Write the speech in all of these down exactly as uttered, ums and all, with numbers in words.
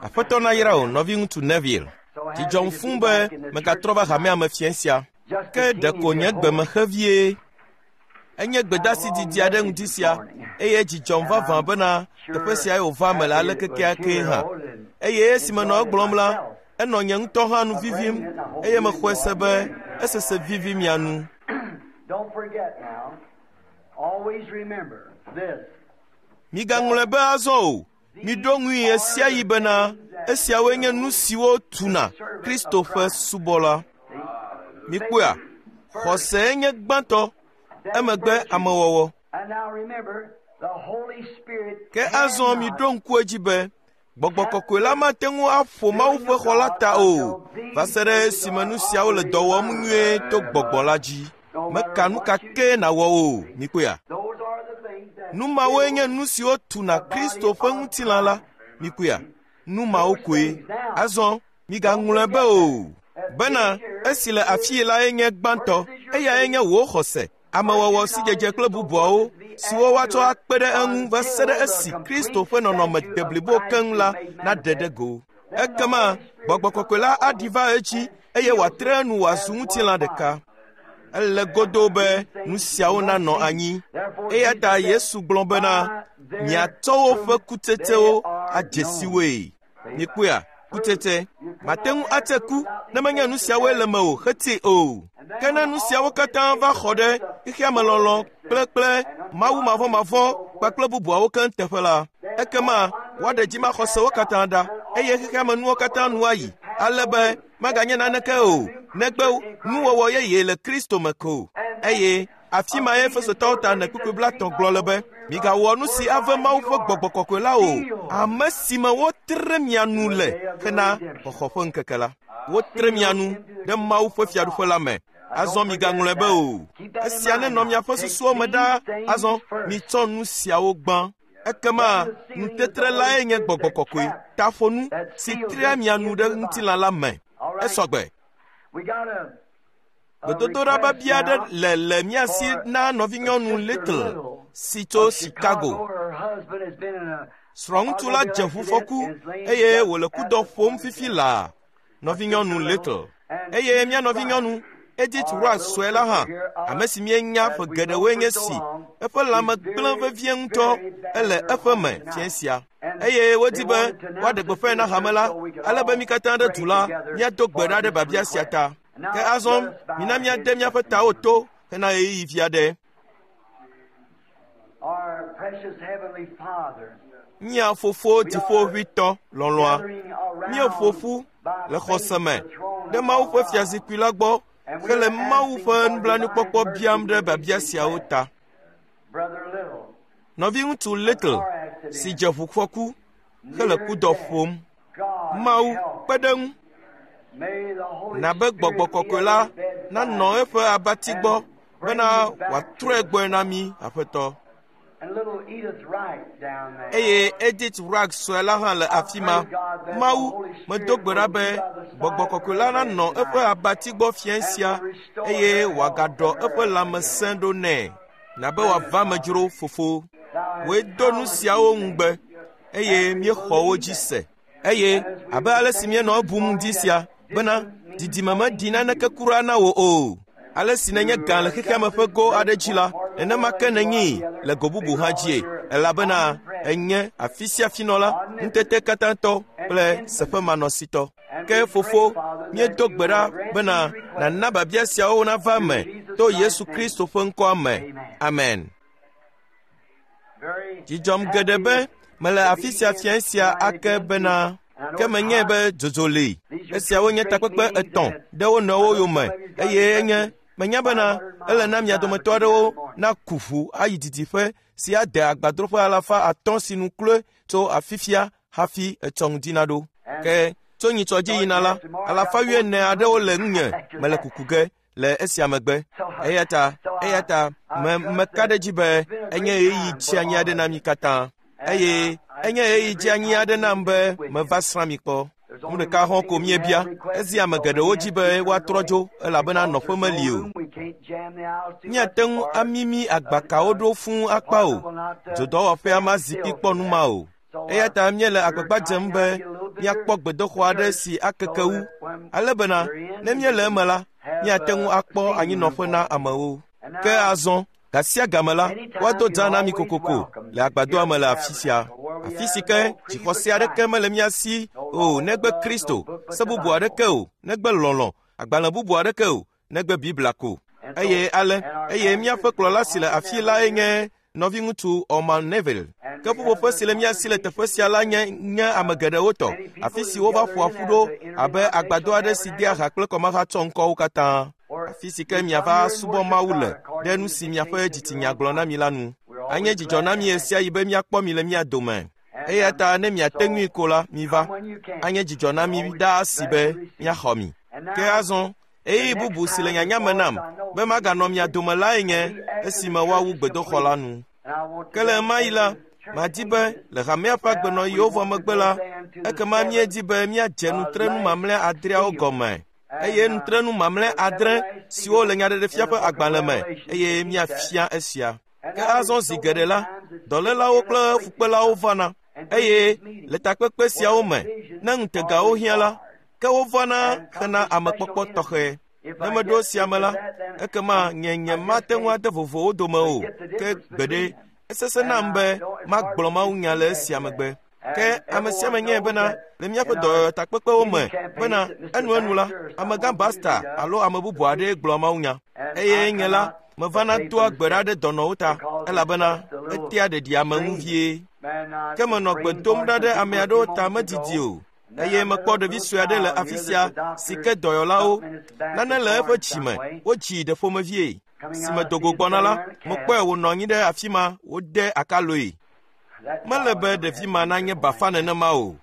Aƒetɔ nayra wò nɔviŋutsu Neville. Dzidzɔm fũu be megatrɔ va hamea me fiẽ sia. Ke ɖeko nye gbe me xe vie. Enye gbedeasi didi aɖe ŋdi sia eye dzidzɔm vavã bena teƒe siae wòva me le ale kekeakee hã. Eye esi menɔ egblɔm la, enɔ nye ŋutɔ hã nu vivim eye mexɔe se be esese vivi mia nu. Don't forget now, always remember this. Migaŋlɔe be azɔ o. Miɖo ŋui ɣe sia ɣi bena esiawoe nye nu siwo tuna Kristo ƒe subɔla. Mikpɔea, xɔsee nye gbãtɔ, emegbe amewɔwɔ. And now remember, the Holy Spirit Ke azɔ miɖo ŋku edzi be Gbɔgbɔ kɔkɔe la mate ŋu aƒo Mawu ƒe xɔ la ta o va se ɖe esime nu siawo le dɔ wɔm nyuie to gbɔgbɔ la dzi. Meka nu ka kee nàwɔ o, mikpɔea. Those are the things that Nu mawoe nye nu siwo tuna Kristo ƒe ŋutilã la, mikpɔea. Nu mawo koe. Azɔ migaŋlɔe be o. Bena esi le afii lae nye gbãtɔ, eyae nye wò xɔse, amewɔwɔ sidzedze kple bubuawo siwo woatsɔ akpe ɖe eŋu va se ɖe esi Kristo ƒe nɔnɔme deblibo keŋ la naɖe ɖe go. Ekema gbɔgbɔ kɔkɔe la aɖi va edzi eye wòatre enu wòazu ŋutilã ɖeka. Ele godoo be nu siawo nanɔ anyi. Eya ta Yesu gblɔ bena, miatsɔ woƒe kutsetsewo adze si woe. Mikpɔea, kutsetse. Mate ŋu atse ku ne menye nu siawoe le mewò hetee o. Ke ne nu siawo katã va xɔ ɖe xexeamelɔlɔ̃ kple kple Mawu mavɔmavɔ kpakple bubuawo keŋ teƒe la, ekema woaɖe dzimaxɔsewo katã ɖa eye xexeamenuwo katã nu ayi ale be maganye naneke o negbe nuwɔwɔ yeye le Kristo me ko. Eye afi mae Efesotɔwo ta ene kpukpui blaetɔ̃ gblɔ le be, migawɔ nu si ave Mawu ƒe gbɔgbɔ kɔkɔe la o, ame si me wotre mia nu le hena xɔxɔ ƒe ŋkeke la. Wotre mia nu ɖe Mawu ƒe fiaɖuƒe la me. Azɔ migaŋlɔe be o. Esia nenɔ miaƒe susuwo me ɖaa. Azɔ mitsɔ nu siawo gbã. Ekema nutetre lae nye gbɔgbɔ kɔkɔe, taƒonu si trea mia nu ɖe ŋutilã la me. Esɔgbe. We got a, a Gbedodoɖa request biabia aɖe now le le mía si na nɔvinyɔnu Little si tso of Chicago. Her husband has been in a Srɔ̃ŋutsu la dze ʋufɔku eye wòle kudɔ ƒom fifi laa. Nɔvinyɔnu Little. Eye mía nɔvinyɔnu Edith Wright sue la hã, ame si míenya ƒe geɖewoe nye si, eƒe lãme gblẽ vevie ŋutɔ ele eƒe me fiẽ sia. Eye wodi be woaɖe gbeƒãe na hame la, ale be mí katã ɖe du la míado gbe ɖa ɖe biabia sia ta. Ke azɔ mina míade míaƒe tawo to hena ɣeyiɣi vi aɖe. our precious heavenly Father. Mía fofo dziƒoʋĩtɔ lɔlɔ̃a, gathering around míeƒo ƒu by le xɔse me faith the throne ɖe of Mawu ƒe God. fiazikpui la gbɔ hele Mawu ƒe nublanuikpɔkpɔ biam ɖe biabia siawo ta. Brother Little, Nɔviŋutsu Little car accident, si dze ʋufɔku hele near kudɔ death. ƒom. God Mawu help. kpe ɖe eŋu May the Holy nabe gbɔgbɔ Spirit be kɔkɔe at la his bedside nanɔ eƒe abati gbɔ and bring bena him back wòatrɔe to gbɔe us. na mí Aƒetɔ. And little Edith Wright down there. Eye Edith Wright sue la hã le afi ma. Mawu, medo gbe ɖa be gbɔgbɔ kɔkɔe la nanɔ eƒe abati gbɔ fiẽ sia eye wòagaɖɔ eƒe lãmesẽ ɖo nɛ. Nabe wòava me dzro fofo. Thou Wòe hast do nu promised siawo these ŋugbe things. eye míexɔ wo dzi se. Eye abe ale si míenɔ ebum ŋdi sia bena didime meɖi naneke kura na wò o. Ale si nènye gã le xexeame ƒe go aɖe dzi la, nenema ke nènyee le go bubu hã dzie, elabena ènye afi sia fi nɔla, ŋutete katãtɔ kple seƒemanɔsitɔ. Ke fofo, míedo gbe ɖa bena nàna biabia siawo nava eme to Yesu Kristo ƒe ŋkɔa me. Amen. Very Dzidzɔm geɖe be mele afi sia fiẽ sia ake bena ke menyae be dzodzo li. Esiawo nye takpekpe etɔ̃ ɖe wo nɔewo yome eye enye menya bena ele na mia dometɔ aɖewo naku ʋu ayi didiƒe si ade agbadroƒe alafa atɔ̃ si nu kloe tso afifia hafi etsɔ ŋdi naɖo. Ke tso nyitsɔ dzi yina la, alafa wuiene aɖewo le ŋunye mele kuku ge le esia megbe. Eya ta eya ta me meka ɖe edzi be enye ɣeyiɣi dzeanyi aɖe na mí katã. Eye enye ɣeyiɣi dzeanyi aɖe nam be meva srã mi kpɔ. Nu ɖeka hɔ̃ ko míebia. Ezi ame geɖewo dzi be woatrɔ dzo elabena nɔƒe meli o. Míate ŋu amimi agbakawo ɖo fũu akpa o. Dzodɔwɔƒea ma zikpui kpɔ nu ma o. Eya ta míele agbagba dzem be míakpɔ gbedoxɔ aɖe si akeke wu, ale bena ne míele eme la, míate ŋu akpɔ anyinɔƒe na amewo. Ke azɔ, gasia game la, woado dzã na mi kokoko le agbadɔa me le afi sia. Afi si ke dzixɔse aɖeke mele mía si o negbe Kristo, se bubu aɖeke o negbe lɔlɔ̃, agbalẽ bubu aɖeke o negbe Biblia ko. Eye ale, eye míaƒe kplɔla si le afi lae nye nɔviŋutsu Orman Neville. Ke ƒuƒoƒe si le mía si le teƒe sia la nye nye ame geɖewo tɔ, afi si wova ƒoa ƒu ɖo abe agbadɔ aɖe si dea ha kple kɔmahatsɔ ŋkɔwo katã. Afi si ke miava subɔ Mawu le ɖe nu si miaƒe dzitsinya gblɔ na mi la nu. Anye dzidzɔ na mi ɣe sia ɣi be míakpɔ mi le mía dome. Eya ta ne miate ŋui ko la, miva. Anye dzidzɔ na mi ɖaa si be míaxɔ mi. Ke azɔ, ɣeyiɣi bubu si le nyanya me nam be maganɔ mia dome lae nye esime woawu gbedoxɔ la nu. Ke le ɣemaɣi la, madi be le hamea ƒe agbenɔɣiwo vɔ megbe la, ekema míedi be míadze nutrenu mamlɛ adreawo gɔme. Eye nutrenu mamlɛ adre siwo le Nyaɖeɖefia ƒe agbalẽ me eye míafia esia. Ke azɔ zi geɖe la, dɔlélawo kple fukpelawo vana eye le takpekpe siawo me, ne ŋutegawo hiã la, ke wovana hena amekpɔkpɔ tɔxɛ. Ne meɖo esia me la, ekema nye nye mate ŋu ade vovo wo dome o, ke gbeɖe, esesẽ nam be magblɔ mawunya le esia megbe. Ke ame sia ame nyae bena le míaƒe dɔyɔyɔtakpekpewo me bena enuenu la, amegã Basta alo ame bubu aɖee gblɔa mawunya. Eye nye la, mevana doa gbe ɖa ɖe dɔnɔwo ta, elabena etea ɖeɖi ame ŋu vie. Ke menɔ gbe dom ɖa ɖe ame aɖewo ta medidi o. Eye mekpɔ ɖevi sue aɖe le afi sia si ke dɔyɔlawo nane le eƒe dzime wodzii ɖe ƒomevie. Si me dogo gbɔna la, mekpɔe wònɔ anyi ɖe afi ma wode akaloe. Mele be ɖevi ma nanye bafa nenema o.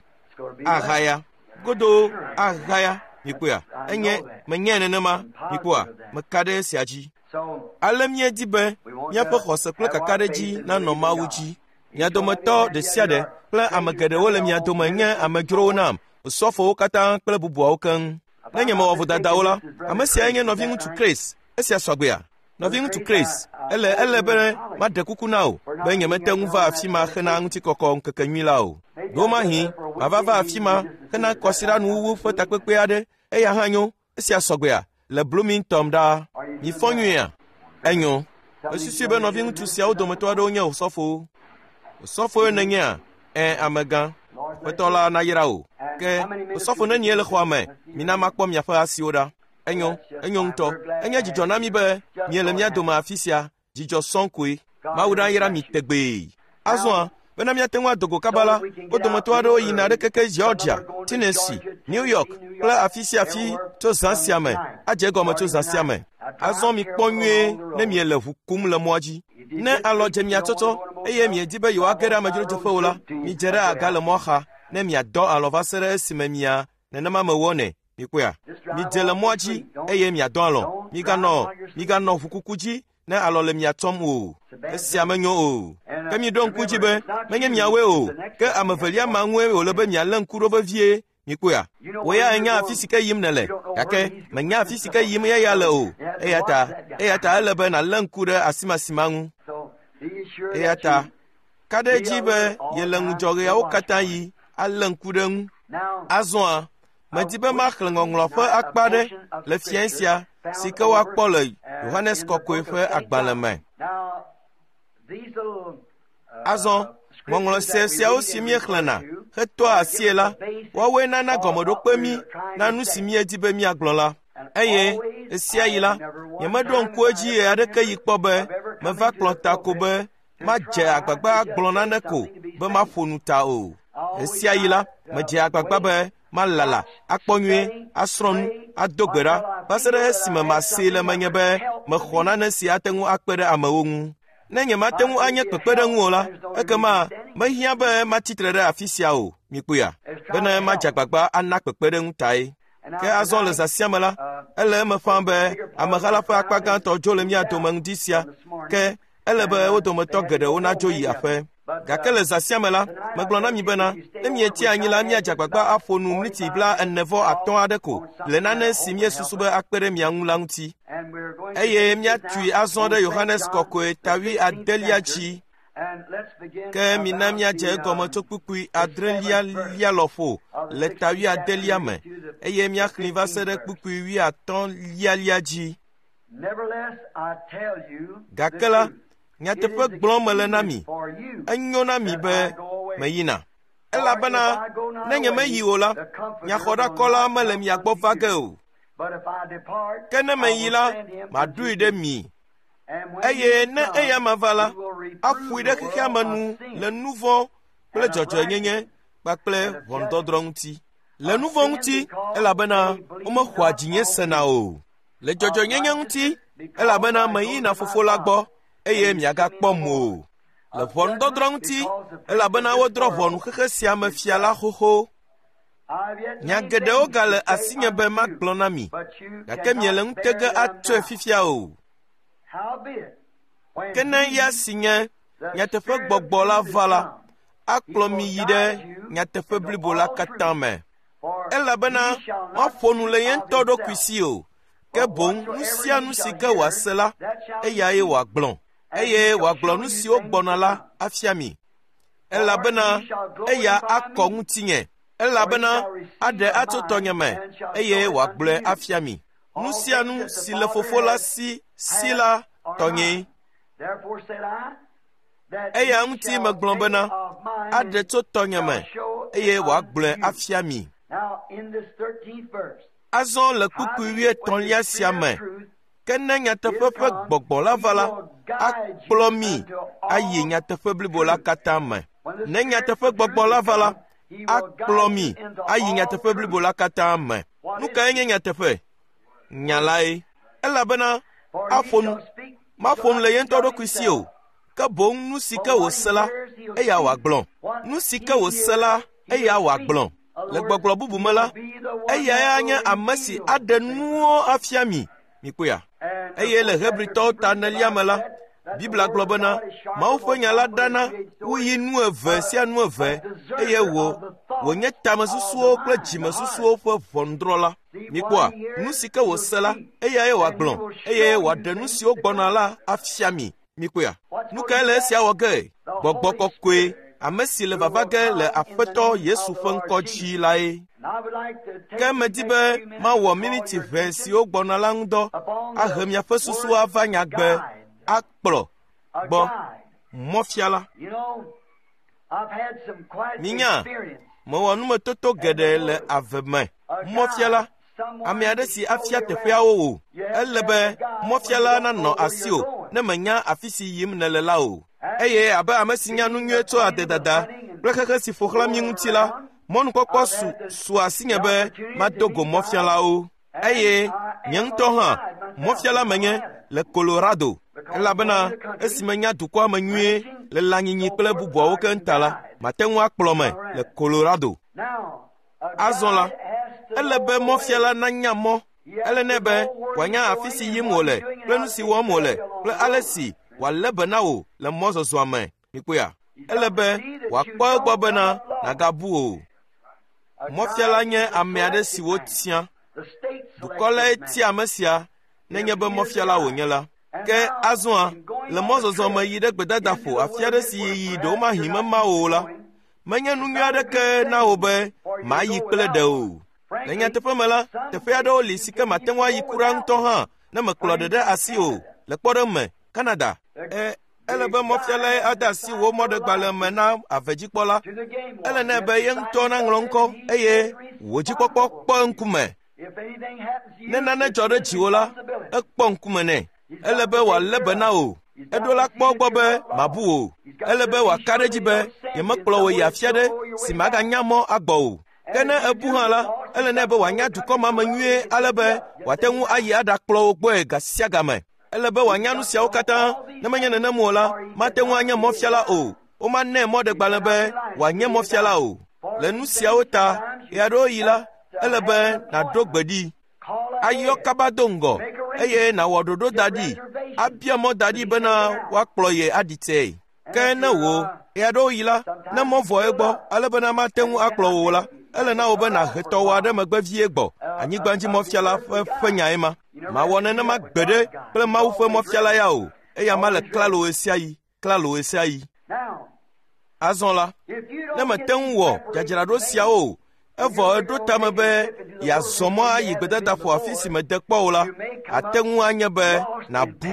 Ahaya. Godo ahaya. Mikpɔa? Enye menyae nenema. Mikpɔa? Meka ɖe esia dzi. Ale míedi be míaƒe xɔse kple kakaɖedzi nanɔ Mawu dzi. Mia dometɔ ɖe sia ɖe kple ame geɖewo le mia dome nye amedzrowo nam, osɔfowo katã kple bubuawo keŋ. Ne nye mewɔ vodadawo la, ame siae nye nɔviŋutsu Chris. Esia sɔgbea? Nɔviŋutsu Chris, ele ele be maɖe kuku na wò be nyemete ŋu va afi ma hena ŋutikɔkɔ ŋkekenyui la o. Ɖewomahi mava va afi ma hena kɔsiɖanuwuwu ƒe takpekpe aɖe, eya hã nyo. Esia sɔgbea? Le Bloomington ɖaa. Mifɔ nyuiea? Enyo. Mesusui be nɔviŋutsu siawo dometɔ aɖewo nye osɔfowo. Osɔfoe nènyea? Ẽ, amegã. Aƒetɔ la nayra wò. Ke osɔfo nenie le xɔa me? Mina makpɔ miaƒe asiwo ɖa. Enyo, enyo ŋutɔ. Enye dzidzɔ na mi be miele mía dome afi sia. Dzidzɔ sɔŋ koe. Mawu nayra mi tegbee. Azɔa, bena míate ŋu ado go kaba la, wo dometɔ aɖewo yina ɖe keke Georgia, Tennessee, New York kple afi sia afi tso zã sia me, adze egɔme tso zã sia me. Azɔ mikpɔ nyuie ne miele ʋu kum le mɔa dzi. Ne alɔ dze mia tsɔtsɔ eye miedi be yewoage ɖe amedzrodzeƒewo la, midze ɖe aga le mɔa xa ne miadɔ alɔ va se ɖe esime mia nenema mewɔnɛ. Mikpɔea? Midze le mɔa dzi eye miadɔ alɔ. Miganɔ miganɔ ʋukuku dzi ne alɔ le mia tsɔm o. Esia menyo o. Ke miɖo ŋku dzi be menye miawoe o, ke ame evelia ma ŋue wòle be mialé ŋku ɖo vevie. Mikpɔea? Wò ya ènya afi si ke yim nèle, gake mènya afi si ke yim eya le o. Eya ta, eya ta ele be nàlé ŋku ɖe asimasima ŋu. Eya ta, ka ɖe edzi be yele ŋudzɔ ɣeawo katã yi alé ŋku ɖe ŋu. Azɔa, medi be maxlẽ ŋɔŋlɔ ƒe akpa aɖe le fiẽ sia si ke woakpɔ le Yohanes Kɔkɔe ƒe agbalẽ me. Azɔ, ŋɔŋlɔ sia siawo si míexlẽna hetoa asie la, woawoe nana gɔmeɖokpe mí na nu si míedi be míagblɔ la. Eye ɣesiaɣi la, nyemeɖo ŋku edzi ɣe aɖeke yi kpɔ be meva kplɔ ta ko be madze agbagba agblɔ nane ko be maƒo nu ta o. Ɣesiaɣi la, medze agbagba be malala, akpɔ nyuie, asrɔ̃ nu, ado gbe ɖa va se ɖe esime masee le menye be mexɔ nane si ate ŋu akpe ɖe amewo ŋu. Ne nyemate ŋu anye kpekpeɖeŋu o la, ekema mehiã be matsi tre ɖe afi sia o. Mikpɔea? Bene madze agbagba ana kpekpeɖeŋu tae. Ke azɔ le zã sia me la, ele eme ƒãa be ameha la ƒe akpa gãtɔ dzo le mía dome ŋdi sia, ke ele be wo dometɔ geɖewo nadzo yi aƒe. Gake le zã sia me la, megblɔ na mi bena, ne mietia anyi la, míadze agbagba aƒo nu mliti bla ene vɔ atɔ̃ aɖe ko le nane si míesusu be akpe ɖe mia ŋu la ŋuti. Eye míatui azɔ ɖe Yohanes Kɔkɔe ta wuiadelia dzi. Ke mina míadze egɔme tso kpukpui adrelia lia lɔƒo le ta wuiadelia me eye míaxlẽ va se ɖe kpukpui wuiatɔ̃ lialia dzi. Gake la, nyateƒe gblɔm mele na mi, enyo na mi be meyina. Elabena ne nyemeyi o la, nyaxɔɖakɔla mele mia gbɔ va ge o. Ke ne meyi la, maɖoe ɖe mi. Eye ne eya ma va la, aƒoe ɖe xexea me nu le nu vɔ̃ kple dzɔdzɔenyenye kpakple ʋɔnudɔdrɔ̃ ŋuti. Le nu vɔ̃ ŋuti, elabena womexɔa dzinye sena o. Le dzɔdzɔenyenye ŋuti, elabena meyina Fofo la gbɔ eye miagakpɔm o. Le ʋɔnudɔdrɔ̃ ŋuti, elabena wodrɔ̃ ʋɔnu xexe sia me fia la xoxo. Nya geɖewo gale asinye be magblɔ na mi, gake miele ŋutege atsɔe fifia o. Ke ne ya si nye nyateƒe gbɔgbɔ la va la, akplɔ mi yi ɖe nyateƒe blibo la katã me. Elabena maƒo nu le ye ŋutɔ ɖokui si o, ke boŋ nu sia nu si ke wòase la, eyae wòagblɔ, eye wòagblɔ nu siwo gbɔna la afia mi. Elabena eya akɔ ŋutinye, elabena aɖe atso tɔnye me, eye wòagblɔe afia mi. Nu sia nu si le Fofo la si si la tɔnyee. Eya ŋuti megblɔ bena aɖe tso tɔnye me, eye wòagblɔe afia mi. Azɔ le kpukpui wuietɔ̃lia sia me, ke ne nyateƒe ƒe gbɔgbɔ la va la, akplɔ mi ayi nyateƒe blibo la katã me. Ne nyateƒe gbɔgbɔ la va la, akplɔ mi ayi nyateƒe blibo la katã me. Nu kae nye nyateƒe? Nya lae. Elabena aƒo nu, maƒo nu le ye ŋutɔ ɖokui si o, ke boŋ nu si ke wòse la, eya wòagblɔ. Nu si ke wòse la, eya wòagblɔ. Le gbɔgblɔ bubu me la, eyae nye ame si aɖe nuwo afia mi. Mikpɔea? Eye le Hebritɔwo ta enelia me la, Biblia gblɔ bena Mawu ƒe nya la ɖana wuyi nu eve sia nu eve eye wò wònye tamesusuwo kple dzimesusuwo ƒe ʋɔnudrɔ̃la. Mikpɔa? Nu si ke wòse la, eyae wòagblɔ eye wòaɖe nu siwo gbɔna la afia mi. Mikpɔea? Nu kae le esia wɔ ge? Gbɔgbɔ kɔkɔe, ame si le vava ge le Aƒetɔ Yesu ƒe ŋkɔ dzi lae. Ke medi be mawɔ miniti ʋɛ siwo gbɔna la ŋudɔ ahe miaƒe susu ava nyagbe akplɔ gbɔ mɔfiala. Minya, mewɔ numetoto geɖe le ave me. Mɔfiala, ame aɖe si afia teƒeawo wò. Ele be mɔfiala nanɔ asiwò ne menya afi si yim nèle la o. Eye abe ame si nya nu nyuie tso adedada kple xexe si ƒo xlã mí ŋuti la, mɔnukpɔkpɔ su su asinye be mado go mɔfialawo. Eye nye ŋutɔ hã mɔfiala menye le Colorado, elabena esi menya dukɔa me nyuie le lãnyinyi kple bubuawo keŋ ta la, mate ŋu akplɔ me le Colorado. Azɔ la, ele be mɔfiala nanya mɔ. Ele nɛ be wòanya afi si yim wòle kple nu si wɔm wòle kple ale si wòalé be na wò le mɔzɔzɔa me. Mikpɔea? Ele be wòakpɔ egbɔ bena nàgabu o. Mɔfiala nye ame aɖe si wotia. Dukɔ lae tia ame sia nenye be mɔfiala wònye la. Ke azɔa, le mɔzɔzɔ me yi ɖe gbedadaƒo afi aɖe si yiyi ɖewomahi mema wò o la, menye nu nyui aɖeke na wò be màyi kple ɖe o. Le nyateƒe me la, teƒe aɖewo li si ke màte ŋu ayi kura ŋutɔ hã ne mèkplɔ ɖe ɖe asi o. Le kpɔɖeŋu me, Canada. E, ele be mɔfialae ade asi wò mɔɖegbalẽ me na avedzikpɔla. Ele nɛ be ye ŋutɔ naŋlɔ ŋkɔ eye wò dzikpɔkpɔ kpɔ eŋkume. Ne nane dzɔ ɖe dziwò la, ekpɔ ŋkume nɛ. Ele be wòalé be na wò. Eɖo la kpɔ egbɔ be màbu o. Ele be wòaka ɖe edzi be yemekplɔ wò yi afi aɖe si màganya mɔ agbɔ o. Ke ne ebu hã la, ele nɛ be wòanya dukɔ ma me nyuie ale be wòate ŋu ayi aɖakplɔ wò gbɔe ga sia game. Ele be wòanya nu siawo katã. Ne menye nenem o la, mate ŋu anye mɔfiala o. Womanɛ mɔɖegbalẽ be wòanye mɔfiala o. Le nu siawo ta, ɣeaɖewoɣi la, ele be nàɖo gbe ɖi, ayɔ kaba do ŋgɔ eye nàwɔ ɖoɖo da ɖi, abia mɔ da ɖi bena woakplɔ ye aɖi tee. Ke ne wò, ɣeaɖewoɣi la, ne mɔ vɔ egbɔ ale bena mate ŋu akplɔ wò o la, ele na wò be nàhe tɔwò aɖe megbe vie gbɔ. Anyigbadzimɔfiala ƒe ƒe nyae ma. Mawɔ nenema gbeɖe kple Mawu ƒe mɔfiala ya o. Eya ma le klalo ɣe sia ɣi, klalo ɣe sia ɣi. Azɔ la, ne mète ŋu wɔ dzadzraɖo siawo o, evɔ eɖo tame be yeazɔ mɔ ayi gbedadaƒo afi si mède kpɔ o la, ate ŋu anye be nàbu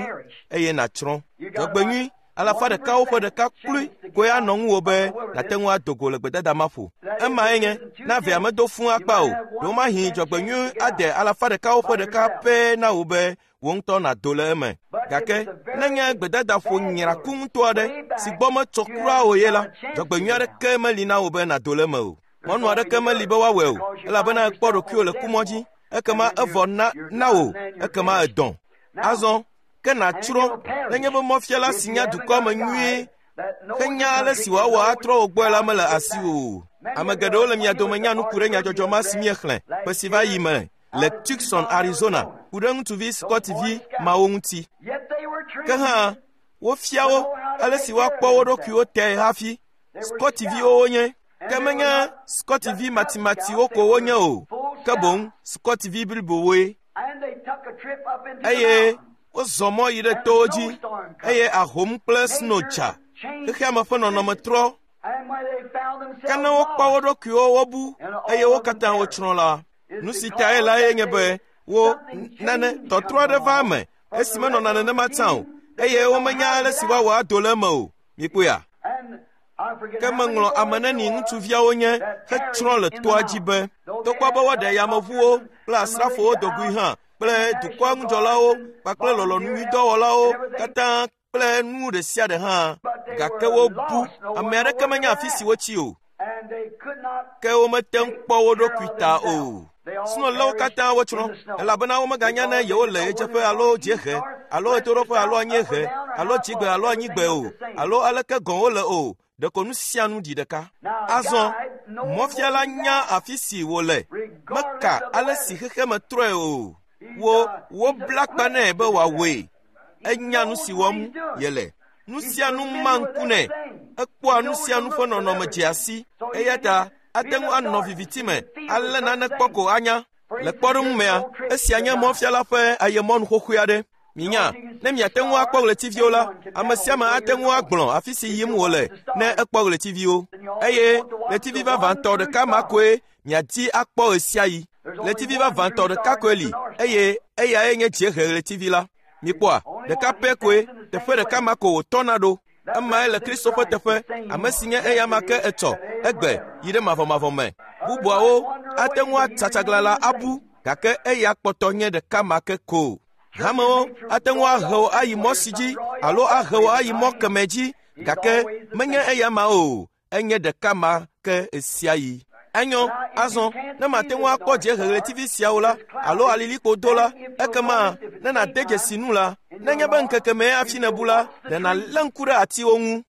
eye nàtsrɔ̃. Dzɔgbenyui alafa ɖekawo ƒe ɖeka kloe koe anɔ ŋuwò be nàte ŋu ado go le gbedada ma ƒo. Emae nye ne avea medo fũu akpa o, ɖewomahi dzɔgbenyui ade alafa ɖekawo ƒe ɖeka pɛ na wò be wò ŋutɔ nàdo le eme. Gake nenye gbedadaƒo nyraku ŋutɔ aɖe si gbɔ metsɔ kura o ye la, dzɔgbenyui aɖeke meli na wò be nàdo le eme o. Mɔnu aɖeke meli be woawɔe o, elabena èkpɔ ɖokuiwò le kumɔ dzi, ekema evɔ na na wò, ekema èdɔ̃. Azɔ ke nàtsrɔ̃ nenye be mɔfiala si nya dukɔa me nyuie henya ale si wòawɔ atrɔ wò gbɔe la mele asiwò o. Ame geɖewo le mia dome nya nu ku ɖe nyadzɔdzɔ ma si míexlẽ ƒe si va yi me le Tucson, Arizona, ku ɖe ŋutsuvi Scottivi mawo ŋuti. Ke hã wofia wo ale si woakpɔ wo ɖokuiwo tae hafi. Scottiviwo wonye, ke menye Scottivi matimatiwo ko wonye o, ke boŋ Scottivi blibowoe. Eye wozɔ mɔ yi ɖe towo dzi, eye ahom kple sno dza. Xexea me ƒe nɔnɔme trɔ. Ke ne wokpɔ wo ɖokuiwo wobu eye wo katã wotsrɔ̃ la, nu si tae lae nye be wo nane tɔtrɔ aɖe va eme esi menɔna nenema tsã o, eye womenya ale si woawɔ ado le eme o. Mikpɔea? Ke meŋlɔ ame neni ŋutsuviawo nye hetsrɔ̃ le toa dzi be togbɔ be woaɖe yameʋuwo kple asrafowo dogoe hã kple dukɔa ŋudzɔlawo kpakple lɔlɔ̃nunyuidɔwɔlawo katã kple nu ɖe sia ɖe hã, gake wobu. Ame aɖeke menya afi si wotsi o, ke womete ŋu kpɔ wo ɖokui ta o. Sno lé wo katã wotsrɔ̃, elabena womeganya ne yewole ɣedzeƒe alo dziehe alo ɣetoɖoƒe alo anyiehe alo dzigbe alo anyigbe o, alo aleke gɔ̃ wole o. Ɖeko nu sia nu ɖi ɖeka. Azɔ mɔfiala nya afi si wòle, meka ale si xexeme trɔe o. Wo wobla kpa nɛ be wòawɔe. Enya nu si wɔm yele. Nu sia nu ma ŋku nɛ. Ekpɔa nu sia nu ƒe nɔnɔme dzea si. Eya ta ate ŋu anɔ viviti me alé nane kpɔ ko anya. Le kpɔɖeŋu mea, esia nye mɔfiala ƒe ayemɔnu xoxoe aɖe. Minya, ne miate ŋu akpɔ ɣletiviwo la, ame sia ame ate ŋu agblɔ afi si yim wòle ne ekpɔ ɣletiviwo. Eye ɣletivi vavãtɔ ɖeka ma koe miadi akpɔ ɣe sia ɣi. Ɣletivi vavãtɔ ɖeka koe li, eye eyae nye dziehe ɣletivi la. Mikpɔa, ɖeka pɛ koe, teƒe ɖeka ma ko wòtɔna ɖo. Emae le Kristo ƒe teƒe, ame si nye eyama ke etsɔ, egbe, yi ɖe mavɔmavɔ me. Bubuawo ate ŋu atsatsaglãla abu, gake eya kpɔtɔ nye ɖeka ma ke ko. Hamewo ate ŋu ahe wò ayi mɔ si dzi alo ahe wò ayi mɔ kemɛ dzi, gake menye eya ma o, enye ɖeka ma ke ɣe sia ɣi. Enyo, azɔ ne mate ŋu akpɔ dziehe ɣletivi siawo la alo alilikpo do la, ekema ne nàde dzesi nu la, nenye be ŋkeke mee hafi nèbu la, ɖe nàlé ŋku ɖe atiwo ŋu.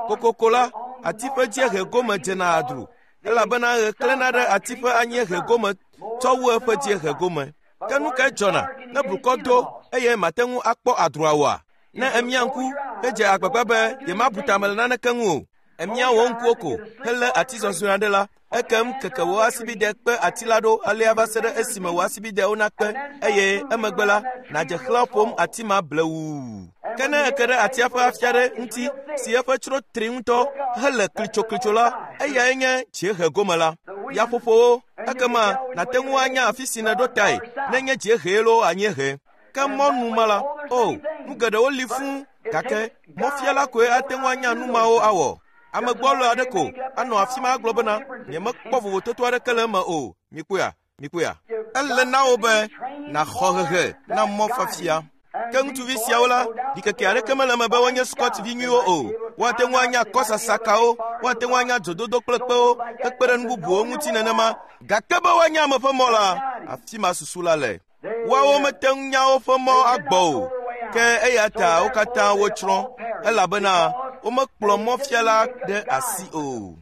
Kokoko la, ati ƒe dziehe gome dzena adru, elabena ɣe klẽna ɖe ati ƒe anyiehe gome tsɔ wu eƒe dziehe gome. Ke nu kae dzɔna ne blukɔ do eye mate ŋu akpɔ adrua oa? Ne èmia ŋku hedze agbagba be yemabu tame le naneke ŋu o, èmia wò ŋkuwo ko helé ati zɔzrɔ̃e aɖe la, ekem keke wò asibide kpe ati la ɖo alea va se ɖe esime wò asibidewo nakpe, eye emegbe la, nàdze xlã ƒom ati ma blewuu. Ke ne èke ɖe atia ƒe afi aɖe ŋuti si eƒe tsro tri ŋutɔ hele klitsoklitso la, eyae nye dziehe gome la. Yaƒoƒowo, ekema nàte ŋu anya afi si nèɖo tae nenye dziehee loo anyiehe. Ke mɔnu ma la, o, nu geɖewo li fũu, gake mɔfiala koe ate ŋu anya nu mawo awɔ. Ame gbɔlo aɖe ko anɔ afi ma agblɔ bena, nyemekpɔ vovototo aɖeke le eme o. Mikpɔea? Mikpɔea? Ele na wò be nàxɔ hehe na mɔfiafia. Ke ŋutsuvi siawo la, ɖikeke aɖeke mele eme be wonye Scottivi nyuiwo o. Woate ŋu anya kɔsasakawo, woate ŋu anya dzododo kple kpewo, hekpe ɖe nu bubuwo ŋuti nenema. Gake be woanya ame ƒe mɔ la, afi ma susu la le. Woawo mete ŋu nya woƒe mɔ agbɔ o, ke eya ta wo katã wotsrɔ̃, elabena womekplɔ mɔfiala ɖe asi o.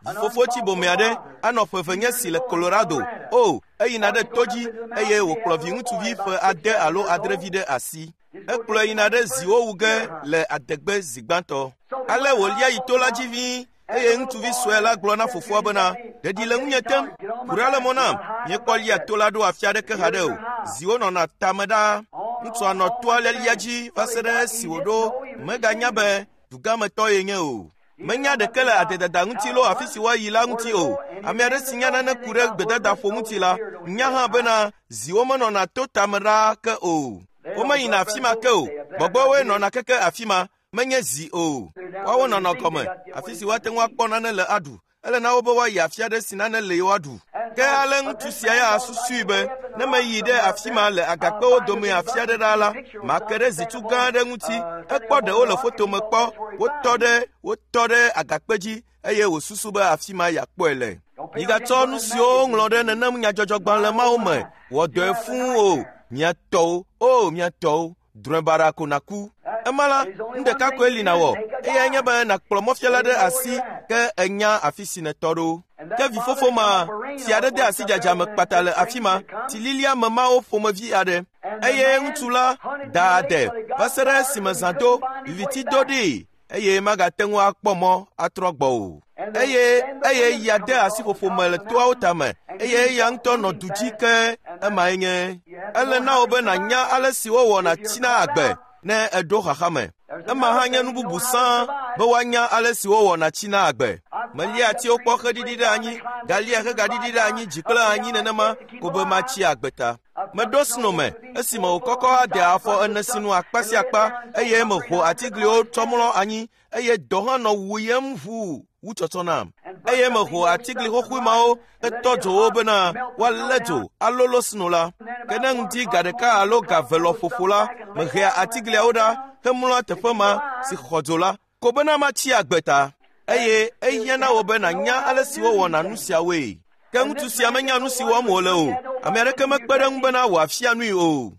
Vifofo tsibome aɖe anɔ ƒe eve nye si le Colorado. O, eyina ɖe to dzi eye wòkplɔ viŋutsuvi ƒe ade alo adrevi ɖe asi. Ekplɔe yina ɖe ziwo wu ge le adegbe zi gbãtɔ. Ale wòlia yi to la dzi ʋĩi eye ŋutsuvi sue la gblɔ na fofoa bena, ɖeɖi le ŋunye tem, ku ɖa le mɔ nam, míekpɔ lia to la ɖo afi aɖeke haɖe o. Ziwo nɔna tame ɖaa. Ŋutsua nɔ toa lialia dzi va se ɖe esi wòɖo meganya be Dugametɔ ye nye o. Menya ɖeke le adedada ŋuti loo afi si woayi la ŋuti o. Ame aɖe si nya nane ku ɖe gbedadaƒo ŋuti la, nya hã bena ziwo menɔna to tame ɖaa ke o. Womeyina afi ma ke o. Gbɔgbɔwoe nɔna keke afi ma, menye zi o. Woawo nɔnɔ gɔme, afi si woate ŋu akpɔ nane le aɖu. Ele na wo be woayi afi aɖe si nane le woaɖu. Ke ale ŋutsu sia ya susui be ne meyi ɖe afi ma le agakpewo dome afi aɖe ɖaa la, make ɖe zitu gã aɖe ŋuti. Ekpɔ ɖewo le foto me kpɔ, wotɔ ɖe wotɔ ɖe agakpe dzi eye wòsusu be afi ma yeakpɔe le. Migatsɔ nu siwo woŋlɔ ɖe nenem nyadzɔdzɔgbalẽ mawo me wɔ dɔe fũu o. Mia tɔwo, o mia tɔwo, drɔ̃e baɖa ko nàku. Ema la, nu ɖeka koe li nàwɔ, eyae nye be nàkplɔ mɔfiala ɖe asi ke enya afi si nètɔ ɖo. Ke vifofo ma, tsi aɖe de asi dzadza me kpata le afi ma, tsililia me mawo ƒomevi aɖe. Eye ŋutsu la da ade va se ɖe esime zã do, viviti do ɖee eye magate ŋu akpɔ mɔ atrɔ gbɔ o. Eye eye ya de asi ƒoƒo me le toawo tame eye eya ŋutɔ nɔ du dzi ke emae nye. Ele na wò be nànya ale si wowɔna tsina agbe ne eɖo xaxa me. Ema hã nye nu bubu sãa be woanya ale si wowɔna tsina agbe. Melia atiwo kpɔ xeɖiɖi ɖe anyi, galia hegaɖiɖi ɖe anyi dzi kple anyi nenema ko be matsi agbe ta. Meɖo sno me esime wòkɔkɔ ade afɔ ene sinu akpa sia akpa eye meho atigliwo tsɔ mlɔ anyi eye dɔ hã nɔ wuyem ʋuu wu tsɔtsɔ nam. Eye meho atigli xoxoe mawo hetɔ dzo wo bena woalé dzo alolo sno la. Ke ne ŋdi ga ɖeka alo ga eve lɔƒoƒo la, mehea atigliawo ɖa hemlɔa teƒe ma si xɔ dzo la ko bena matsi agbe ta. Eye ehiã na wò be nànya ale si wowɔna nu siawoe. Ke ŋutsu sia menya nu si wɔm wòle o. Ame aɖeke mekpe ɖe eŋu bena wòafia nui o.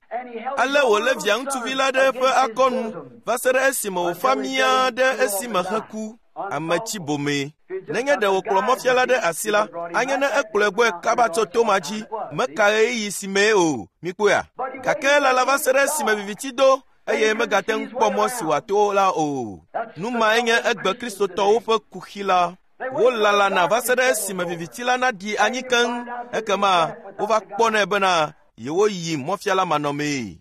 Ale wòlé via ŋutsuvi la ɖe eƒe akɔnu va se ɖe esime wòfa mía ɖe esime heku. Ame tsi bomee. Nenye ɖe wòkplɔ mɔfiala ɖe asi la, anye ne ekplɔe gbɔe kaba tso to ma dzi, meka ɣeyiɣi si mee o. Mikpɔea? Gake elala va se ɖe esime viviti do eye megate ŋu kpɔ mɔ si wòato la o. Nu mae nye egbe kristotɔwo ƒe kuxi la. Wolalana va se ɖe esime viviti la naɖi anyi keŋ, ekema wova kpɔnɛ bena yewoyi mɔfiala manɔmee.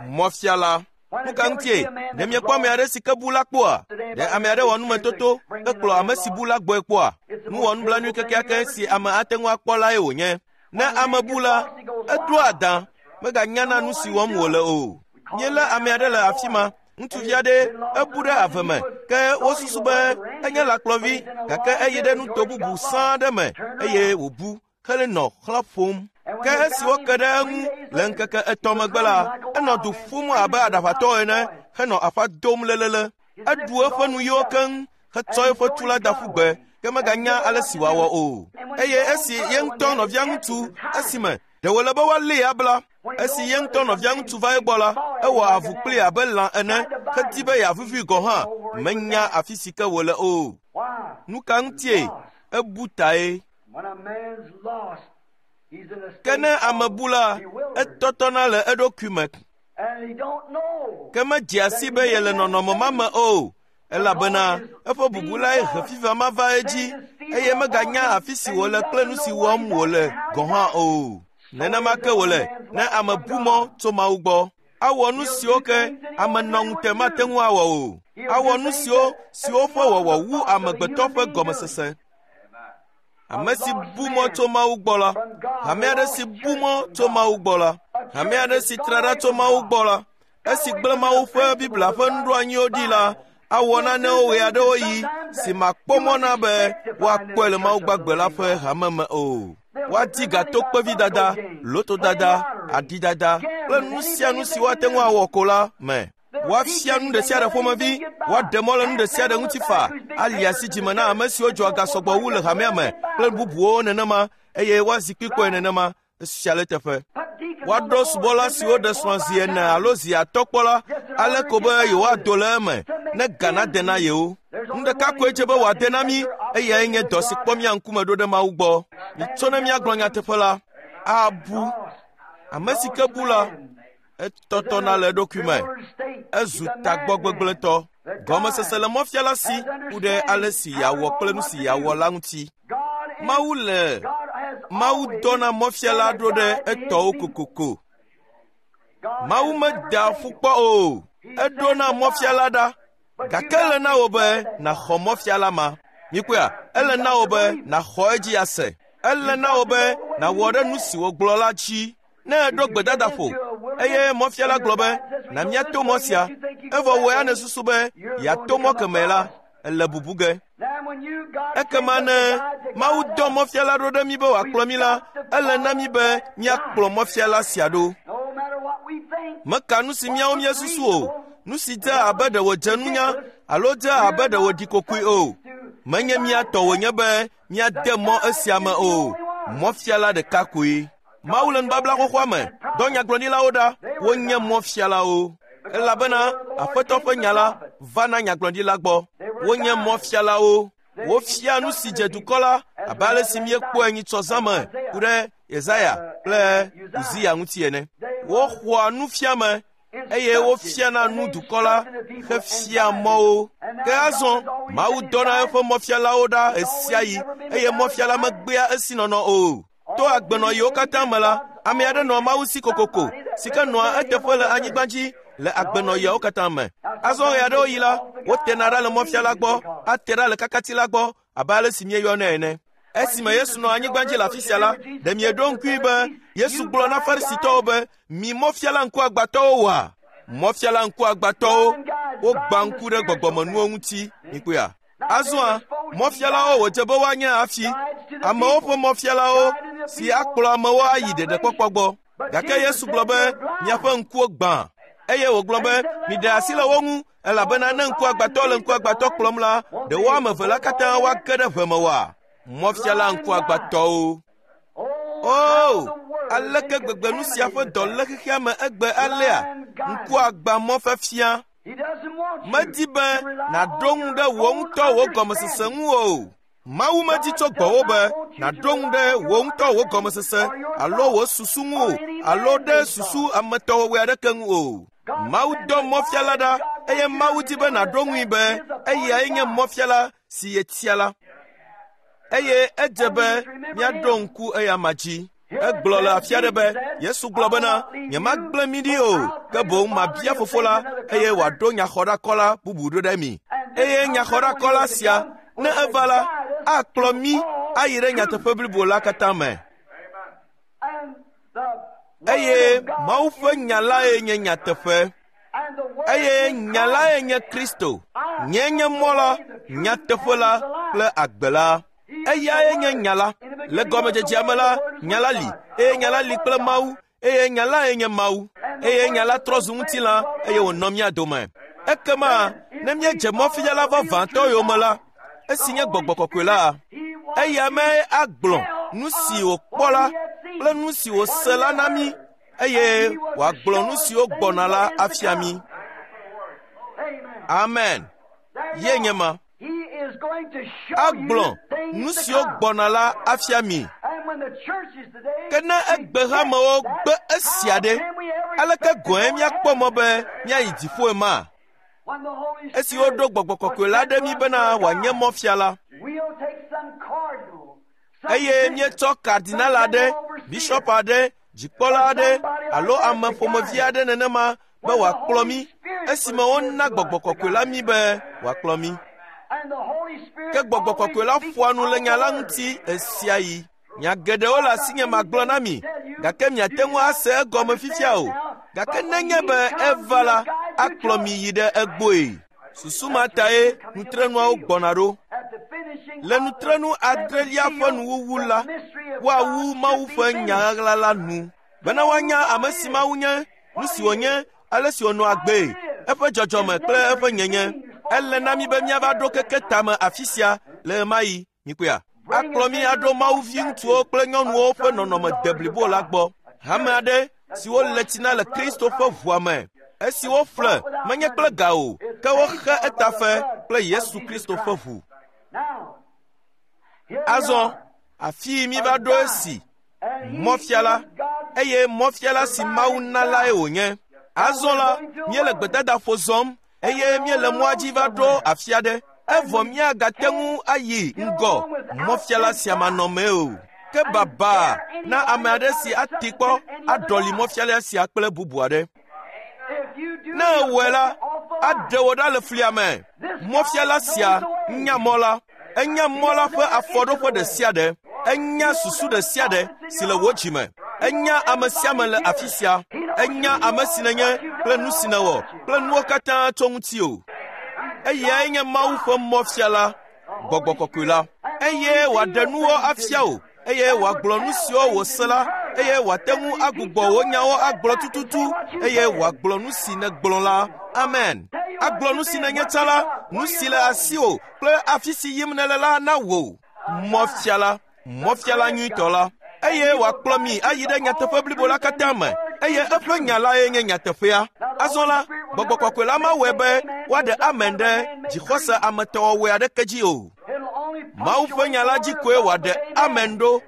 Mɔfiala. Nu ka ŋutie? Ɖe miekpɔ ame aɖe si ke bu la kpɔa? Ɖe ame aɖe wɔ numetoto hekplɔ ame si bu la gbɔe kpɔa? Nu wɔ nublanui kekeake si ame ate ŋu akpɔ lae wònye. Ne ame bu la, eɖoa adã, meganyana nu si wɔm wòle o. Míelé ame aɖe le afi ma, ŋutsuvi aɖe ebu ɖe ave me, ke wosusu be enye lãkplɔvi gake eyi ɖe nuto bubu sãa ɖe me eye wòbu helenɔ xlã ƒom. Ke esi woke ɖe eŋu le ŋkeke etɔ̃ megbe la, enɔ du ƒum abe aɖaʋatɔ ene henɔ aƒa dom lelele. Eɖu eƒe nuyiwo keŋ hetsɔ eƒe tu la da ƒu gbe, ke meganya ale si wòawɔ o. Eye esi ye ŋutɔ nɔvia ŋutsu esime ɖe wòle be woalée abla. Esi ye ŋutɔ nɔvia ŋutsu va egbɔ la, ewɔ avu kplii abe lã ene hedi be yeavuvui gɔ̃ hã, menya afi si ke wòle o. Nu ka ŋutie? Ebu tae. Ke ne ame bu la, etɔtɔna le eɖokui me. Ke medzea si be yele nɔnɔme ma me o, elabena eƒe bubu lae he fifia ma va edzi eye meganya afi si wòle kple nu si wɔm wòle gɔ̃ hã o. Nenema ke wòle ne ame bu mɔ tso Mawu gbɔ. Awɔ nu siwo ke ame nɔŋute mate ŋu awɔ o. Awɔ nu siwo siwo ƒe wɔwɔ wu amegbetɔ ƒe gɔmesese. Ame si bu mɔ tso Mawu gbɔ la, hame aɖe si bu mɔ tso Mawu gbɔ la, hame aɖe si tra ɖa tso Mawu gbɔ la, esi gblẽ Mawu ƒe Biblia ƒe nuɖoanyiwo ɖi la, awɔ nanewo ɣe aɖewo ɣi si makpɔ mɔ na be woakpɔe le Mawu gbagbe la ƒe hame me o. Woadi gatokpevidada, lotodada, aɖidada kple nu sia nu si woate ŋu awɔ ko la me. Woafia nu ɖe sia ɖe ƒomevi, woaɖe mɔ le nu ɖe sia ɖe ŋuti fa, ali asi dzime na ame siwo dzɔa ga sɔgbɔ wu le hamea me kple bubuwo nenema eye woazi kpikpɔe nenema esia le teƒe. Woaɖo subɔla siwo ɖe srɔ̃ zi ene alo zi atɔ̃ kpɔ la ale ko be yewoado le eme ne ga nade na yewo. Nu ɖeka koe dze be wòade na mí eyae nye dɔ si kpɔ mía ŋkume ɖo ɖe Mawu gbɔ. Mitso ne míagblɔ nyateƒe la, abu. Ame si ke bu la, etɔtɔna le eɖokui me. Ezu tagbɔ gbegblẽtɔ. Gɔmesese le mɔfiala si ku ɖe ale si yeawɔ kple nu si yeawɔ la ŋuti. Mawu le Mawu dɔna mɔfiala ɖo ɖe etɔwo kokoko. Mawu medea ƒu kpɔ o. Eɖona mɔfiala ɖa, gake ele na wò be nàxɔ mɔfiala ma. Mikpɔea, ele na wò be nàxɔ edzi ase. Ele na wò be nàwɔ ɖe nu si wògblɔ la dzi. Ne èɖo gbedadaƒo eye mɔfiala gblɔ be na míato mɔ sia, evɔ wò ya nèsusu be yeato mɔ kemɛ la, ele bubu ge. Ekema ne Mawu dɔ mɔfiala ɖo ɖe mí be wòakplɔ mí la, ele na mí be míakplɔ mɔfiala sia ɖo. Meka nu si míawo míesusu o, nu si dze abe ɖe wòdze nunya alo dze abe ɖe wòɖi kokoe o. Menye mía tɔ wònye be míade mɔ esia me o. Mɔfiala ɖeka koe. Mawu le nubabla xoxoa me dɔ nyagblɔɖilawo ɖa, wonye mɔfialawo. Elabena Aƒetɔ ƒe nya la va na nyagblɔɖila gbɔ. Wonye mɔfialawo. Wofia nu si dze dukɔ la abe ale si míekpɔe nyitsɔ zã me ku ɖe Yesaya kple Uzia ŋuti ene. Woxɔa nufiame eye wofiana nu dukɔ la hefia mɔwo. Ke azɔ Mawu dɔna eƒe mɔfialawo ɖa ɣesiaɣi eye mɔfiala megbea esinɔnɔ o. To agbenɔɣiwo katã me la, ame aɖe nɔa Mawu si kokoko si ke nɔa eteƒe le anyigba dzi le agbenɔɣiawo katã me. Azɔ ɣe aɖewo yi la, wotena ɖa le mɔfiala gbɔ, ate ɖa le kakati la gbɔ abe ale si míeyɔnɛ ene. Esime Yesu nɔ anyigba dzi le afi sia la, ɖe mieɖo ŋkui be Yesu gblɔ na Farisitɔwo be, mi mɔfiala ŋkuagbãtɔwo wɔa? Mɔfiala ŋkuagbãtɔwo, wogbã ŋku ɖe gbɔgbɔmenuwo ŋuti, mikpɔea? Azɔa, mɔfialawo wòdze be woanye hafi amewo ƒe mɔfialawo si akplɔ amewo ayi ɖeɖekpɔkpɔ gbɔ. Gake Yesu gblɔ be miaƒe ŋkuwo gbã eye wògblɔ be miɖe asi le wo ŋu elabena ne ŋkuagbãtɔ le ŋkuagbãtɔ kplɔm la, ɖe wo ame eve la katã woage ɖe ʋe me oa? Mɔfiala ŋkuagbãtɔwo. O, aleke gbegbe nu sia ƒe dɔ le xexea me egbe alea? Ŋkuagbã mɔfiafia. Medi be nàɖo ŋu ɖe wò ŋutɔ wò gɔmesese ŋu o. Mawu medi tso gbɔwò be nàɖo ŋu ɖe wò ŋutɔ wò gɔmesese alo wò susu ŋu o alo ɖe susu ametɔwɔwɔe aɖeke ŋu o. Mawu dɔ mɔfiala ɖa eye Mawu di be nàɖo ŋui be eyae nye mɔfiala si yetia la. Eye edze be míaɖo ŋku eyama dzi. Egblɔ le afi aɖe be Yesu gblɔ bena nyemagblẽ mi ɖi o, ke boŋ mabia fofo la eye wòaɖo nyaxɔɖakɔla bubu ɖo ɖe mi. Eye nyaxɔɖakɔla sia, ne eva la, akplɔ mí ayi ɖe nyateƒe blibo la katã me. Eye Mawu ƒe nya lae nye nyateƒe. Eye nya lae nye Kristo. Nye nye mɔ la, nyateƒe la kple agbe la. Eyae nye nya la. Le gɔmedzedzea me la, nya la li, eye nya la li kple Mawu, eye nya lae nye Mawu. Eye nya la trɔ zu ŋutilã eye wònɔ mía dome. Ekema ne míedze mɔfiala vavãtɔ yome la, esi nye Gbɔgbɔ Kɔkɔe la, eya mee agblɔ nu si wòkpɔ la kple nu si wòse la na mí eye wòagblɔ nu siwo gbɔna la afia mí. Amen. Ye nye ma. Agblɔ nu siwo gbɔna la afia mi. Ke ne egbehamewo gbe esia ɖe, aleke gɔ̃e míakpɔ mɔ be míayi dziƒoe ma? Esi woɖo Gbɔgbɔ Kɔkɔe la ɖe mí bena wòanye mɔfiala, eye míetsɔ kardinal aɖe, bishɔp aɖe, dzikpɔla aɖe alo ame ƒomevi aɖe nenema be wòakplɔ mí esime wona Gbɔgbɔ Kɔkɔe la mí be wòakplɔ mí. Ke Gbɔgbɔ Kɔkɔe la ƒoa nu le nya la ŋuti ɣesiaɣi. Nya geɖewo le asinye magblɔ na mi, gake miate ŋu ase egɔme fifia o. Gake nenye be eva la, akplɔ mi yi ɖe egbɔe. Susu ma tae nutrenuawo gbɔna ɖo. Le nutrenu adrelia ƒe nuwuwu la, woawu Mawu ƒe nya ɣaɣla la nu, bena woanya ame si Mawu nye, nu si wònye, ale si wònɔ agbee, eƒe dzɔdzɔme kple eƒe nyenye. Ele na mí be míava ɖo keke tame afi sia le ɣemaɣi. Mikpɔea? Akplɔ mí aɖo Mawu viŋutsuwo kple nyɔnuwo ƒe nɔnɔme deblibo la gbɔ. Hame aɖe si wole tsi na le Kristo ƒe ʋua me, esi woƒle menye kple ga o, ke woxe etafe kple Yesu Kristo ƒe ʋu. Azɔ afii míva ɖo esi mɔfiala, eye mɔfiala si Mawu na lae wònye. Azɔ la, míele gbedadaƒo zɔm eye míele mɔa dzi va ɖo afi aɖe. Evɔ míagate ŋu ayi ŋgɔ mɔfiala sia manɔmee o. Ke baba na ame aɖe si ati kpɔ aɖɔli mɔfiala sia kple bubu aɖe. Ne ewɔe la, aɖe wò ɖa le flia me. Mɔfiala sia nya mɔ la. Enya mɔ la ƒe afɔɖoƒe ɖe sia ɖe. Enya susu ɖe sia ɖe si le wò dzime. Enya ame sia ame le afi sia. Enya ame si nènye kple nu si nèwɔ kple nuwo katã tso ŋutiwò. Eyae nye Mawu ƒe mɔfiala, Gbɔgbɔ Kɔkɔe la. Eye wòaɖe nuwo afia wò, eye wòagblɔ nu siwo wòse la, eye wòate ŋu agbugbɔ wò nyawo agblɔ tututu, eye wòagblɔ nu si nègblɔ la. Amen. Agblɔ nu si nènye tsã la, nu si le asiwò kple afi si yim nèle la na wò. Mɔfiala, mɔfiala nyuitɔ la. Eye wòakplɔ mi ayi ɖe nyateƒe blibo la katã me, eye eƒe nya lae nye nyateƒea. Azɔ la, Gbɔgbɔ Kɔkɔe la mawɔe be woaɖe amen ɖe dzixɔse ametɔwɔwɔe aɖeke dzi o. Mawu ƒe nya la dzi koe wòaɖe amen ɖo,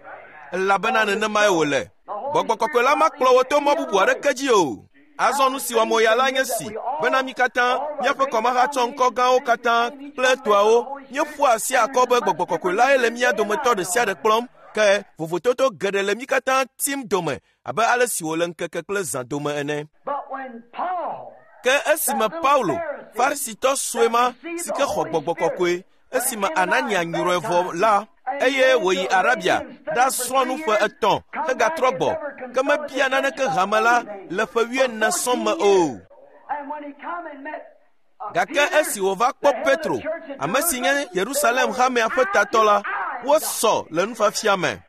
elabena nenemae wòle. Gbɔgbɔ Kɔkɔe la makplɔ wò to mɔ bubu aɖeke dzi o. Azɔ nu si wɔm wòya la nye si, bena mí katã, míaƒe kɔmahatsɔ ŋkɔ gãwo katã kple toawo, míeƒua asi akɔ be Gbɔgbɔ Kɔkɔe lae le mía dometɔ ɖe sia ɖe kplɔm. Ke vovototo geɖe le mí katã tim dome abe ale si wòle ŋkeke kple zã dome ene. Ke esime Paulo, Farisitɔ sue ma si ke xɔ Gbɔgbɔ Kɔkɔe, esime Anania nyrɔe vɔ la, eye wòyi Arabia ɖasrɔ̃ nu ƒe etɔ̃ hegatrɔ gbɔ, ke mebia naneke hame la le ƒe wuiene sɔŋ me o. Gake esi wòva kpɔ Petro, ame si nye Yerusalem hamea ƒe tatɔ la, wosɔ le nufiafia me.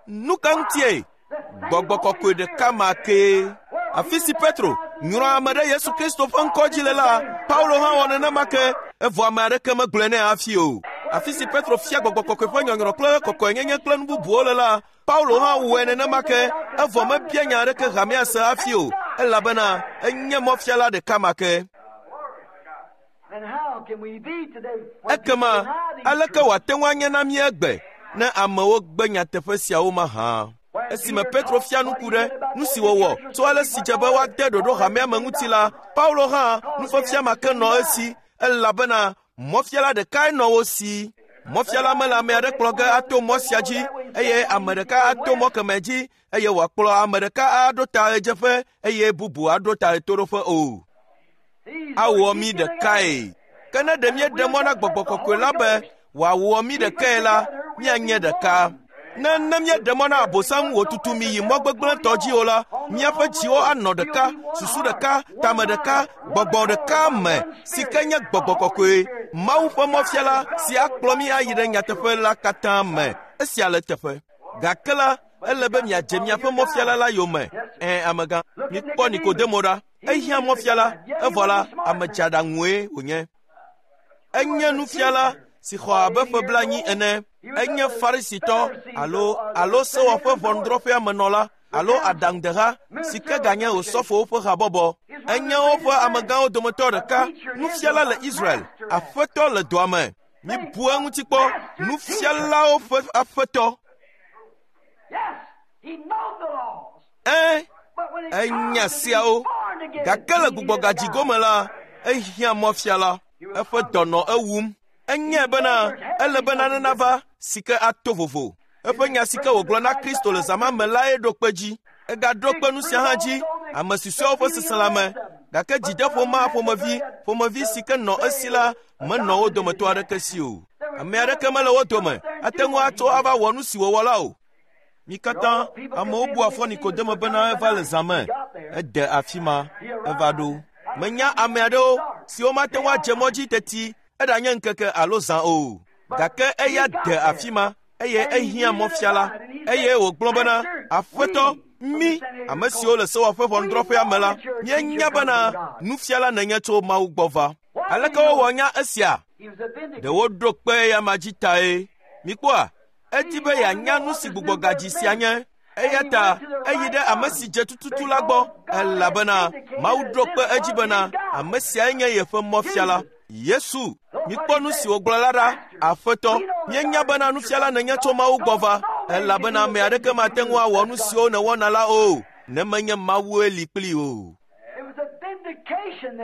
Nu ka ŋutie? Gbɔgbɔ Kɔkɔe ɖeka ma kee. Afi si Petro nyrɔ ame ɖe Yesu Kristo ƒe ŋkɔ dzi le la, Paulo hã wɔ nenema ke, evɔ ame aɖeke megblɔe nɛ hafi o. Afi si Petro fia Gbɔgbɔ Kɔkɔe ƒe nyɔnyrɔ kple kɔkɔenyenye kple nu bubuwo le la, Paulo hã wɔe nenema ke, evɔ mebia nya aɖeke hamea se hafi o, elabena enye mɔfiala ɖeka ma ke. Ekema aleke wòate ŋu anye na mí egbe ne amewo gbe nyateƒe siawo mahã? Esime Petro fia nu ku ɖe nu si wòwɔ tso ale si dze be woade ɖoɖo hamea me ŋuti la, Paulo hã nufiafia ma ke nɔ esi, elabena mɔfiala ɖekae nɔ wo si. Mɔfiala mele ame aɖe kplɔ ge ato mɔ sia dzi, eye ame ɖeka ato mɔ kemɛ dzi, eye wòakplɔ ame ɖeka aɖo ta ɣedzeƒe, eye bubu aɖo ta ɣetoɖoƒe o. Awɔ mí ɖekae. Ke ne ɖe míeɖe mɔ na Gbɔgbɔ Kɔkɔe la be wòawɔ mí ɖekae la, míanye ɖeka. Ne ne míeɖe mɔ na Abosam wòtutu mi yi mɔ gbegblẽtɔ dzi o la, míaƒe dziwo anɔ ɖeka, susu ɖeka, tame ɖeka, gbɔgbɔ ɖeka me, si ke nye Gbɔgbɔ Kɔkɔe, Mawu ƒe mɔfiala si akplɔ mí ayi ɖe nyateƒe la katã me. Esia le teƒe. Gake la, ele be miadze miaƒe mɔfiala la yome. Ẽ, amegã, mikpɔ Nikodemo ɖa. Ehiã mɔfiala, evɔ la, ame dzeaɖaŋue wònye. Enye nufiala si xɔ abe ƒe blaenyi ene. Enye Farisitɔ alo alo sewɔƒe ʋɔnudrɔ̃ƒea menɔla alo aɖaŋudeha si ke ganye osɔfowo ƒe habɔbɔ. Enye woƒe amegãwo dometɔ ɖeka, nufiala le Israel, aƒetɔ le dɔa me. Mibu eŋuti kpɔ, nufialawo ƒe aƒetɔ. Ẽ, enya siawo. Gake le gbugbɔgadzi gome la, ehiã mɔfiala. Eƒe dɔ nɔ ewum. Enyae bena ele be nane nava si ke ato vovo. Eƒe nya si ke wògblɔ na Kristo le zã ma me lae ɖo kpe dzi. Egaɖo kpe nu sia hã dzi, ame susɔeawo ƒe seselãme. Gake dzideƒo ma ƒomevi ƒomevi si ke nɔ esi la menɔ wo dometɔ aɖeke si o. Ame aɖeke mele wo dome ate ŋu atso ava wɔ nu si wòwɔ la o. Mi katã amewo bua fɔ Nikodemo bena eva le zã me. Ede afi ma, eva ɖo. Menya ame aɖewo siwo mate ŋu adze mɔ dzi teti eɖanye ŋkeke alo zã o. Gake eya de afi ma, eye ehiã mɔfiala, eye wògblɔ bena, Aƒetɔ, mí, ame siwo le sewɔƒe ʋɔnudrɔ̃ƒea me la, míenya bena nufiala nènye tso Mawu gbɔ va. Aleke wowɔ nya esia? Ɖe woɖo kpe eya ma dzi tae. Mikpɔa, edi be yeanya nu si gbugbɔgadzi sia nye. Eya ta eyi ɖe ame si dze tututu la gbɔ, elabena Mawu ɖo kpe edzi bena ame siae nye yeƒe mɔfiala. Yesu, mikpɔ nu si wògblɔ la ɖa, Aƒetɔ, míenya bena nufiala nènye tso Mawu gbɔ va, elabena ame aɖeke mate ŋu awɔ nu siwo nèwɔna la o, ne menye Mawue li kpli o.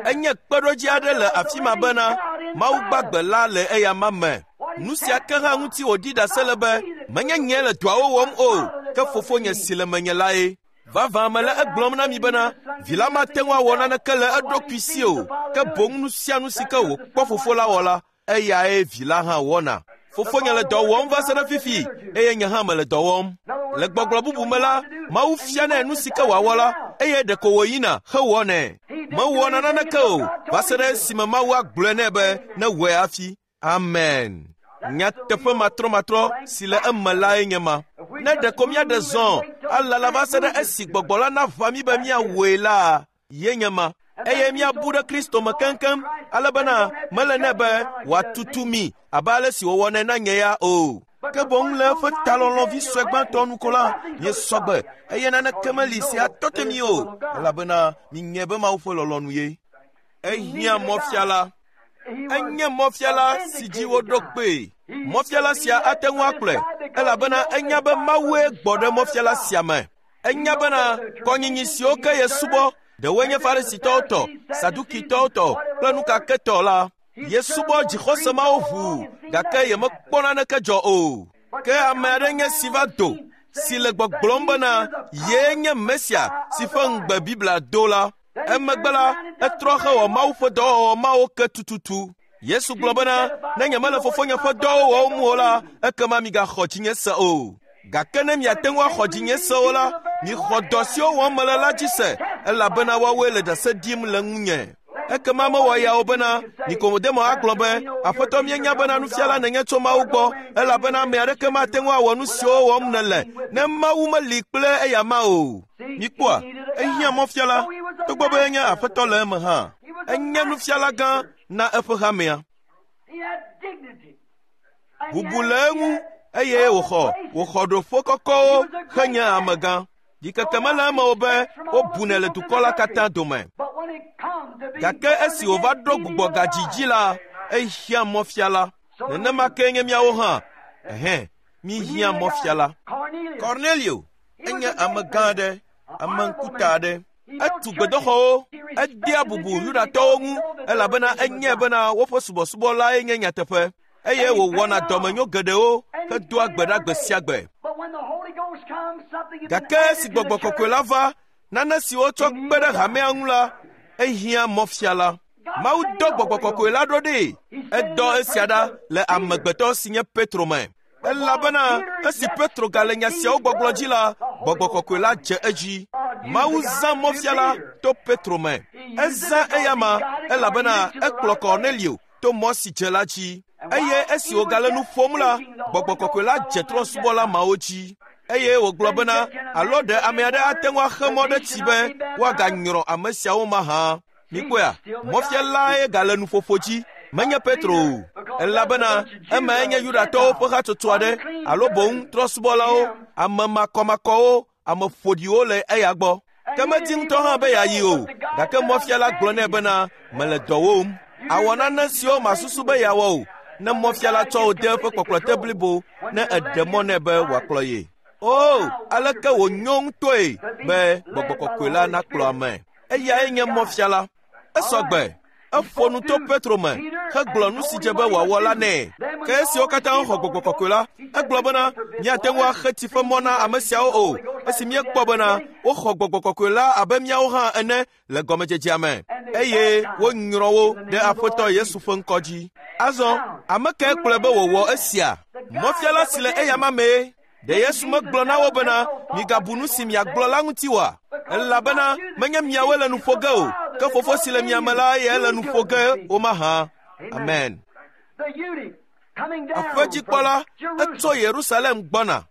Enye kpeɖodzi aɖe le afi ma bena Mawu gbagbe la le eya ma me. Nu sia ke hã ŋuti wòɖi ɖase le be menye nye le dɔawo wɔm o, ke fofonye si le menye lae. Vavã mele egblɔm na mi bena vi la mate ŋu awɔ naneke le eɖokui si o, ke boŋ nu sia nu si ke wòkpɔ fofo la wɔ la, eyae vi la hã wɔna. Fofonye le dɔ wɔm va se ɖe fifi eye nye hã mele dɔ wɔm. Le gbɔgblɔ bubu me la, Mawu fianɛ nu si ke wòawɔ la, eye ɖeko wòyina hewɔnɛ. Mewɔna naneke o va se ɖe esime Mawu agblɔe nɛ be newɔe hafi. Amen. Nyateƒe matrɔmatrɔ si le eme lae nye ma. Ne ɖeko míaɖe zɔ alala va se ɖe esi gbɔgbɔ la naʋã mí be míawɔe la, ye nye ma. Eye míabu ɖe Kristo me keŋkeŋ ale bena mele nɛ be wòatutu mí abe ale si wòwɔnɛ na nye ya o. Ke boŋ le eƒe talɔlɔ̃vi sue gbãtɔ nu ko la, míesɔ gbe eye naneke meli si atɔ te mí o, elabena míenyae be Mawu ƒe lɔlɔ̃nu ye. Ehiã mɔfiala. Enye mɔfiala si dzi woɖo kpee. Mɔfiala sia ate ŋu akplɔe, elabena enya be Mawue gbɔ ɖe mɔfiala sia me. Enya bena kɔnyinyi siwo ke yesubɔ, ɖewoe nye Farisitɔwo tɔ, Sadukitɔwo tɔ kple nukaketɔ la, yesubɔ dzixɔse mawo ʋuu, gake yemekpɔ naneke dzɔ o. Ke ame aɖe nye si va do, si le gbɔgblɔm bena yee nye Mesia si ƒe ŋugbe Biblia do la. Emegbe la, etrɔ hewɔ Mawu ƒe dɔwɔwɔ mawo ke tututu. Yesu gblɔ bena, ne nyemele fofonye ƒe dɔwo wɔm o la, ekema migaxɔ dzinye se o. Gake ne miate ŋu axɔ dzinye se o la, mixɔ dɔ siwo wɔm mele la dzi se, elabena woawoe le ɖase ɖim le ŋunye. Ekema mewɔ ya o bena Nikodemo agblɔ be, Aƒetɔ míenya bena nufiala nènye tso Mawu gbɔ, elabena ame aɖeke mate ŋu awɔ nu siwo wɔm nèle ne Mawu meli kple eyama o. Mikpɔa, ehiã mɔfiala, togbɔ be enye Aƒetɔ le eme hã. Enye nufiala gã na eƒe hamea. Bubu le eŋu eye wòxɔ wòxɔ ɖoƒe kɔkɔwo henye amegã. Ɖikeke mele eme o be wobunɛ le dukɔ la katã dome. Gake esi wòva ɖo gbugbɔgadzi dzi la, ehiã mɔfiala. Nenema kee nye míawo hã. Ɛhɛ̃, míhiã mɔfiala. Cornelio enye amegã aɖe, ame ŋkuta aɖe. Etu gbedoxɔwo, edea bubu Yudatɔwo ŋu elabena enyae bena woƒe subɔsubɔ lae nye nyateƒe. Eye wòwɔna dɔmenyo geɖewo hedoa gbe ɖa gbe sia gbe. Gake esi gbɔgbɔ kɔkɔe la va, nane si wotsɔ kpe ɖe hamea ŋu la, ehiã mɔfiala. Mawu dɔ gbɔgbɔ kɔkɔe la ɖo ɖee. Edɔ esia ɖa le amegbetɔ si nye Petro me. Elabena esi Petro gale nya siawo gbɔgblɔ dzi la, gbɔgbɔ kɔkɔe la dze edzi. Mawu zã mɔfiala to Petro me. Ezã eyama elabena ekplɔ Cornelio to mɔ si dze la dzi. Eye esi wògale nu ƒom la, gbɔgbɔ kɔkɔe la dze trɔ̃subɔla mawo dzi. Eye wògblɔ bena, alo ɖe ame aɖe ate ŋu axe mɔ ɖe tsi be woaganyrɔ ame siawo mahã. Mikpɔea, mɔfialae gale nuƒoƒo dzi, menye Petro o, elabena emae nye Yudatɔwo ƒe hatsotso aɖe alo boŋ trɔ̃subɔlawo, ame makɔmakɔwo, ame ƒoɖiwo le eya gbɔ. Ke medi ŋutɔ hã be yeayi o, gake mɔfiala gblɔ nɛ bena, mele dɔ wɔm. Awɔ nane siwo masusu be yeawɔ o, ne mɔfiala tsɔ wò de eƒe kpɔkplɔte blibo ne eɖe mɔ nɛ be wòakplɔ ye. O, aleke wònyo ŋutɔe be gbɔgbɔ kɔkɔe la nakplɔ ame. Eyae nye mɔfiala. Esɔ gbe. Eƒo nu to Petro me hegblɔ nu si dze be wòawɔ la nɛ. Ke esiwo katã xɔ gbɔgbɔ kɔkɔe la, egblɔ bena míate ŋu axe tsi ƒe mɔ na ame siawo o, esi míekpɔ bena woxɔ gbɔgbɔ kɔkɔe la abe míawo hã ene le gɔmedzedzea me, eye wonyrɔ wo ɖe Aƒetɔ Yesu ƒe ŋkɔ dzi. Azɔ, ame kae kplɔe be wòwɔ esia? Mɔfiala si le eyama mee. Ɖe Yesu megblɔ na wo bena, migabu nu si miagblɔ la ŋuti oa? Elabena menye miawoe le nu ƒo ge o, ke Fofo si le mia me la eyae le nu ƒo ge wo mahã. Amen. Aƒedzikpɔla etso Yerusalem gbɔna.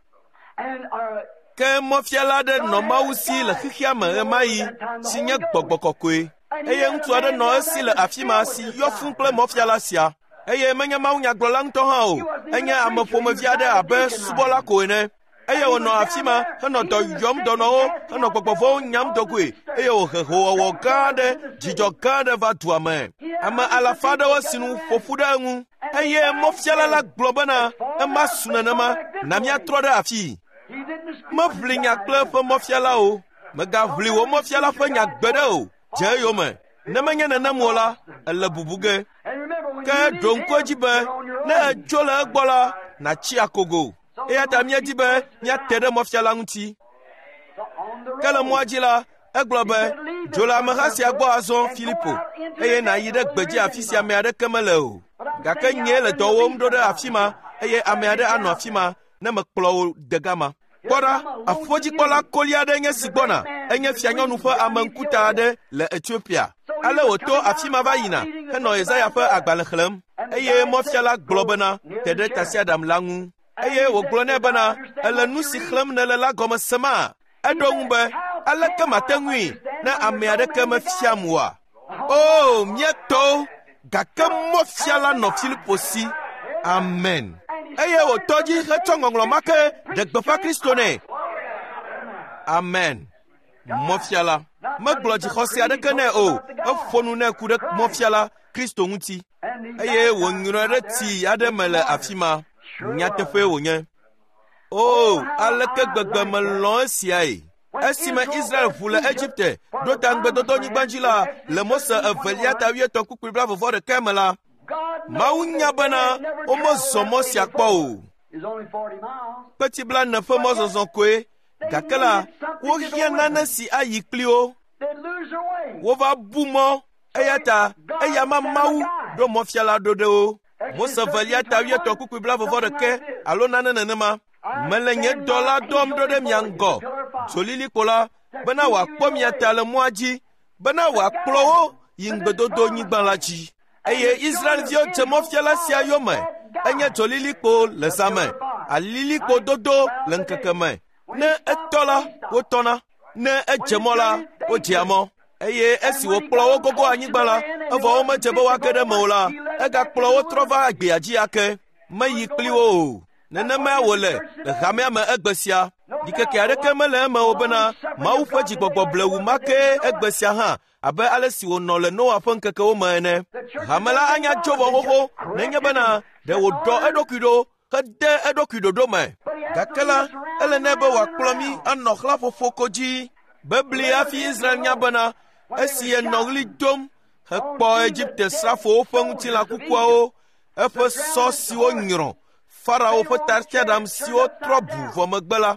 Ke mɔfiala aɖe nɔ Mawu si le xexea me ɣemaɣi si nye gbɔgbɔ kɔkɔe. Eye ŋutsu aɖe nɔ esi le afi ma si yɔ fũu kple mɔfiala sia. Eye menye mawunyagblɔla ŋutɔ hã o, enye ame ƒomevi aɖe abe subɔla ko ene. Eye wònɔ afi ma henɔ dɔ yɔm dɔnɔwo, henɔ gbɔgbɔ vɔ̃wo nyam dogoe, eye wòhe hoowɔwɔ gã aɖe, dzidzɔ gã aɖe va dua me. Ame alafa aɖewo si nu ƒo ƒu ɖe eŋu. Eye mɔfiala la gblɔ bena, ema su nenema, na míatrɔ ɖe afii. Meʋli nya kple eƒe mɔfiala o. Megaʋli wò mɔfiala ƒe nya gbeɖe o. Dze eyome. Ne menye nenem o la, ele bubu ge. Ke ɖo ŋku edzi be ne èdzo le egbɔ la, nàtsi akogo. Eya ta míedi be míate ɖe mɔfiala ŋuti. Ke le mɔa dzi la, egblɔ be, dzo le ameha sia gbɔ azɔ Filipo, eye nàyi ɖe gbedzi afi sia ame aɖeke mele o. Gake nyee le dɔ wɔm ɖo ɖe afi ma eye ame aɖe anɔ afi ma ne mekplɔ wò de gama. Kpɔ ɖa, aƒudzikpɔla koli aɖe nye si gbɔna, enye fianyɔnu ƒe ame ŋkuta aɖe le Etiopia. Ale wòto afi ma va yina henɔ Yesaya ƒe agbalẽ xlẽm eye mɔfiala gblɔ bena, te ɖe tasiaɖam la ŋu. Eye wògblɔ nɛ bena, ele nu si xlẽm nèle la gɔme sema? Eɖo ŋu be, aleke mate ŋui ne ame aɖeke mefiam oa? O, mía tɔwo, gake mɔfiala nɔ Filipo si. Amen. Eye wòtɔ dzi hetsɔ ŋɔŋlɔ ma ke ɖe gbeƒã Kristo nɛ. Amen. Mɔfiala megblɔ dzixɔse aɖeke nɛ o, eƒo nu nɛ ku ɖe mɔfiala Kristo ŋuti eye wònyrɔe ɖe tsi aɖe me le afi ma. Nyateƒee wònye. O, aleke gbegbe melɔ̃ esiae! Esime Israel ʋu le Egipte ɖo ta ŋugbedodonyigba dzi la, le Mose evelia ta wuietɔ̃ kpukpui blaeve vɔ ɖeka me la, Mawu nya bena womezɔ mɔ sia kpɔ o. Kpeti blaene ƒe mɔzɔzɔ koe, gake la, wohiã nane si ayi kpli wo. Wova bu mɔ, eya ta eya ma Mawu ɖo mɔfiala ɖo ɖe wo. Mose evelia ta wuietɔ̃ kpukpui blaeve vɔ ɖeka alo nane nenema. Mele nye dɔla dɔm ɖo ɖe mia ŋgɔ, dzolilikpo la, bena wòakpɔ mia ta le mɔa dzi, bena wòakplɔ wo yi ŋugbedodonyigba la dzi. Eye Israelviwo dze mɔfiala sia yome, enye dzolilikpo le zã me, alilikpo dodo le ŋkeke me. Ne etɔ la, wotɔna, ne edze mɔ la, wodzea mɔ. Eye esi wòkplɔ wo gogo anyigba la, evɔ womedze be woage ɖe eme o la, egakplɔ wo trɔ va gbea dzi ake, meyi kpli wo o. Nenemae wòle le hamea me egbe sia. Ɖikeke aɖeke mele eme o bena Mawu ƒe dzigbɔgbɔ blewu ma kee egbe sia hã abe ale si wònɔ le Noa ƒe ŋkekewo me ene. Hame la anya tso vɔ xoxo nenye bena ɖe wòɖɔ eɖokui ɖo hede eɖokui ɖoɖo me. Gake la, ele nɛ be wòakplɔ mí anɔ xlãƒoƒo ko dzi. Bebli hafi Israel nya bena esi yenɔ ɣli dom hekpɔ Egipte srafowo ƒe ŋutilã kukuawo, eƒe sɔ siwo nyrɔ, Farao ƒe tasiaɖam siwo trɔ bu vɔ megbe la,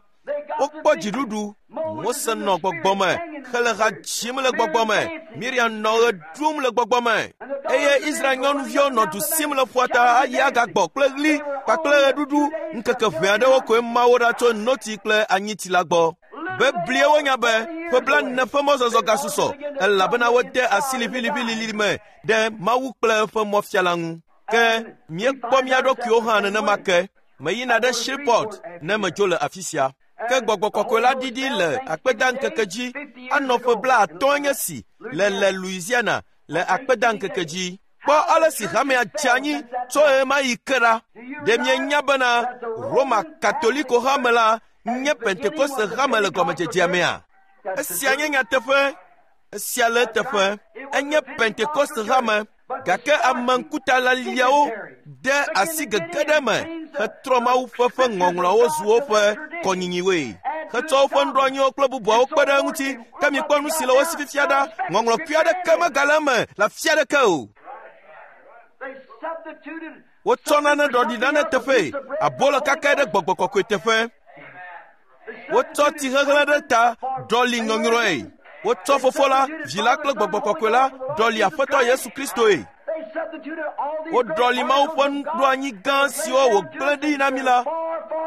wokpɔ dziɖuɖu. Mose nɔ gbɔgbɔ me, hele ha dzim le gbɔgbɔ me, Miriam nɔ ɣe ɖum le gbɔgbɔ me, eye Israel nyɔnuviwo nɔ du sim le ƒua ta ayi agagbɔ kple ɣli kpakple ɣeɖuɖu. Ŋkeke ʋɛ aɖewo koe ma wo ɖa tso notsi kple anyitsi la gbɔ. Beblie wonya be ƒe blaene ƒe mɔzɔzɔ gasusɔ, elabena wode asi liʋiliʋilili me ɖe Mawu kple eƒe mɔfiala ŋu. Ke míekpɔ mía ɖokuiwo hã nenema ke. Meyina ɖe Shreveport ne medzo le afi sia. Ke gbɔgbɔ kɔkɔe la ɖiɖi le akpedaŋkeke dzi anɔ ƒe blaatɔ̃ nye si le le Louisiana le akpedaŋkeke dzi. Kpɔ ale si hamea dze anyi tso ɣe ma ɣi ke ɖa. Ɖe mienya bena Roma Katoliko hame la nye Pentekoste hame le gɔmedzedzea mea? Esia nye nyateƒe. Esia le eteƒe. Enye Pentekoste hame. Gake ame ŋkutalaliawo de asi gege ɖe eme hetrɔ Mawu ƒe ƒe ŋɔŋlɔawo zu woƒe kɔnyinyiwoe, hetsɔ woƒe nuɖoanyiwo kple bubuawo kpe ɖe eŋuti. Ke mikpɔ nu si le wo si fifia ɖa, ŋɔŋlɔkui aɖeke megale eme le afi aɖeke o. Wotsɔ nane ɖɔɖi nane teƒee, abolo kakae ɖe gbɔgbɔ kɔkɔe teƒe. Wotsɔ tsihehlẽ ɖe ta ɖɔli nyɔnyrɔe. Wotsɔ fofo la, vi la kple gbɔgbɔ kɔkɔe la ɖɔli Aƒetɔ Yesu Kristoe. Woɖɔli Mawu ƒe nuɖoanyi gã siwo wògblẽ ɖi na mí la,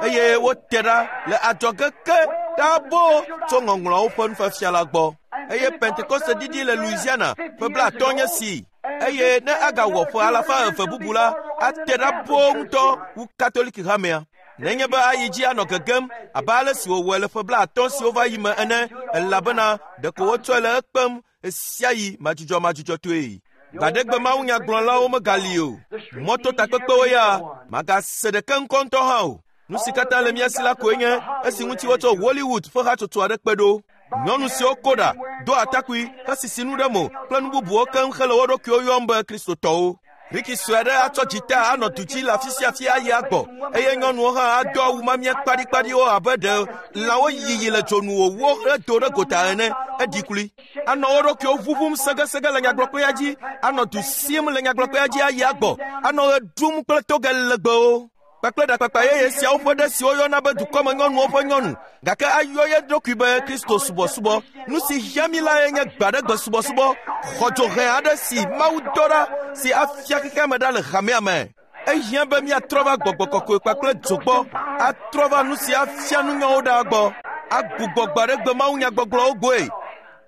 eye wote ɖa le adzɔge ke ɖaa boo tso ŋɔŋlɔawo ƒe nufiafia la gbɔ. Eye Pentekoste ɖiɖi le Louisiana ƒe blaatɔ̃ nye si, eye ne agawɔ ƒe alafa eve bubu la, ate ɖa boo ŋutɔ wu Katoliki hamea. Nenye be ayi dzi anɔ gegem abe ale si wòwɔe le ƒe blaatɔ̃ siwo va yi me ene, elabena ɖeko wotsɔe le ekpem ɣe sia ɣi madzudzɔmadzudzɔtɔe. Gbaɖegbe mawunyagblɔlawo megali o. Mɔtotakpekpewo ya magase ɖeke ŋkɔ ŋutɔ hã o. Nu si katã le mía si la koe nye esi ŋuti wotsɔ Hollywood ƒe hatsotso aɖe kpe ɖo. Nyɔnu siwo ko ɖa, do atakpui, hesisi nu ɖe mo kple nu bubuwo keŋ hele wo ɖokuiwo yɔm be Kristotɔwo. Riki sue aɖe atsɔ dzita anɔ du dzi le afi sia afi ayi agbɔ, eye nyɔnuwo hã ado awu mamia kpaɖikpaɖiwo abe ɖe lãwo yiyi le dzonu wòwó hedo ɖe gota ene, eɖi klui. Anɔ wo ɖokuiwo ʋuʋum segesege le nyagblɔkpea dzi, anɔ du sim le nyagblɔkpea dzi ayi agbɔ, anɔ ɣe ɖum kple toge legbewo. Kpakple ɖakpakpa yeye siawo ƒe ɖe si woyɔna be dukɔmenyɔnuwo ƒe nyɔnu, gake ayɔ ye ɖokui be Kristo subɔsubɔ. Nu si hiã mí lae nye gbe aɖe gbe subɔsubɔ, xɔdzohɛ aɖe si Mawu dɔ ɖa si afia xexea me ɖa le hamea me. Ehiã be míatrɔ va gbɔgbɔ kɔkɔe kpakple dzo gbɔ, atrɔ va nu si afia nunyawo ɖa gbɔ, agbugbɔ gbe aɖe gbe mawunyagbɔgblɔwo gbɔe,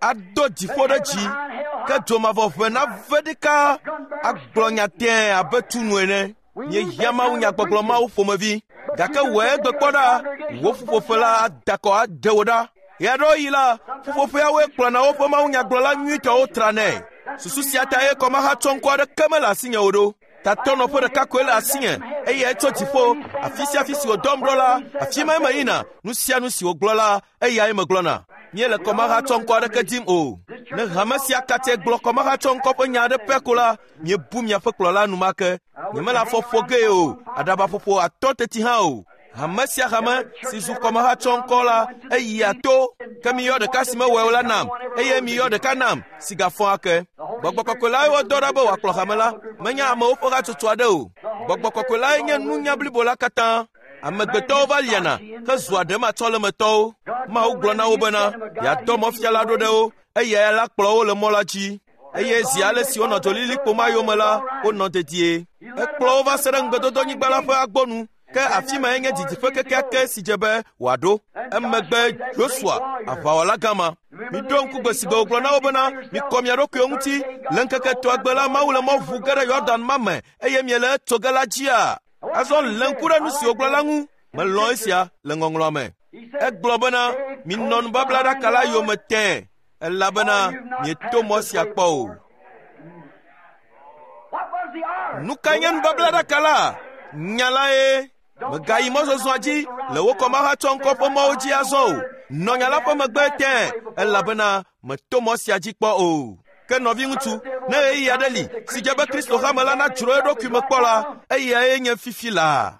ado dziƒo ɖe dzi, ke dzomavɔ ʋe nave ɖeka agblɔ nya tẽe abe tunu ene. Míehiã mawunyagbɔgblɔ mawo ƒomevi, gake wòe gbe kpɔ ɖa, wò ƒuƒoƒe la ada kɔ aɖe wò ɖa. Ɣeaɖewoɣi la, ƒuƒoƒeawoe kplɔna woƒe mawunyagblɔla nyuitɔwo tranɛ. Susu sia ta ye kɔmahatsɔŋkɔ aɖeke mele asinye o ɖo. Tatɔnɔƒe ɖeka koe le asinye, eye etso dziƒo. Afi sia afi si wòdɔm ɖo la, afi mae meyina. Nu sia nu si wògblɔ la, eyae megblɔna. Míele kɔmahatsɔŋkɔ aɖeke dim o. Ne hame sia katã gblɔ kɔmahatsɔŋkɔ ƒe nya aɖe pɛ ko la, míebu miaƒe kplɔla enumake. Nyemele afɔ ƒo gee o, aɖabaƒoƒo atɔ̃ teti hã o. Hame sia hame si zu kɔmahatsɔŋkɔ la, eyia to. Ke miyɔ ɖeka si mewɔe o la nam, eye miyɔ ɖeka nam si gafɔ ake. Gbɔgbɔ kɔkɔe lae wodɔ ɖa be wòakplɔ hame la, menye amewo ƒe hatsotso aɖe o. Gbɔgbɔ kɔkɔe lae nye nunya blibo la katã. Amegbetɔwo va liana hezua ɖematsɔlemetɔwo. Mawu gblɔ na wo bena yeadɔ mɔfiala ɖo ɖe wo, eyae la kplɔ wo le mɔ la dzi. Eye zi ale si wonɔ dzolilikpo ma yome la, wonɔ dedie. Ekplɔ wo va se ɖe ŋugbedodonyigba la ƒe agbonu, ke afi mae nye didiƒe kekeake si dze be wòaɖo. Emegbe Yosua, aʋawɔla gã ma, miɖo ŋku gbe si gbe wògblɔ na wo bena mikɔ mia ɖokuiwo ŋuti le ŋkeke etɔ̃a la Mawu le mɔ ʋu ge ɖe Yɔdan ma me eye miele etso ge la dzia. Azɔ lé ŋku ɖe nu si wògblɔ la ŋu. Melɔ̃ esia le ŋɔŋlɔa me. Egblɔ bena minɔ nubablaɖaka la yome tẽe, elabena mieto mɔ sia kpɔ o. Nu kae nye nubablaɖaka la? Nya lae. Mègayi mɔzɔzɔa dzi le wò kɔmahatsɔŋkɔ ƒe mɔwo dzi azɔ o. Nɔ nya la ƒe megbe tẽe, elabena mèto mɔ sia dzi kpɔ o. Ke nɔviŋutsu, ne ɣeyiɣi aɖe li si dze be Kristo hame la nadzro eɖokui me kpɔ la, eyae nye fifi laa.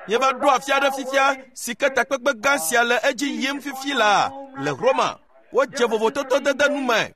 Míeva ɖo afi aɖe fifia si ke takpekpe gã sia le edzi yim fifi laa le Roma. Wodze vovototo dede nu me.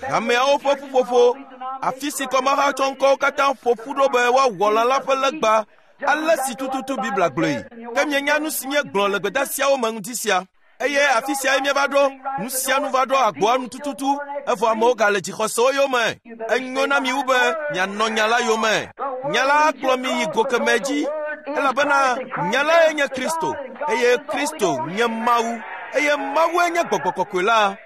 Hameawo ƒe ƒuƒoƒo, afi si kɔmahatsɔŋkɔwo katã ƒo ƒu ɖo be woawɔ lã la ƒe legba, ale si tututu Biblia gblɔe. Ke mienya nu si míegblɔ le gbedasiawo me ŋuti sia. Eye afi siae míeva ɖo, nu sia nu va ɖo agboa nu tututu, evɔ amewo gale dzixɔsewo yome. Enyo na mi wu be mianɔ nya la yome. Nya la akplɔ mi yi go kemɛ dzi, elabena nya lae nye Kristo, eye Kristo nye Mawu, eye Mawue nye Gbɔgbɔ Kɔkɔe la.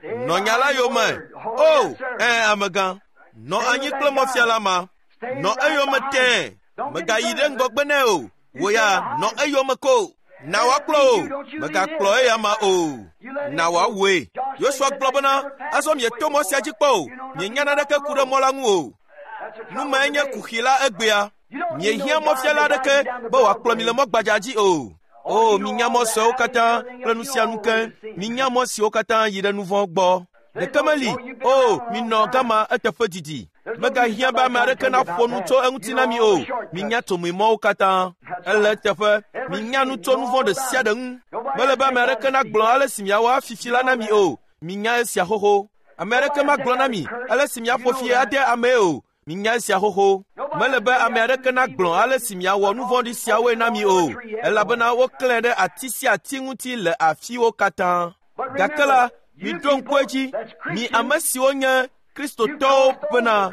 Nɔ nya la yome. O, ẽ amegã, nɔ anyi kple mɔfiala ma. Nɔ eyome tẽe, mègayi ɖe ŋgɔgbe nɛ o. Wò ya nɔ eyome ko. Na wòakplɔ o, mègakplɔ eya ma o. Na wòawɔe. Yosua gblɔ bena, azɔ mieto mɔ sia dzi kpɔ o, mienya naneke ku ɖe mɔ la ŋu o. Nu mae nye kuxi la egbea. Miehiã mɔfiala aɖeke be wòakplɔ mi le mɔ gbadza dzi o. O, minya mɔ suewo katã kple nu sia nu ke. Minya mɔ siwo katã yi ɖe nu vɔ̃ gbɔ. Ɖeke meli. O, minɔ gama eteƒe didi. Megahiã be ame aɖeke naƒo nu tso eŋuti na mi o. Minya tomemɔwo katã. Ele eteƒe. Minya nu tso nu vɔ̃ ɖe sia ɖe ŋu. Mele be ame aɖeke nagblɔ ale si miawɔ afifi la na mi o. Minya esia xoxo. Ame aɖeke magblɔ na mi ale si miaƒo fi ade amee o. Minya esia xoxo. Mele be ame aɖeke nagblɔ ale si miawɔ nu vɔ̃ɖi siawoe na mi o, elabena woklãe ɖe ati sia ati ŋuti le afiwo katã. Gake la, miɖo ŋku edzi, mi ame siwo nye Kristotɔwo bena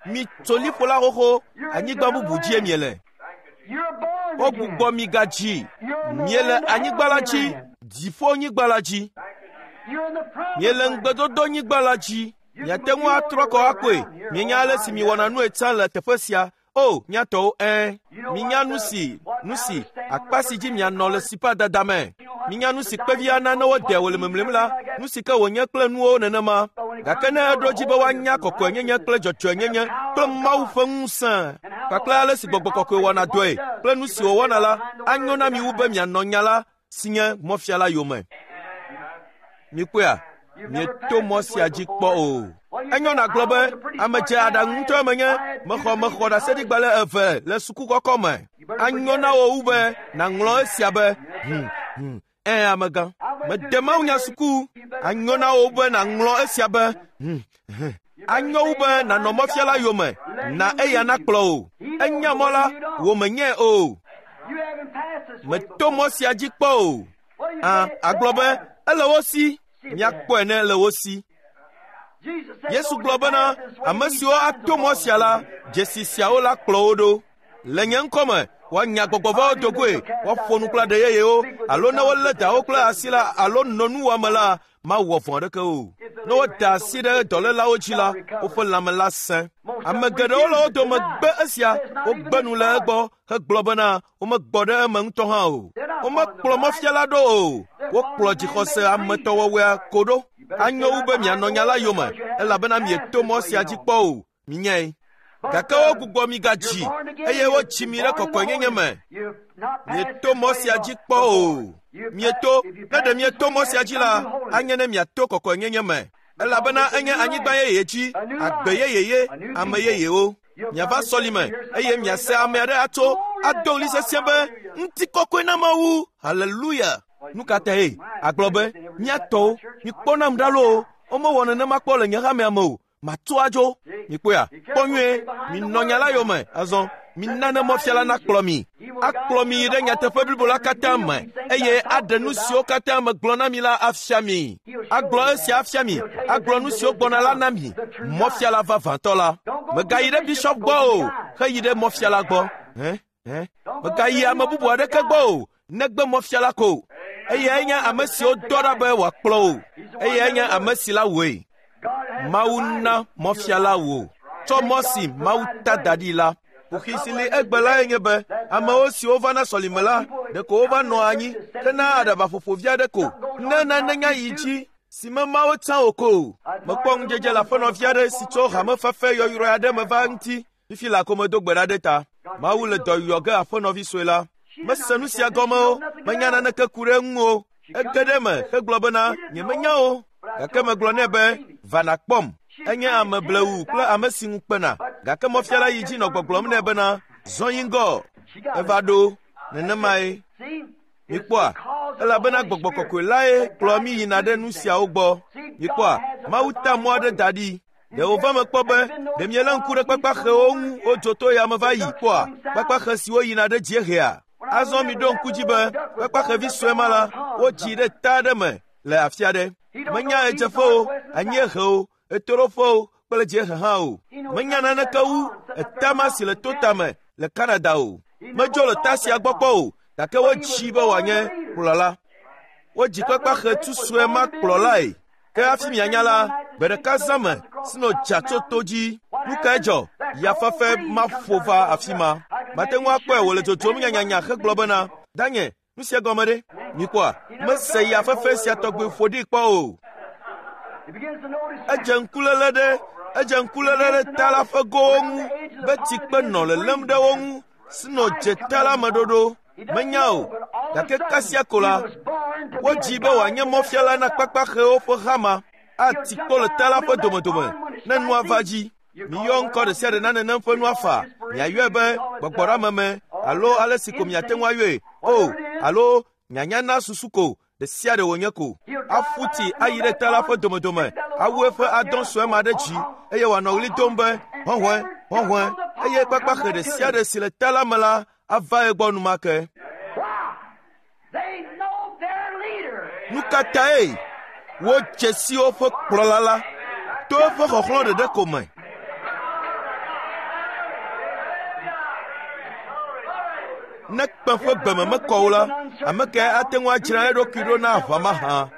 mitso liƒo la xoxo, anyigba bubu dzie miele. Wogbugbɔ mi gadzi. Miele anyigba la dzi, dziƒonyigba la dzi. Miele ŋugbedodonyigba la dzi. Miate ŋu atrɔ kɔ akpɔe. Mienya ale si miwɔna nue tsã le teƒe sia. O, mía tɔwo, ẽ. Minya nu si, nu si, akpa si dzi mianɔ le sipadada me. Minya nu si kpevi ana ne wode wò le memlem la, nu si ke wònye kple nuwo nenema. Gake ne eɖo dzi be woanya kɔkɔenyenye kple dzɔdzɔenyenye kple Mawu ƒe ŋusẽ kpakple ale si Gbɔgbɔ Kɔkɔe wɔna dɔe kple nu si wòwɔna la, anyo na mi wu be mianɔ nya la si nye mɔfiala yome. Mikpɔea? Mieto mɔ sia dzi kpɔ o. Enyo nàgblɔ be ame dze aɖaŋu ŋutɔe menye, mexɔ mexɔ ɖaseɖigbalẽ eve le suku kɔkɔ me. Anyo na wò wu be nàŋlɔ esia be hm hm ẽ amegã. Mede mawunya suku. Anyo na wò be nàŋlɔ esia be hm hm. Anyo wu be nànɔ mɔfiala yome. Na eya nakplɔ o. Enya mɔ la, wò menyae o. Meto mɔ sia dzi kpɔ o. Ã, agblɔ be ele wo si. Miakpɔe ne ele wo si. Yesu gblɔ bena ame siwo ato mɔ sia la, dzesi siawo la kplɔ wo ɖo. Le nye ŋkɔme, woanya gbɔgbɔvɔwo dogoe, woaƒo nu kple aɖe yeyewo, alo ne wolé dawo kple asi la alo nɔ nuwɔame la, mawɔ vɔ̃ aɖeke o. Ne woda asi ɖe dɔlélawo dzi la, woƒe lãme la sẽ. Ame geɖewo le wo dome gbe esia, wogbe nu le egbɔ hegblɔ bena womegbɔ ɖe eme ŋutɔ hã o. Womekplɔ mɔfiala ɖo o. Wokplɔ dzixɔse ametɔwɔwɔea ko ɖo. Anyo wu be mianɔ nya la yome, elabena mieto mɔ sia dzi kpɔ o. Minyae. Gake wogbugbɔ mi gadzi, eye wotsi mi ɖe kɔkɔenyenye me. Mieto mɔ sia dzi kpɔ o. Mieto, ne ɖe mieto mɔ sia dzi la, anye ne miato kɔkɔenyenye me. Elabena enye anyigba yeye dzi, agbe yeyeye, ame yeyewo. Miava sɔlime, eye miase ame aɖe atso ado ɣli sesĩe be, ŋutikɔkɔe na Mawu, haleluya. Nu ka tae? Agblɔ be, mía tɔwo, mikpɔ nam ɖa loo, womewɔ nenema kpɔ le nye hamea me o. Matso adzo. Mikpɔea? Kpɔ nyuie, minɔ nya la yome. Azɔ, mina ne mɔfiala nakplɔ mi. Akplɔ mi ɖe nyateƒe blibo la katã me, eye aɖe nu siwo katã megblɔ na mi la afia mi. Agblɔ esia afia mi, agblɔ nu siwo gbɔna la na mi. Mɔfiala vavãtɔ la. Megayi ɖe bishop gbɔ o, heyi ɖe mɔfiala gbɔ. Hẽ? Hẽ? Megayi ame bubu aɖeke gbɔ o, negbe mɔfiala ko. Eyae nye ame siwo dɔ ɖa be wòakplɔ o. Eyae nye ame si la wòe. Mawu na mɔfiala wò. Tsɔ mɔ si Mawu ta da ɖi la. Kuxi si li egbe lae nye be amewo siwo vana sɔlime la, ɖeko wova nɔa anyi hena aɖabaƒoƒo vi aɖe ko. Ne nane nya yi dzi si mema wo tsã o ko. Mekpɔ ŋudzedze le aƒenɔvi aɖe si tso hamefafe yɔyrɔe aɖe me va ŋuti. Fifi le akɔme do gbe ɖa ɖe ta. Mawu le dɔ yɔ ge aƒenɔvi sue la. Mese nu sia gɔme o, menya naneke ku ɖe eŋu o. Ege ɖe eme hegblɔ bena nyemenya o. Gake megblɔ nɛ be va nàkpɔm. Enye ame blewu kple ame si ŋu kpena. Gake mɔfiala yi dzi nɔ gbɔgblɔm nɛ bena zɔ yi ŋgɔ. Eva ɖo nenemae. Mikpɔa, elabena gbɔgbɔ kɔkɔe lae kplɔ mi yina ɖe nu siawo gbɔ. Mikpɔa, Mawu ta mɔ aɖe da ɖi. Ɖe wòva me kpɔ be ɖe mielé ŋku ɖe kpakpaxewo ŋu wodzo to yame va yi kpɔa kpakpaxe siwo yina ɖe dziehea. Azɔ miɖo ŋku dzi be kpakpaxevi sue ma la wodzi ɖe ta aɖe me le afi aɖe. Menya ɣedzeƒewo, anyiehewo, ɣetoɖoƒewo kple dziehe hã o. Menya naneke wu etama si le to tame le Canada o. Medzo le ta sia gbɔ kpɔ o, gake wodzii be wòanye kplɔla. Wodzi kpakpaxe tu sue ma kplɔlae. Ke hafi mianya la, gbe ɖeka zã me si nɔ dza tso to dzi. Nu kae dzɔ? Yafafe ma ƒo va afi ma. Mate ŋu akpɔe wòle dzodzom nyanyanya hegblɔ bena, Danye, nu sia gɔme ɖe? Mikpɔa, mese yafefe sia tɔgbi ƒo ɖi kpɔ o. Edze ŋkuléle ɖe, edze ŋkuléle ɖe ta la ƒe gowo ŋu be tsikpe nɔ lelém ɖe wo ŋu si nɔ dze ta la me ɖoɖo. Menya o, gake kasia ko la, wodzi be wòanye mɔfiala na kpakpaxewo ƒe hama ati kpo le ta la ƒe domedome ne nua va dzi. Miyɔ ŋkɔ ɖe sia ɖe na nenem ƒe nua fa. Miayɔe be gbɔgbɔɖameme alo ale si ko miate ŋu ayɔe o, alo nyanya na susu ko ɖe sia ɖe wònye ko. Aƒu tsi ayi ɖe ta la ƒe domedome, awu eƒe adɔ sue ma ɖe dzi eye wòanɔ ɣli dom be hɔhɔe, hɔhɔe, eye kpakpaxe ɖe sia ɖe si le ta la me la ava egbɔ enumake. Nu ka tae wodze si woƒe kplɔla la to eƒe xɔxlɔ̃ ɖeɖe ko me? Ne kpẽ ƒe gbeme mekɔ o la, ame kae ate ŋu adzra eɖokui ɖo na aʋa mahã?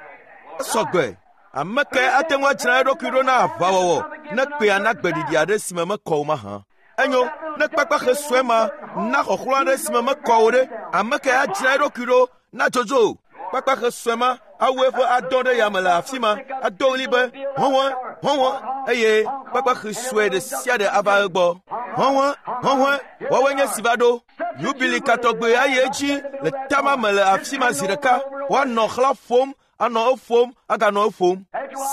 Esɔgbe. Ame kae ate ŋu adzra eɖokui ɖo na aʋawɔwɔ ne kpea na gbeɖiɖi aɖe si me mekɔ o mahã? Enyo, ne kpakpaxe sue ma na xɔxlɔ̃ aɖe si me mekɔ o ɖe, ame kae adzra eɖokui ɖo na dzodzo? Kpakpaxe sue ma awu eƒe adɔ ɖe yame le afi ma, ado ɣli be hɔhɔe, hɔhɔe, eye kpakpaxe sue ɖe sia ɖe ava egbɔ. Hɔhɔe, hɔhɔe, woawoe nye si va ɖo. Yubili katɔgbe ayi edzi le tama me le afi ma zi ɖeka. Woanɔ xlã ƒom, anɔ eƒom, aganɔ eƒom.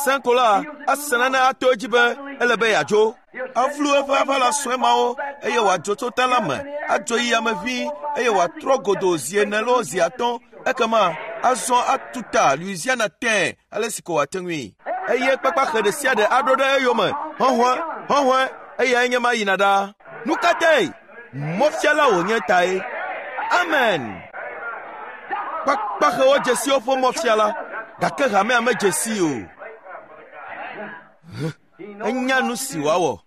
Sẽko la ase nane ato edzi be ele be yeadzo. Avlu eƒe aʋala sue mawo eye wòadzo tso ta la me, adzo yi ame ʋĩi eye wòatrɔ godoo zi ene loo zi atɔ̃. Ekema azɔ atu ta Louisiana tẽe ale si ko wòate ŋui. Eye kpakpaxe ɖe sia ɖe aɖo ɖe eyome. Hɔhɔe, hɔhɔe, Eyae nye ma yina ɖa. Nu ka tae? Mɔfiala wònye tae. Amen. Kpakpaxewo dze si woƒe mɔfiala, gake hamea medze si o. Enya nu si wòawɔ.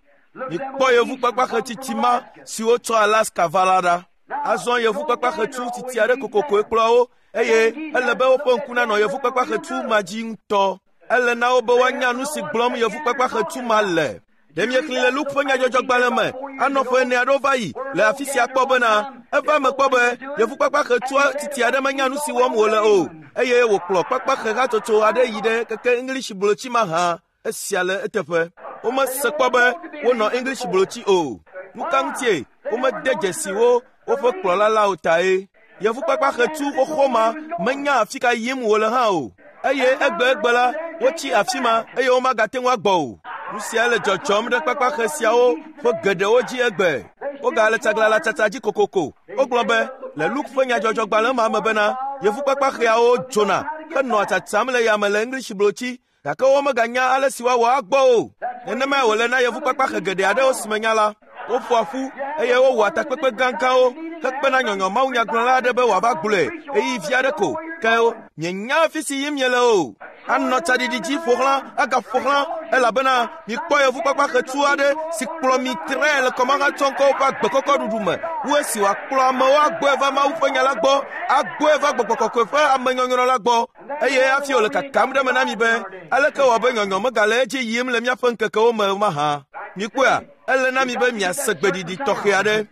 Mikpɔ yevu kpakpaxetsitsi ma si wotsɔ Alaska va la ɖa. Azɔ yevu kpakpaxetsu tsitsi aɖe kokokoe kplɔ wo eye ele be woƒe ŋku nanɔ yevu kpakpaxetsu ma dzi ŋutɔ. Ele na wo be woanya nu si gblɔm yevu kpakpaxetsu ma le. Ɖe miexlẽ le Luke ƒe nyadzɔdzɔgbalẽ me anɔ ƒe ene aɖewo va yi le afi sia kpɔ bena eva eme kpɔ be yevu kpakpaxetsua tsitsi aɖe menya nu si wɔm wòle o eye wòkplɔ kpakpaxe hatsotso aɖe yi ɖe keke English blotsi ma hã. Esia le eteƒe. Womese kpɔ be wonɔ English blotsi o. Nu ka ŋutie womede dzesi wo woƒe kplɔla la o tae. Yevu kpakpaxetsu xoxo ma menya afi ka yim wòle hã o. Eye egbe egbe la, wotsi afi ma eye womagate ŋu agbɔ o. Nu sia le dzɔdzɔm ɖe kpakpaxe siawo ƒe geɖewo dzi egbe. Wogale tsaglãlatsatsa dzi kokoko. Wogblɔ be le Luke ƒe nyadzɔdzɔgbalẽ ma me bena yevu kpakpaxeawo dzona henɔa tsatsam le yame le English blotsi gake womeganya ale si woawɔ agbɔ o. Nenemae wòle na yevu kpakpaxe geɖe aɖewo si menya la. Woƒoa ƒu eye wowɔa takpekpe gãgãwo hekpena nyɔnyɔ mawunyagblɔla aɖe be wòava gblɔe ɣeyiɣi vi aɖe ko. Ke mienya afi si yim miele o. Anɔ tsaɖiɖi dzi ƒo xlã agaƒo xlã elabena mikpɔ yevu kpakpaxetsu aɖe si kplɔ mi tre le kɔmahatsɔŋkɔwo ƒe agbekɔkɔ ɖuɖu me wu esi wòakplɔ amewo agbɔe va Mawu ƒe nya la gbɔ, agbɔe va gbɔgbɔ kɔkɔe ƒe amenyɔnyrɔ la gbɔ. Eye hafi wòle kakam ɖe eme na mi be aleke wɔ be nyɔnyɔ megale edzi yim le míaƒe ŋkekewo me mahã. Mikpɔea, ele na mi be miase gbeɖiɖi tɔxɛ aɖe.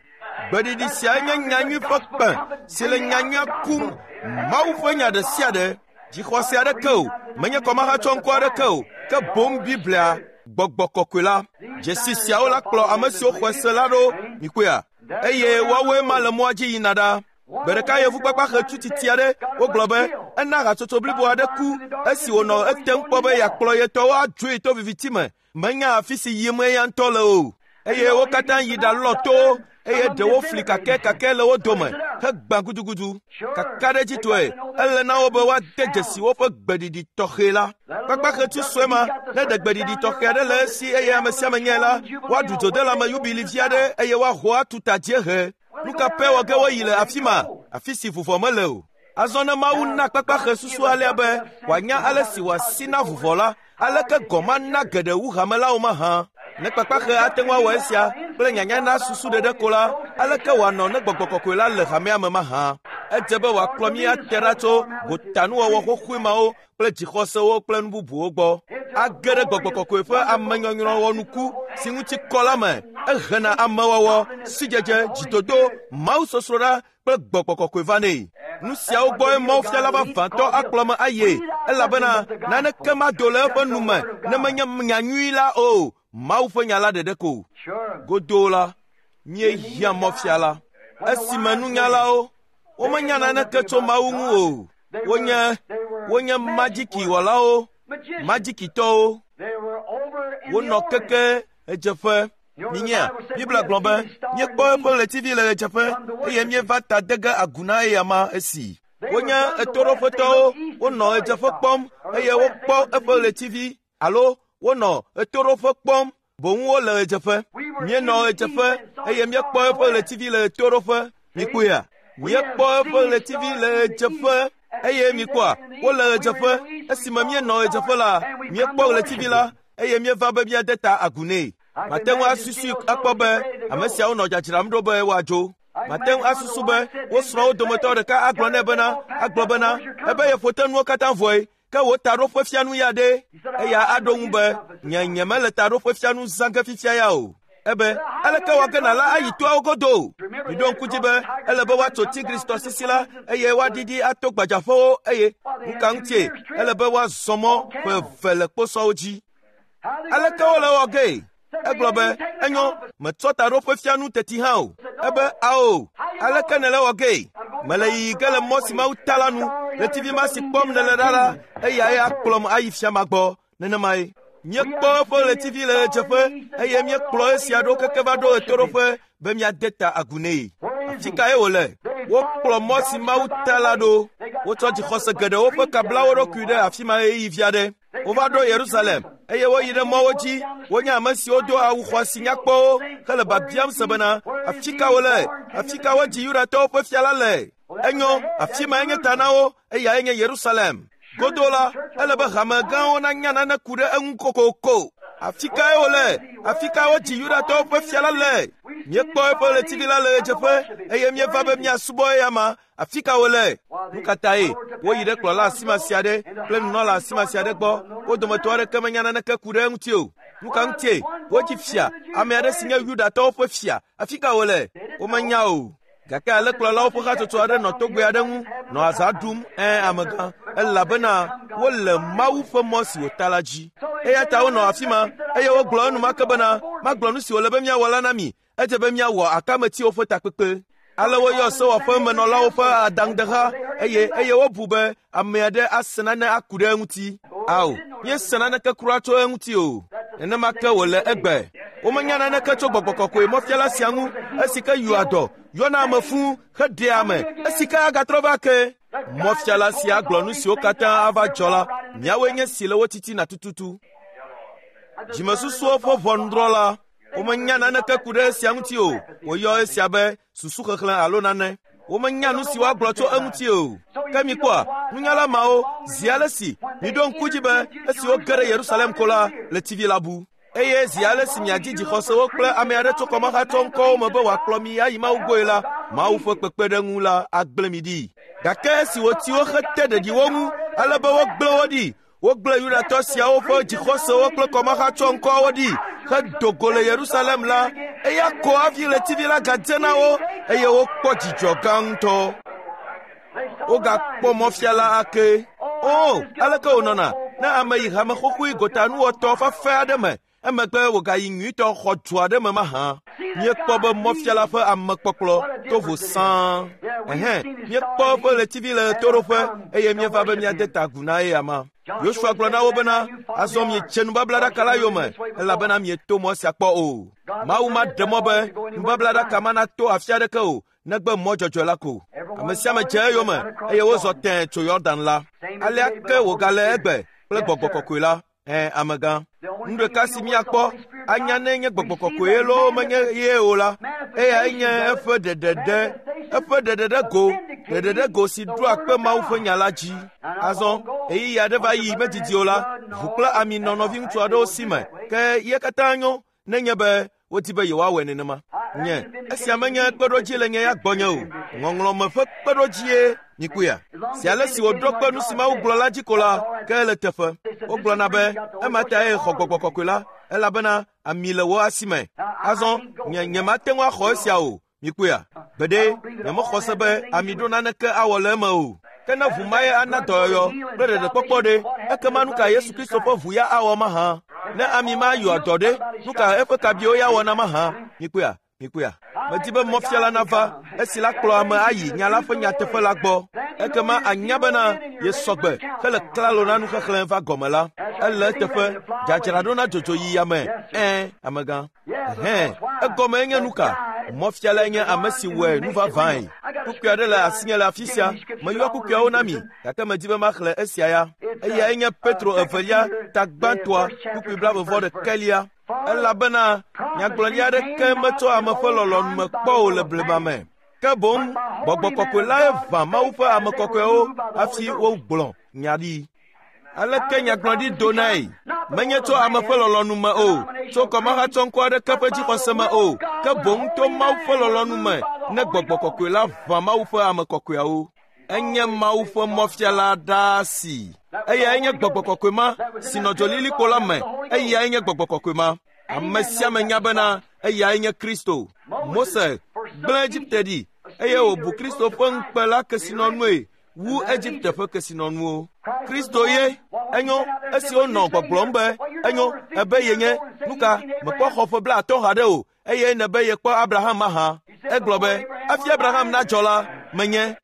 Gbeɖiɖi siae nye nyanyui ƒe kpẽ si le nyanyuia kum Mawu ƒe nya ɖe sia ɖe. Dzixɔse aɖeke o, menye kɔmahatsɔŋkɔ aɖeke o, ke boŋ Biblia, gbɔgbɔ kɔkɔe la. Dzesi siawo la kplɔ ame siwo xɔe se la ɖo, mikpɔea, eye woawoe ma le mɔa dzi yina ɖa. Gbe ɖeka yevu kpakpaxetsu tsitsi aɖe wogblɔ be ena hatsotso blibo aɖe ku esi wònɔ etem kpɔ be yeakplɔ ye tɔwo adzoe to viviti me. Menya afi si yim eya ŋutɔ le o. Eye wo katã yi ɖalɔ towo eye ɖewo fli kakɛkakɛ le wo dome hegbã gudugudu. Kakaɖedzitɔe ele na wo be woade dzesi woƒe gbeɖiɖi tɔxɛ la. Kpakpaxetsu sue ma ne ɖe gbeɖiɖi tɔxɛ aɖe le esi eye ame sia ame nyae la, woaɖu dzodelame yubilivi aɖe eye woaho atu ta dziehe. Nu ka pɛ wɔ ge woyi le afi ma, afi si vuvɔ mele o. Azɔ ne Mawu na kpakpaxe susu alea be wòanya ale si wòasi na vuvɔ la, aleke gɔ̃ mana geɖe wu hamelawo mahã. Ne kpakpaxe ate ŋu awɔ esia kple nyanya na susu ɖeɖe ko la, aleke wòanɔ ne gbɔgbɔ kɔkɔe la le hamea me mahã. Edze be wòakplɔ mí ate ɖa tso gotanuwɔwɔ xoxoe mawo kple dzixɔsewo kple nu bubuwo gbɔ. Age ɖe gbɔgbɔ kɔkɔe ƒe amenyɔnyrɔ wɔnuku si ŋuti kɔ la me. Ehena amewɔwɔ, sidzedze, dzidodo, mawusosroɖa kple gbɔgbɔ kɔkɔe va nɛ. Nu siawo gbɔe mawufiala vavãtɔ akplɔ me aye elabena naneke mado le eƒe nu me ne menye nyanyui la o. Mawu ƒe nya la ɖeɖe ko. Godoo la, míehiã mɔfiala. Esime nunyalawo womenya naneke tso Mawu ŋu o. Wonye wonye madzikiwɔlawo, madzikitɔwo. Wonɔ keke ɣedzeƒe. Minyea, Biblia gblɔ be míekpɔ eƒe ɣletivi le ɣedzeƒe eye míeva ta de ge agu na eyama esi. Wonye ɣetoɖoƒetɔwo, wonɔ ɣedzeƒe kpɔm eye wokpɔ eƒe ɣletivi alo wonɔ ɣetoɖoƒe kpɔm boŋ wole ɣedzeƒe. Míenɔ ɣedzeƒe eye míekpɔ eƒe ɣletivi le ɣetoɖoƒe. Mikpɔea, míekpɔ eƒe ɣletivi le ɣedzeƒe eye mikpɔa, wole ɣedzeƒe. Esime míenɔ ɣedzeƒe la, míekpɔ ɣletivi la eye míeva be míade ta agu nɛ. Mate ŋu asusui akpɔ be ame siawo nɔ dzadzram ɖo be woadzo. Mate ŋu asusu be wo srɔ̃wo dometɔ ɖeka agblɔ nɛ bena agblɔ bena ebe yeƒo te nuwo katã vɔe ke wò taɖoƒefianu ya ɖe. Eya aɖo ŋu be nye nyemele taɖoƒefianu zã ge fifia ya o. Ebe aleke wɔ ge nàla ayi toawo godo? Miɖo ŋku dzi be ele be woatso Tigris tɔsisi la eye woaɖiɖi ato gbadzaƒewo eye nu ka ŋutie ele be woazɔ mɔ ƒe eve le kposɔwo dzi. Aleke wole wɔ gee? Egblɔ be enyo metsɔ taɖoƒefianu teti hã o. Ebe ao, aleke nèle wɔ gee? Mele yiyi ge le mɔ si Mawu ta la nu. Ɣletivi ma si kpɔm nèle ɖa la, eyae akplɔm ayi fia ma gbɔ. Nenemae. Míekpɔ eƒe ɣletivi le ɣedzeƒe eye míekplɔ esia ɖo keke va ɖo ɣetoɖoƒe be míade ta agu nɛ. Afi kae wòle? Wokplɔ mɔ si Mawu ta la ɖo. Wotsɔ dzixɔse geɖewo ƒe ka bla wo ɖokui ɖe afi ma ɣeyiɣi vi aɖe. Wova ɖo Yerusalem eye woyi ɖe mɔwo dzi. Wonye ame siwo do awu xɔasi nyakpɔwo hele biabiam se bena, afi ka wole? Afi ka wodzi Yudatɔwo ƒe fia la le? Enyo, afi ma enye ta na wo, eyae nye Yerusalem. Godo la, ele be hame gãwo nanya nane ku ɖe eŋu kokoko. Afi kae wole? Afi ka wodzi Yudatɔwo ƒe fia la le? Míekpɔ eƒe ɣletivi la le ɣedzeƒe eye míeva be míasubɔ eya ma. Afi ka wole? Nu ka tae woyi ɖe kplɔla asimasi aɖe kple nunɔla asimasi aɖe gbɔ? Wo dometɔ aɖeke menya naneke ku ɖe eŋuti o. Nu ka ŋutie wodzi fia ame aɖe si nye Yudatɔwo ƒe fia? Afi ka wole? Womenya o. Gake ale kplɔlawo ƒe hatsotso aɖe nɔ togbɛ aɖe ŋu nɔ azã ɖum ẽ amegã elabena wole Mawu ƒe mɔ si wòta la dzi. Eya ta wonɔ afi ma eye wogblɔ enumake bena, magblɔ nu si wòle be míawɔ la na mi. Edze be míawɔ akametiwo ƒe takpekpe. Ale woyɔ sewɔƒemenɔlawo ƒe adaŋudeha eye eye wobu be ame aɖe ase nane aku ɖe eŋuti. Ao, míese naneke kura tso eŋuti o. Nenema ke wòle egbe. Womenya naneke tso gbɔgbɔ kɔkɔe mɔfiala sia ŋu esi ke yɔa dɔ, yɔna ame fũu heɖea ame esi ke agatrɔ va ke. Mɔfiala sia gblɔ nu siwo katã ava dzɔ la, miawoe nye si le wo titina tututu. Dzimesusuwo ƒe ʋɔnudrɔ̃la, womenya naneke ku ɖe esia ŋuti o. Woyɔ esia be susuxexlẽ alo nane. Womenya nu si woagblɔ tso eŋuti o. Ke mikpɔa, nunyala mawo zi ale si miɖo ŋku dzi be esi woge ɖe Yerusalem ko la, ɣletivi la bu. Eye zi ale si miadzi dzixɔsewo kple ame aɖe tso kɔmahatsɔ ŋkɔwo me be wòakplɔ mi ayi Mawu gbɔe la, Mawu ƒe kpekpeɖeŋu la agblẽ mi ɖi. Gake esi wòti wo hete ɖeɖi wo ŋu ale be wogblẽ wo ɖi, wogblẽ Yudatɔ siawo ƒe dzixɔsewo kple kɔmahatsɔ ŋkɔwo ɖi hedo go le Yerusalem la, eya ko hafi ɣletivi la gadze na wo eye wokpɔ dzidzɔ gã ŋutɔ. Wogakpɔ mɔfiala ake. O, aleke wònɔna ne ame yi hame xoxoe gotanuwɔtɔ fafɛ aɖe me emegbe wògayi nyuitɔ xɔ du aɖe me mahã. Míekpɔ be mɔfiala ƒe amekpɔkplɔ to vo sãa. Ɛhɛn, míekpɔ eƒe ɣletivi le ɣetoɖoƒe eye míeva be míade ta agu na eya ma. Yosua gblɔ na wo bena, azɔ miedze nubablaɖaka la yome elabena mieto mɔ sia kpɔ o. Mawu maɖe mɔ be nubablaɖaka ma nato afi aɖeke o negbe mɔ dzɔdzɔe la ko. Ame sia ame dze eyome eye wozɔ tẽe tso Yɔdan la. Alea ke wògale egbe kple gbɔgbɔ kɔkɔe la. Ẽ, amegã. Nu ɖeka si míakpɔ anya ne nye gbɔgbɔ kɔkɔe loo menye ye o la, eyae nye eƒe ɖeɖeɖe, eƒe ɖeɖeɖe go, ɖeɖeɖe go si ɖoa kpe Mawu ƒe nya la dzi. Azɔ, ɣeyiɣi aɖe va yi medidi o la, ʋu kple ami nɔ nɔviŋutsu aɖewo si me, ke ye katã nyo nenye be wodi be yewoawɔe nenema. Nye, esia menye kpeɖodzi le nye ya gbɔnye o. Ŋɔŋlɔme ƒe kpeɖodzie mikpɔea. Si ale si wòɖo kpe nu si Mawu gblɔ la dzi ko la, ke ele teƒe. Wogblɔna be ema tae xɔ gbɔgbɔ kɔkɔe la, elabena ami le wo asi me. Azɔ, nye nyemate ŋu axɔ esia o. Mikpɔea. Gbeɖe, nyemexɔ se be ami ɖo naneke awɔ le eme o. Ke ne ʋu mae ana dɔyɔyɔ kple ɖeɖekpɔkpɔ ɖe, ekema nu ka Yesu Kristo ƒe ʋu ya awɔ mahã? Ne ami ma yɔa dɔ ɖe, nu ka eƒe kabiwo ya wɔna mahã? Mikpɔea, mikpɔea. Medi be mɔfiala nava esi la kplɔ ame ayi nya la ƒe nyateƒe la gbɔ. Ekema anya bena yesɔgbe hele klalo na nuxexlẽ va gɔme la. Ele eteƒe dzadzraɖo na dzodzo yi yame. Ẽ, amegã. Hɛn, egɔme nye nu ka? Mɔfialae nye ame si wɔe nu vavãe. Kpukpui aɖe le asinye le afi sia. Meyɔ kpukpuiawo na mi, gake medi be maxlẽ esia ya. Eyae nye Petro evelia ta gbãtɔa kpukpui blaeve vɔ ɖekɛlia. Elabena nyagblɔɖi aɖeke metso ame ƒe lɔlɔ̃nu me kpɔ o le blema me. Ke boŋ gbɔgbɔ kɔkɔe lae ʋã Mawu ƒe ame kɔkɔewo hafi wogblɔ nya ɖi. Aleke nyagblɔɖi donae? Menye tso ame ƒe lɔlɔ̃nu me o, tso kɔmahatsɔŋkɔ aɖeke ƒe dzixɔse me o, ke boŋ to Mawu ƒe lɔlɔ̃nu me ne gbɔgbɔ kɔkɔe la ʋã Mawu ƒe ame kɔkɔeawo. Enye Mawu ƒe mɔfiala ɖaa si. Eyae nye gbɔgbɔ kɔkɔe ma si nɔ dzolilikpo la me. Eyae nye gbɔgbɔ kɔkɔe ma. Ame sia ame nya bena eyae nye Kristo. Mose gblẽ Egipte ɖi eye wòbu Kristo ƒe ŋukpe la kesinɔnue wu Egipte ƒe kesinɔnuwo. Kristo ye enyo esi wonɔ gbɔgblɔm be enyo ebe yenye nu ka mekpɔ xɔ ƒe blaatɔ̃ haɖe o eye nebe yekpɔ Abraham mahã. Egblɔ be hafi Abraham nadzɔ la, menye.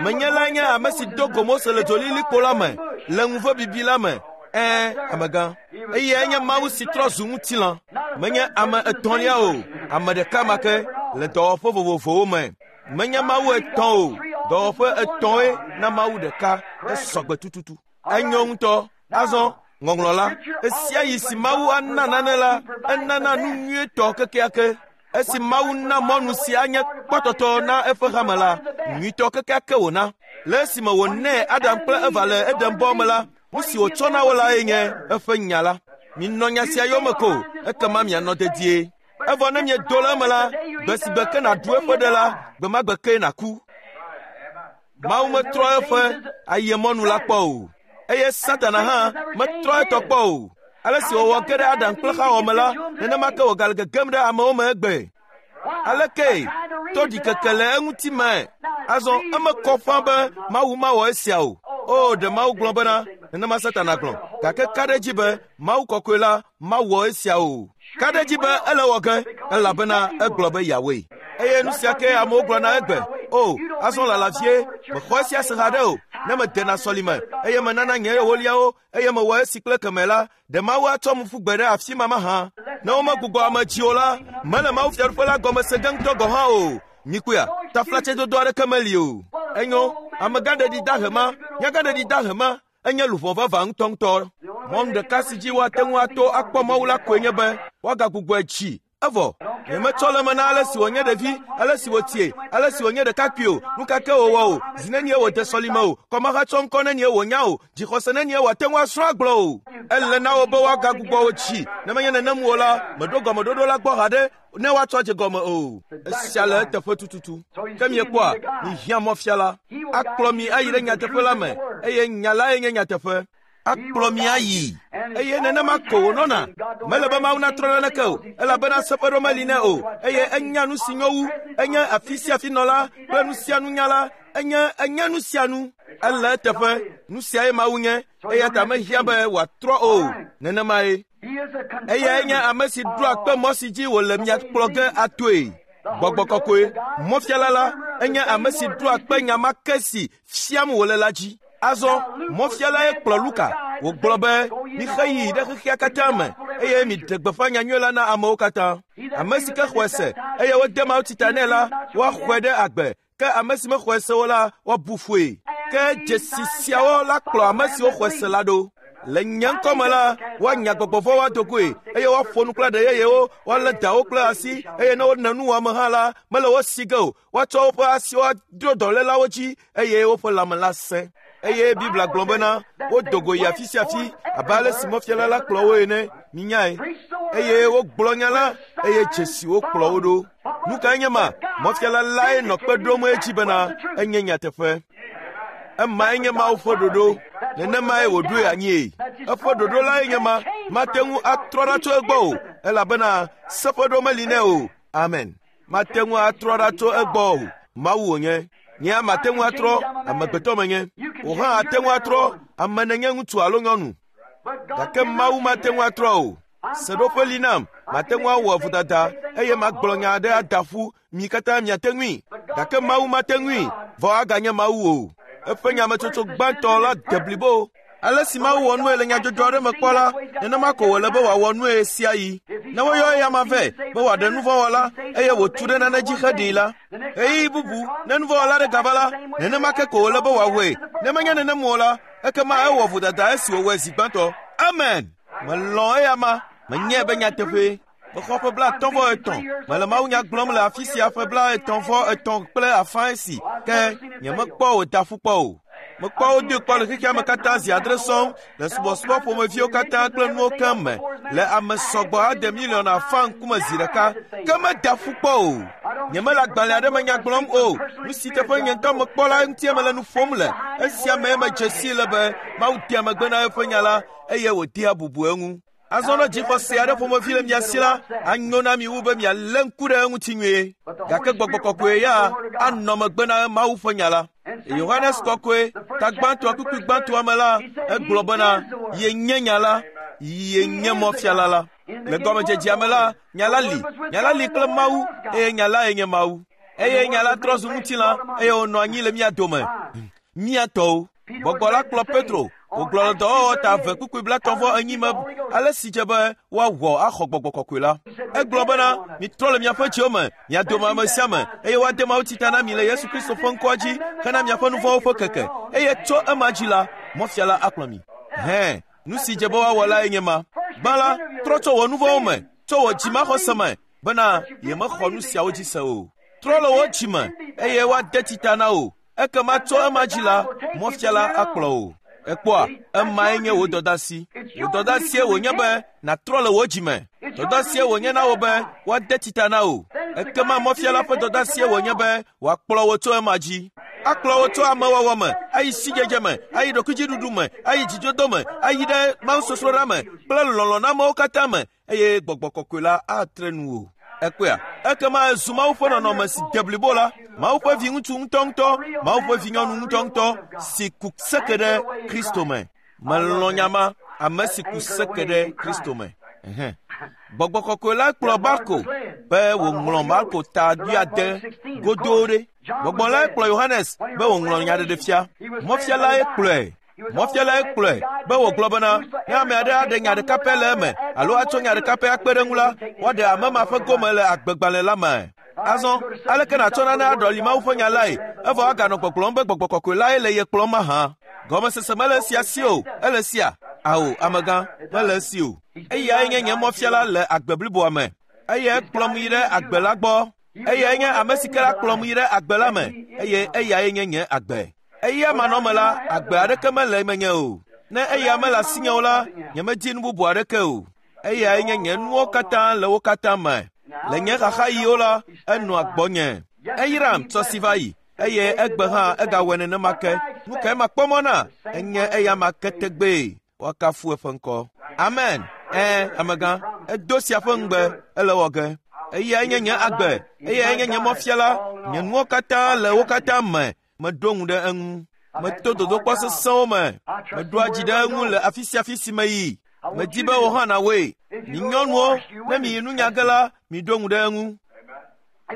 Menye lae nye ame si do go Mose le dzolilikpo la me, le ŋuve bibi la me. Ẽ, amegã. Eyae nye Mawu si trɔ zu ŋutilã. Menye ame etɔ̃lia o, ame ɖeka ma ke le dɔwɔƒe vovovowo me. Menye Mawu etɔ̃ o, dɔwɔƒe etɔ̃e na Mawu ɖeka esɔgbe tututu. Enyo ŋutɔ. Azɔ, Ŋɔŋlɔ la, esia yi si Mawu ana nane la, enana nu nyuietɔ kekeake. Esi Mawu na mɔnu si anye kpɔtɔtɔ na eƒe hame la, nyuitɔ kekeake wòna. Le esime wònɛ Adam kple Eva le Eden bɔ me la, nu si wòtsɔ na wo lae nye eƒe nya la. Minɔ nya sia yome ko, ekema mianɔ dedie. Evɔ ne miedo le eme la, gbe si gbe ke nàɖu eƒe ɖe la, gbe ma gbe ke nàku. Mawu metrɔ eƒe ayemɔnu la kpɔ o. Eye Satana hã metrɔ etɔ kpɔ o. Ale si wòwɔ ge ɖe Adam kple Xawa me la, nenema ke wògale gegem ɖe amewo me egbe. Aleke to ɖikeke le eŋuti me. Azɔ eme kɔ ƒã be Mawu mawɔ esia o. O, ɖe Mawu gblɔ bena, nenema Satana gblɔ. Gake ka ɖe edzi be Mawu kɔkɔe la mawɔ esia o. Ka ɖe edzi be ele wɔ ge, elabena egblɔ be yeawɔe. Eye nu sia ke amewo gblɔna egbe. O, azɔ lala vie, mexɔ esia se haɖe o. Ne medena sɔlime, eye menana nye ewoliawo, eye mewɔ esi kple keme la, ɖe Mawu atsɔ mu ƒu gbe ɖe afi ma mahã? Ne womegbugbɔ ame dzi o la, mele Mawu fiaɖuƒe la gɔme se ge ŋutɔ gɔ̃ hã o. Mikpɔea, taflatsedodo aɖeke meli o. Enyo, amegãɖeɖi dahe ma, nyagãɖeɖi dahe ma, enye luʋɔ vavã ŋutɔŋutɔ. Mɔnu ɖeka si dzi woate ŋu ato akpɔ Mawu la koe nye be woagagbugbɔe dzi. Evɔ, nyemetsɔ le eme na ale si wònye ɖevi, ale si wòtie, ale si wònye ɖekakpui o, nu ka ke wòwɔ o, zi nenie wòde sɔlime o, kɔmahatsɔ ŋkɔ nenie wònya o, dzixɔse nenie wòate ŋu asrɔ̃ agblɔ o. Ele na wo be woagagbugbɔ wo dzi. Ne menye nenem o la, meɖo gɔmeɖoɖo la gbɔ haɖe ne woatsɔ dze gɔme o. Esia le eteƒe tututu. Ke miekpɔa, mihiã mɔfiala. Akplɔ mi ayi ɖe nyateƒe la me, eye nya lae nye nyateƒe. Akplɔ mi ayi. Eye nenema ko wònɔna. Mele be Mawu natrɔ naneke o, elabena seƒeɖo meli nɛ o. Eye enya nu si nyo wu, enye afi sia afi nɔla kple nu sia nunyala, enye enye nu sia nu. Ele eteƒe, nu siae Mawu nye, eya ta mehiã be wòatrɔ o. Nenemae. Eyae nye ame si ɖoa kpe mɔ si dzi wòle mia kplɔ ge atoe. Gbɔgbɔ kɔkɔe, mɔfiala la, enye ame si ɖoa kpe nya ma ke si fiam wòle la dzi. Azɔ, mɔfialae kplɔ Luka. Wògblɔ be, mixe yi ɖe xexea katã me, eye miɖe gbeƒã nyanyui la na amewo katã. Ame si ke xɔe se, eye wode mawutsi ta nɛ la, woaxɔe ɖe agbe. Ke ame si mexɔe se o la, woabu fɔe. Ke dzesi siawo la kplɔ ame siwo xɔe se la ɖo. Le nye ŋkɔ me la, woanya gbɔgbɔ vɔ̃wo ado goe, eye woaƒo nu kple aɖe yeyewo, woalé dawo kple asi, eye ne wone nuwɔame hã la, mele wo si ge o. Woatsɔ woƒe asiwo adro dɔlélawo dzi, eye woƒe lãme la sẽ. Eye Biblia gblɔ bena, wodo go yi afi sia afi abe ale si mɔfiala la kplɔ wo ene, minyae. Eye wogblɔ nya la, eye dzesiwo kplɔ wo ɖo. Nu kae nye ma? Mɔfiala lae nɔ kpe ɖom edzi bena enye nyateƒe. Emae nye Mawu ƒe ɖoɖo. Nenemae wòɖoe anyie. Eƒe ɖoɖo lae nye ma. Mate ŋu atrɔ ɖa tso egbɔ o, elabena seƒeɖo meli nɛ o. Amen. Mate ŋu atrɔ ɖa tso egbɔ o. Mawu wònye. Nye mate ŋu atrɔ, amegbetɔ menye. Wò hã ate ŋu atrɔ, ame nenye ŋutsu alo nyɔnu. Gake Mawu mate ŋu atrɔ o. Seɖoƒe li nam, mate ŋu awɔ vodada, eye magblɔ nya aɖe ada ƒu, mi katã miate ŋui. Gake Mawu mate ŋui, vɔ aganye Mawu o. Eƒe nyametsotso gbãtɔ la de blibo. Ale si Mawu wɔ nue le nyadzɔdzɔ aɖe me kpɔ la, nenema ko wòle be wòawɔ nue sia yi. Ne woyɔ eya vɛ be wòaɖe nuvɔ̃wɔla, eye wòtu ɖe nane dzi heɖee la, ɣeyiɣi bubu ne nuvɔ̃wɔla ɖe gava la, nenema ke ko wòle be wòawɔe. Ne menye nenem o la, ekema ewɔ vodada esi wòwɔe zi gbãtɔ. Amen. Melɔ̃ eya ma, menyae be nyateƒee. Mexɔ ƒe blaetɔ̃ vɔ etɔ̃. Mele mawunya gblɔm le afi sia ƒe blaetɔ̃ vɔ etɔ̃ kple afã esi, ke nyemekpɔ wòda ƒu kpɔ o. Mekpɔ wo doe kpɔ le xexea me katã zi adre sɔŋ le subɔsubɔ ƒomeviwo katã kple nuwo keŋ me le ame sɔgbɔ ade miliɔn afã ŋkume zi ɖeka, ke meda ƒu kpɔ o. Nyemele agbalẽ aɖe me nya gblɔm o. Nu si teƒe nye ŋutɔ mekpɔ la ŋutie mele nu ƒom le. Esia mee medze sii le be Mawu dea megbe na eƒe nya la, eye wòdea bubu eŋu. Azɔ ne dzixɔse aɖe ƒomevi le mia si la, anyo na mi wu be mialé ŋku ɖe eŋuti nyuie. Gake gbɔgbɔ kɔkɔe ya anɔ megbe na Mawu ƒe nya la. Yohanes kɔkɔe, ta gbãtɔa kpukpui gbãtɔa me la, egblɔ bena, yenye nya la, yenye mɔfiala la. Le gɔmedzedzea me la, nya la li, nya la li kple Mawu, eye nya lae nye Mawu. Eye nya la trɔ zu ŋutilã, eye wònɔ anyi le mía dome, mía tɔwo. Gbɔgbɔ la kplɔ Petro, wògblɔ le dɔwɔwɔ ta eve kpukpui blaetɔ̃ vɔ enyi me ale si dze be woawɔ axɔ gbɔgbɔ kɔkɔe la. Egblɔ bena, mitrɔ le miaƒe dziwo me, mia dome ame sia ame, eye woade mawutsi ta na mi le Yesu Kristo ƒe ŋkɔa dzi hena miaƒe nu vɔ̃wo ƒe keke. Eye tso ema dzi la, mɔfiala akplɔ mi. Hẽ, Nu si dze be woawɔ lae nye ma. Gbã la, trɔ tso wò nu vɔ̃wo me, tso wò dzimaxɔse me bena yemexɔ nu siawo dzi se o. Trɔ le wò dzime eye woade tsi ta na wò. Ekema tso ema dzi la, mɔfiala akplɔ wò. Ekpɔa, emae nye wò dɔdasi. Wò dɔdasie wònye be nàtrɔ le wò dzime. Dɔdasie wònye na wò be woade tsi ta na wò. Ekema mɔfiala ƒe dɔdasie wònye be wòakplɔ wò tso ema dzi. Akplɔ wò tso amewɔwɔ me, ayi sidzedze me, ayi ɖokuidziɖuɖu me, ayi dzidodo me, ayi ɖe mawusosroɖa me kple lɔlɔ̃ na amewo katã me eye gbɔgbɔ kɔkɔe la atre nu wò. Ekpɔa, ekema ezu Mawu ƒe nɔnɔme si de blibo la, Mawu ƒe viŋutsu ŋutɔŋutɔ, Mawu ƒe vinyɔnu ŋutɔŋutɔ si ku seke ɖe Kristo me. Melɔ̃ nya ma, ame si ku seke ɖe Kristo me. Ɛhɛn. Gbɔgbɔ kɔkɔe la kplɔ Marko be wòŋlɔ Marko ta wuiade godoo ɖe. Gbɔgbɔ lae kplɔ Yohanes be wòŋlɔ nyaɖeɖefia. Mɔfialae kplɔe. Mɔfialae kplɔe be wògblɔ bena ne ame aɖe aɖe nya ɖeka pɛ le eme alo atsɔ nya ɖeka pɛ akpe ɖe eŋu la, woaɖe ame ma ƒe gome le agbegbalẽ la me. Azɔ, aleke nàtsɔ nane aɖɔli Mawu ƒe nya lae, evɔ aganɔ gbɔgblɔm be gbɔgbɔ kɔkɔe lae le ye kplɔm mahã? Gɔmesese mele esia si o, ele sia? Ao, amegã, mele esi o. Eyae nye nye mɔfiala le agbe bliboa me. Eyae kplɔm yi ɖe agbe la gbɔ. Eyae nye ame si ke la kplɔm yi ɖe agbe la me eye eyae nye nye agbe. Eya manɔme la, agbe aɖeke mele menye o. Ne eya mele asinye o la, nyemedi nu bubu aɖeke o. Eyae nye nye nuwo katã le wo katã me. Le nye xaxaɣiwo la, enɔa gbɔnye. Eyram tsɔ si va yi eye egbe hã egawɔe nenema ke. Nu kae makpɔ mɔ na? Enye eya ma ke tegbee. Woakafu eƒe ŋkɔ. Amen. Ɛ̃, amegã, edo sia ƒe ŋugbe, ele wɔ ge. Eyae nye nye agbe, eyae nye nye mɔfiala, nye nuwo katã le wo katã me. Meɖo ŋu ɖe eŋu. Meto dodokpɔ sesẽwo me. Meɖoa dzi ɖe eŋu le afi sia afi si meyi. Medi be wò hã nàwɔe. Mi nyɔnuwo, ne miyi nunya ge la, miɖo ŋu ɖe eŋu.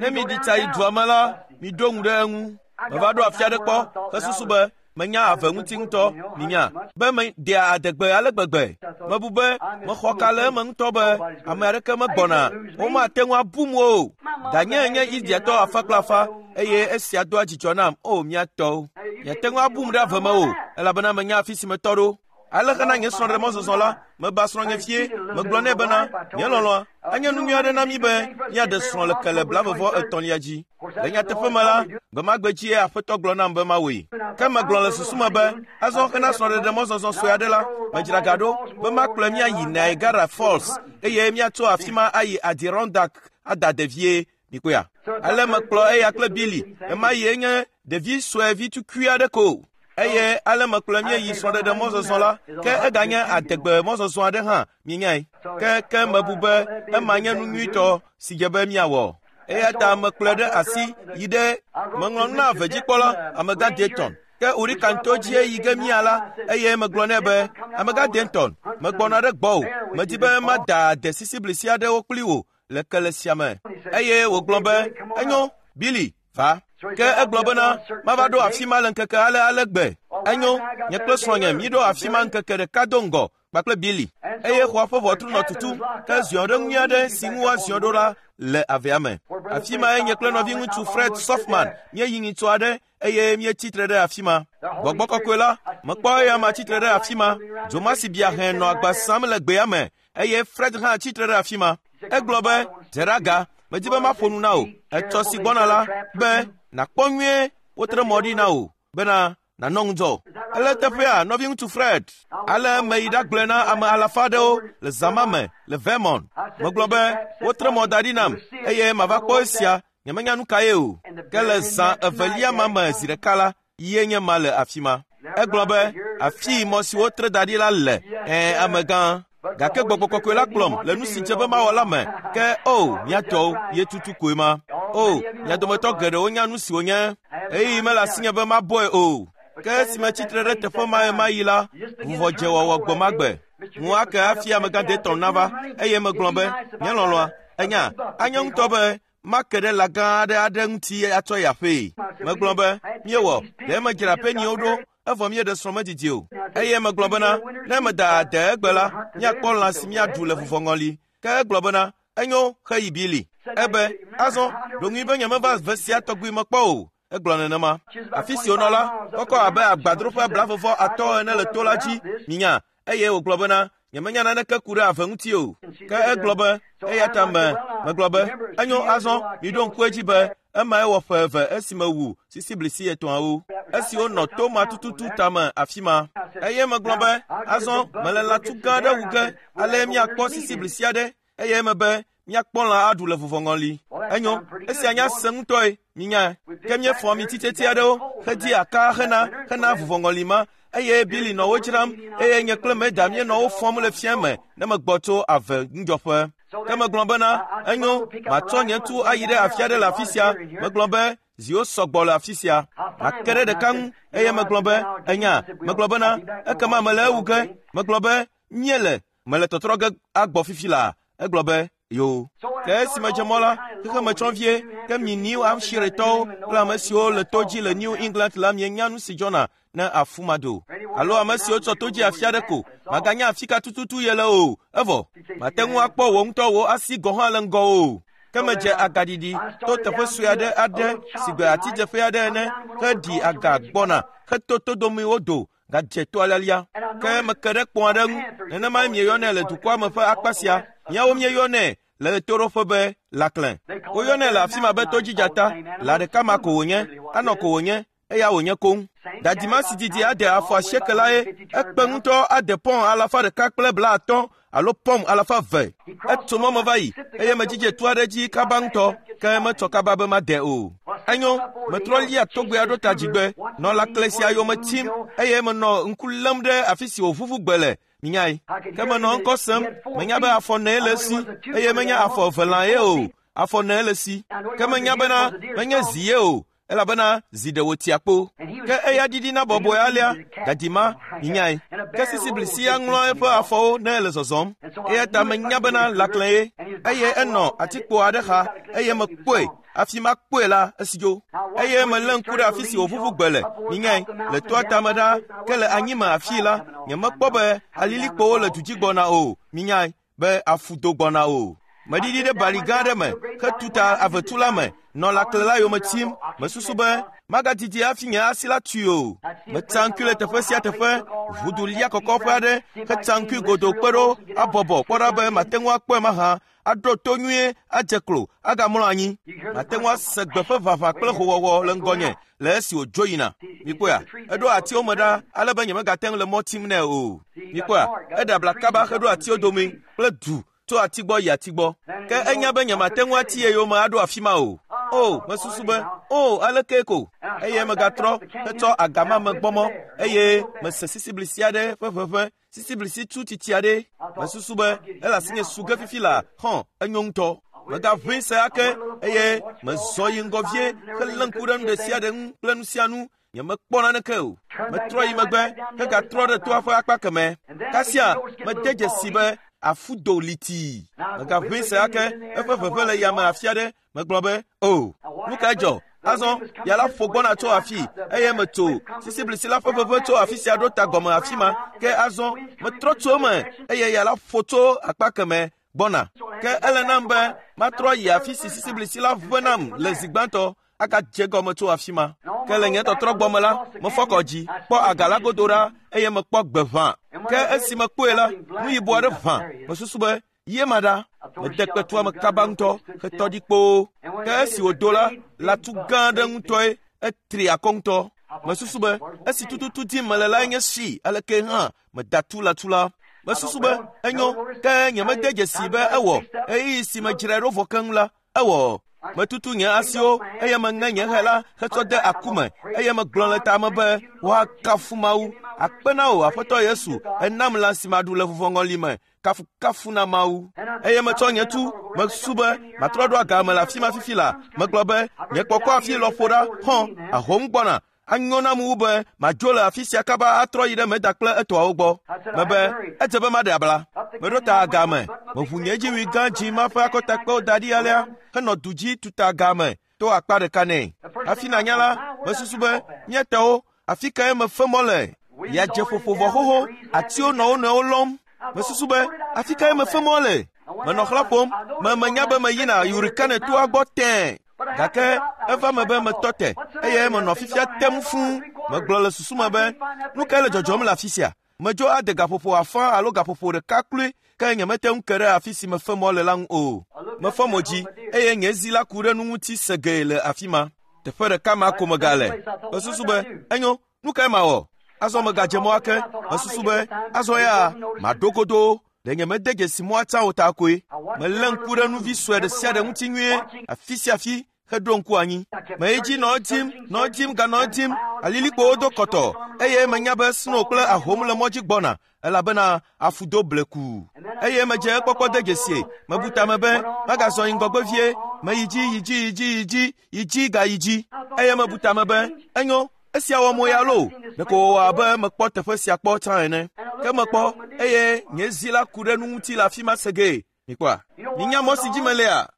Ne miɖi tsa yi dua me la, miɖo ŋu ɖe eŋu. Meva ɖo afi aɖe kpɔ hesusu be menya ave ŋuti ŋutɔ, minya, be medea adegbe ale gbegbe. Mebu be mexɔ ka le eme ŋutɔ be ame aɖeke megbɔna, womate ŋu abum o. Danye nye Indiatɔ afa kple afa eye esia doa dzidzɔ nam, o mía tɔwo. Miate ŋu abum ɖe ave me o, elabena menya afi si metɔ ɖo. Ale hena nye srɔ̃ɖemɔzɔzɔ la, meba srɔ̃nye fie, megblɔ nɛ bena, nye lɔlɔ̃a, enye nu nyui aɖe na mí be míaɖe srɔ̃ le kele blavevɔ etɔ̃lia dzi. Le nyateƒe me la, gbe ma gbe dzie Aƒetɔ gblɔ nam be mawɔe. Ke megblɔ le susu me be, azɔ hena srɔ̃ɖeɖemɔzɔzɔ sue aɖe la, medzra ga ɖo be makplɔe míayi Niagara Falls eye míatso afi ma ayi Adirondack ada devie. Mikpɔea? Ale mekplɔ eya kple Billy. Ema yie nye ɖevi sue vi tukui aɖe ko. Eye ale mekplɔe míeyi srɔ̃ɖeɖe mɔzɔzɔ la, ke eganye adegbe mɔzɔzɔ aɖe hã, mienyae. Ke ke mebu be ema nye nu nyuitɔ si dze be míawɔ. Eya ta mekplɔe ɖe asi yi ɖe meŋlɔ nu na avedzikpɔla, amegã Dayton. Ke Urikanto dzie yi ge mía la, eye megblɔ nɛ be, amegã Dayton, megbɔna ɖe gbɔwò. Medi be mada ade sisiblisi aɖewo kpli wò le kele sia me. Eye wògblɔ be, enyo, Billy, va. Ke egblɔ bena, mava ɖo afi ma le ŋkeke ale ale gbe. Enyo, nye kple srɔ̃nye míɖo afi ma ŋkeke ɖeka do ŋgɔ kpakple Billy. Eye xɔa ƒe ʋɔtru nɔ tutum, ke ziɔ ɖe ŋui aɖe si ŋu woaziɔ ɖo la le avea me. Afi mae nye kple nɔviŋutsu Fred Softman míeyi nyitsɔ aɖe eye míetsi tre ɖe afi ma. Gbɔgbɔ kɔkɔe la, mekpɔ eya ma tsi tre ɖe afi ma. Dzomasi bia hẽ nɔ agba sam le gbea me eye Fred hã tsi tre ɖe afi ma. Egblɔ be, dze ɖe aga, medi be maƒo nu na wò. Etsɔ si gbɔna la be nàkpɔ nyuie wotre mɔ ɖi na wò bena nànɔ ŋudzɔ. Ele teƒea, nɔviŋutsu Fred. Ale meyi ɖagblɔe na ame alafa aɖewo le zã ma me le Vermont. Megblɔ be wotre mɔ da ɖi nam eye mava kpɔ esia, nyemenya nu kae o. Ke le zã evelia ma me zi ɖeka la, yie nye ma le afi ma. Egblɔ be afii mɔ si wotre da ɖi la le, ɛ̃ amegã. Gake gbɔgbɔ kɔkɔe la kplɔm le nu si dze be mawɔ la me. Ke o, mía tɔwo ye tutu koe ma. O, mia dometɔ geɖewo nya nu si wònye. Ɣeyiɣi mele asinye be mabɔe o. Ke esi metsi tre ɖe teƒe ma ɣemaɣi la, vuvɔ dze wɔwɔ gbe ma gbe. Ŋu ake hafi amegã Dayton nava eye megblɔ be, nye lɔlɔ̃a, enya, anye ŋutɔ be make ɖe lã gã aɖe aɖe ŋuti atsɔ yi aƒee. Megblɔ be, míewɔ, ɖe medzra peniwo ɖo evɔ míeɖe srɔ̃ medidi o. Eye megblɔ bena, ne meda ade egbe la, míakpɔ lã si míaɖu le vuvɔŋɔli. Ke egblɔ bena, enyo, xeyi Billy. Ebe, azɔ, ɖo ŋui be nyemeva ve sia tɔgbi mekpɔ o. Egblɔ nenema. Afi si wònɔ la, kɔkɔ abe agbadroƒe blavevɔ atɔ̃ ene le to la dzi, minya, Eye wògblɔ bena, nyemenya naneke ku ɖe ave ŋuti o. Ke egblɔ be, eya ta me, megblɔ be, enyo azɔ, miɖo ŋku edzi be, emae wɔ ƒe eve esime wu sisiblisi etɔ̃awo, esiwo nɔ to ma tututu tame afi ma. Eye megblɔ be, azɔ mele lãtu gã aɖe wu ge, ale míakpɔ sisiblisi aɖe, eye mebe, míakpɔ lã aɖu le vuvɔŋɔli. Enyo, esia nya se ŋutɔe, minyae. Ke míefɔ amititsetse aɖewo hedi aka hena hena vuvɔŋɔli ma, eye Billy nɔ wo dzram, eye nye kple Meda míenɔ wo fɔm le fia me ne megbɔ tso ave ŋudzɔƒe. Ke megblɔ bena, enyo, matsɔ nye tu ayi ɖe afi aɖe le afi sia. Megblɔ be, ziwo sɔgbɔ le afi sia. Make ɖe ɖeka ŋu, eye megblɔ be, enya, megblɔ bena, ekema mele ewu ge. Megblɔ be, míele, mele tɔtrɔ ge agbɔ fifi laa. Egblɔ be, yo. Ke esime dze mɔ la, xexeme tsɔ vie, ke mi New Hampshiretɔwo kple ame siwo le to dzi le New England la mienya nu si dzɔna ne afu ma do. Alo ame siwo tsɔ to dzi afi aɖe ko, maganya afi ka tututu ye le o, evɔ, mate ŋu akpɔ wò ŋutɔ wò asi gɔ̃ hã le ŋgɔ o. Ke medze agaɖiɖi to teƒe sue aɖe aɖe si gbe atidzeƒe aɖe ene, heɖi aga gbɔna, heto todomewo do, gadze toa lialia. Ke meke ɖe kpɔ̃ aɖe ŋu, nenemae mieyɔnɛ le dukɔa me ƒe akpa sia. Míawo míeyɔnɛ le ɣetoɖoƒe be laklẽ. Woyɔnɛ le afi ma be todzidzata. Lã ɖeka ma ko wònye, anɔ ko wònye, eya wònye koŋ. Dadima si didi ade afɔ asieke la ye, ekpe ŋutɔ ade pɔn alafa ɖeka kple blaatɔ̃ alo pɔm alafa eve. Etso mɔ me va yi, eye medzidze to aɖe dzi kaba ŋutɔ, ke metsɔ kaba be made o. Enyo, metrɔ lia togbea ɖo ta dzigbe, nɔ lãkle sia yome tim, eye menɔ ŋku lém ɖe afi si wòvuvu gbe le. Minyae. Ke menɔ ŋkɔ sem, menya be afɔ nee le esi, eye menya afɔ eve lã ye o, afɔ nee le esi. Ke menya bena menye zi ye o, elabena zi ɖe wòtia kpo. Ke eya ɖiɖina bɔbɔe alea, dadima, minyae. Ke sisiblisi ya ŋlɔ eƒe afɔwo ne ele zɔzɔm. Eya ta menya bena lãklẽ ye. Eye enɔ atikpo aɖe xa, eye mekpɔe. Afi ma kpɔe la, esi dzo. Eye melé ŋku ɖe afi si wòvuvu gbe le, minyae, le toa tame ɖaa, ke le anyime afii la, nyemekpɔ be alilikpowo le du dzi gbɔna o, minyae, be afu do gbɔna o. Meɖiɖi ɖe bali gã aɖe me, hetu ta avetu la me, nɔ lãkle la yome tim. Mesusu be magadidi hafi nye asi la tui o. Metsa ŋkui le teƒe sia teƒe, ʋudu lia kɔkɔƒe aɖe, hetsa ŋkui godoo kpe ɖo, abɔbɔ kpɔ ɖa be mate ŋu akpɔe mahã, aɖo to nyuie, adze klo, agamlɔ anyi. Mate ŋu ase gbe ƒe ʋaʋã kple howɔwɔ le ŋgɔnye le esi wòdzo yina. Mikpɔea, eɖo atiwo me ɖa ale be nyemegate ŋu le mɔ tim nɛ o. Mikpɔea, eɖe abla kaba heɖo atiwo dome kple du tso ati gbɔ yi ati gbɔ. Ke enya be nyemate ŋu ati ye yome aɖo afi ma o. O, mesusu be, o, aleke ko. Eye megatrɔ hetsɔ agama me gbɔmɔ, eye mese sisiblisi aɖe ƒe ʋeʋẽ, sisiblisi tu titi aɖe. Mesusu be, ele asinye su ge fifi la, hɔn, enyo ŋutɔ. Megaʋẽ se ake, eye mezɔ yi ŋgɔ vie helé ŋku ɖe nu ɖe sia ɖe ŋu kple nu sia nu. Nyemekpɔ naneke o. Metrɔ yi megbe hegatrɔ ɖe toa ƒe akpa kemɛ. Kasia, mede dzesi be afu do litii. Megaʋẽ se ake, eƒe ʋeʋẽ le yame afi aɖe. Megblɔ be, o, nu kae dzɔ? Azɔ, ya la ƒo gbɔna tso afi, eye metso sisiblisi la ƒe ʋeʋẽ tso afi sia ɖo ta gɔme afi ma. Ke azɔ, metrɔ tso eme, eye ya la ƒo tso akpa kemɛ gbɔna. Ke ele nam be matrɔ yi afi si sisiblisi la ʋẽ nam le zi gbãtɔ, agadze gɔme tso afi ma. Ke le nye tɔtrɔ gbɔme la, mefɔ kɔ dzi, kpɔ aga la godo ɖa, eye mekpɔ gbe ʋã. Ke esi mekpɔe la, nu yibɔ aɖe ʋã. Mesusu be, ye ma ɖa. Mede kpetua me kaba ŋutɔ, hetɔ ɖi kpoo. Ke esi wòdo la, lãtu gã aɖe ŋutɔe, etri akɔ ŋutɔ. Mesusu be, esi tututu dim mele lae nye si, aleke hã meda tu lãtu la. Mesusu be, enyo, ke nyemede dzesi be ewɔ. Ɣeyiɣi si medzrae ɖo vɔ keŋ la, ewɔ. Metutu nye asiwo, eye meŋe nye hɛ la hetsɔ de aku me, eye megblɔ le tame be, woakafu Mawu. Akpe na wò, Aƒetɔ Yesu, enam lã si maɖu le vuvɔŋɔli me. Kafukafu na Mawu. Eye metsɔ nye tu, mesusu be matrɔ ɖo aga me le afi ma fifi la. Megblɔ be, nye kpɔkɔ afi lɔƒo ɖa, hɔn, ahom gbɔna. Anyo nam wu be madzo le afi sia kaba atrɔ yi ɖe Meda kple etɔawo gbɔ. Mebe, edze be maɖe abla. Meɖo ta aga me, meʋu nye dziwui gã dzi ma ƒe akɔtakpewo da ɖi alea, henɔ du dzi tuta aga me to akpa ɖeka nɛ. Hafi nanya la, mesusu be, mía tɔwo, afi kae mefe mɔ le? Ya dze ƒoƒo vɔ xoxo, atiwo nɔ wo nɔewo lɔm. Mesusu be, afi kae mefe mɔ le? Menɔ xlã ƒom, me menya be meyina Hurricane toa gbɔ tẽe. Gake eva me be metɔ te, eye menɔ fifia tem fũu. Megblɔ le susu me be, nu kae le dzɔdzɔm le afi sia? Medzo ade gaƒoƒo afã alo gaƒoƒo ɖeka kloe ke nyemete ŋu ke ɖe afi si mefe mɔ le la ŋu o. Mefɔ mo dzi eye nye zi la ku ɖe nu ŋuti segee le afi ma. Teƒe ɖeka ma ko megale. Mesusu be, enyo, nu kae mawɔ? Azɔ megadze mɔ ake. Mesusu be, azɔ ya maɖo godoo. Ɖe nye mede dzesi mɔa tsã o ta koe. Melé ŋku ɖe nuvi sue ɖe sia ɖe ŋuti nyuie afi sia afi heɖo ŋku anyi. Meyi dzi nɔ edim, nɔ edim, ganɔ edim. Alilikpowo do kɔtɔ eye menya be sno kple ahom le mɔ dzi gbɔna elabena afu do bleku. Eye medze ekpɔkpɔ de dzesie. Mebu tame be magazɔ yi ŋgɔgbe vie. Meyi dzi, yi dzi, yi dzi, yi dzi, yi dzi gayi dzi. Eye mebu tame be enyo, esia wɔ mo ya loo. Ɖeko wòwɔ abe mekpɔ teƒe sia kpɔ tsã ene. Ke mekpɔ eye nye zi la ku ɖe nu ŋuti le afi ma segee. Mikpɔa? Minya mɔ si dzi melea?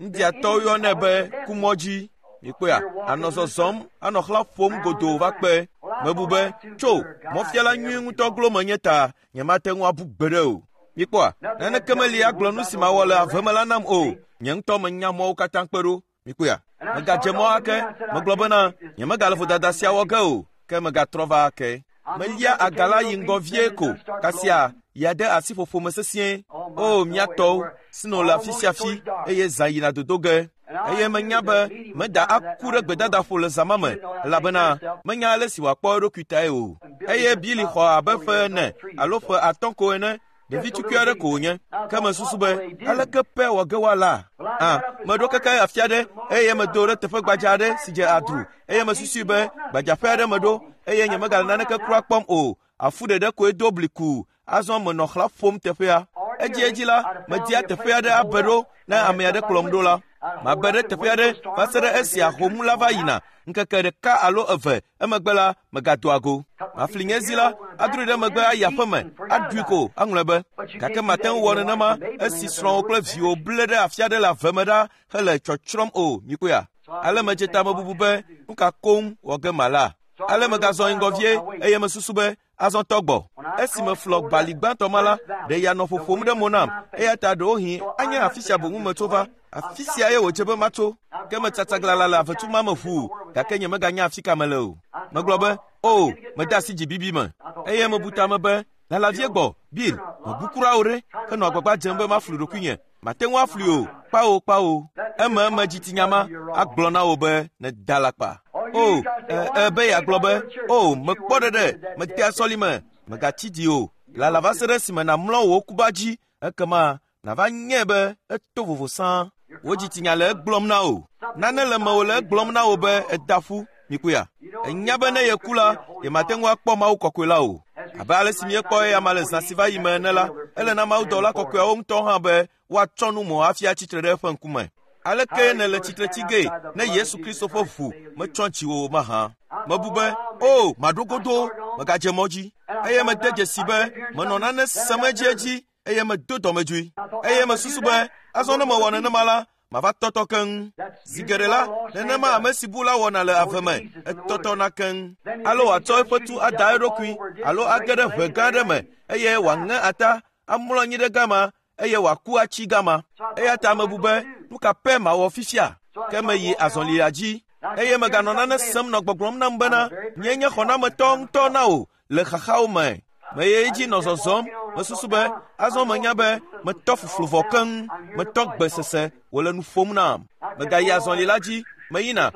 Indiatɔwo yɔnɛ be kumɔ dzi. Mikpɔa? Anɔ zɔzɔm, anɔ xlã ƒom godoo va kpe. Mebu be, tso, mɔfiala nyui ŋutɔ glo menye ta, nyemate ŋu abu gbeɖe o. Mikpɔa? Naneke meli agblɔ nu si mawɔ le ave me la nam o. Nye ŋutɔ menya mɔwo katã kpe ɖo. Mikpɔa? Megadze mɔ ake. Megblɔ bena, nyemegale vodada sia wɔ ge o, ke megatrɔ va ake. Melia aga la yi ŋgɔ vie ko, kasia yeade asi ƒoƒo me sesĩe. O, mía tɔwo, sno le afi sia afi eye zã yina dodo ge. Eye menya be meda aku ɖe gbedadaƒo le zã ma me elabena menya ale si wòakpɔ eɖokui tae o. Eye Bili xɔ abe ƒe ene alo ƒe atɔ̃ ko ene. Ɖevi tukui aɖe ko wònye. Ke mesusu be, aleke pɛ wɔ ge woala? Ah, meɖo keke afi aɖe eye medo ɖe teƒe gbadza aɖe si dze adru eye mesusui be gbadzaƒe aɖe meɖo eye nyemegale naneke kura kpɔm o. Afu ɖeɖe koe do bliku. Azɔ menɔ xlã ƒom teƒea. Edziedzi la, media teƒe aɖe abe ɖo ne ame aɖe kplɔm ɖo la. Mabe ɖe teƒe aɖe va se ɖe esi ahom la va yina. Ŋkeke ɖeka alo eve emegbe la, megadoa go. Mafli nye zi la, adroe ɖe megbe ayi aƒeme, aɖui ko aŋlɔe be. Gake mate ŋu wɔ nenema esi srɔ̃wò kple viwò ble ɖe afi aɖe le ave me ɖa hele tsɔtsrɔ̃m o. Mikpɔea? Ale medze tamebubu be, nu ka koŋ wɔ ge mala? Ale megazɔ yi ŋgɔ vie eye mesusu be, azɔ tɔ gbɔ. Esi meflɔ bali gbãtɔ ma la, ɖe ya nɔ ƒoƒom ɖe mo nam eya ta ɖewohĩ anye afi sia boŋu metso va. Afi sia ye wòdze be matso. Ke metsatsaglalã le avetu ma me ʋuu gake nyemeganya afi ka mele o. Megblɔ be, o, mede asi dzibibi me. Eye mebu tame be, lala vie gbɔ, Bill, mebu kura o ɖe. Henɔ agbagba dzem be maflu ɖokuinye. Mate ŋu aflui o, kpawo kpawo. Eme eme dzitsinya ma agblɔ na wò be nèda alakpa. O, e, be yeagblɔ be, o, mekpɔ ɖeɖe, metea sɔlime, megatsi dzi o. Lala va se ɖe esime nàmlɔ wò kuba dzi, ekema nàva nyae be eto vovo sãa. Wò dzitsinya le egblɔm na wò. Nane le mewò le egblɔm na wò be eda ƒu. Mikpɔea? Enya be ne yeku la, yemate ŋu akpɔ Mawu kɔkɔe la o. Abe ale si míekpɔ eya ma le zã si va yi me ene la, ele na mawudɔla kɔkɔeawo ŋutɔ hã be woatsɔ nu mɔ hafi atsitre ɖe eƒe ŋkume. Aleke nèle tsitre tsi gee ne Yesu Kristo ƒe ʋu metsɔ dziwò o mahã? Mebu be, o, maɖo godoo, megadze mɔ dzi. Eye mede dzesi be menɔ nane sem edziedzi eye medo dɔmedzoe. Eye mesusu be, azɔ ne mewɔ nenema la, mava tɔtɔ keŋ. Zi geɖe la, nenema ame si bu la wɔna le ave me, etɔtɔna keŋ. Alo wòatsɔ eƒe tu ada eɖokui alo age ɖe ʋe gã aɖe me eye wòaŋe ata, amlɔ anyi ɖe gama eye wòaku atsi gama. Eya ta mebu be, nu ka pɛ mawɔ fifia? Ke meyi azɔlia dzi eye meganɔ nane sem nɔ gbɔgblɔm nam bena, nye nye xɔnametɔ ŋutɔ na wò le xaxawo me. Meye dzi nɔ zɔzɔm, mesusu be, azɔ menya be metɔ fuflu vɔ keŋ, metɔ gbesese wòle nu ƒom nam. Megayi azɔli la dzi, meyina.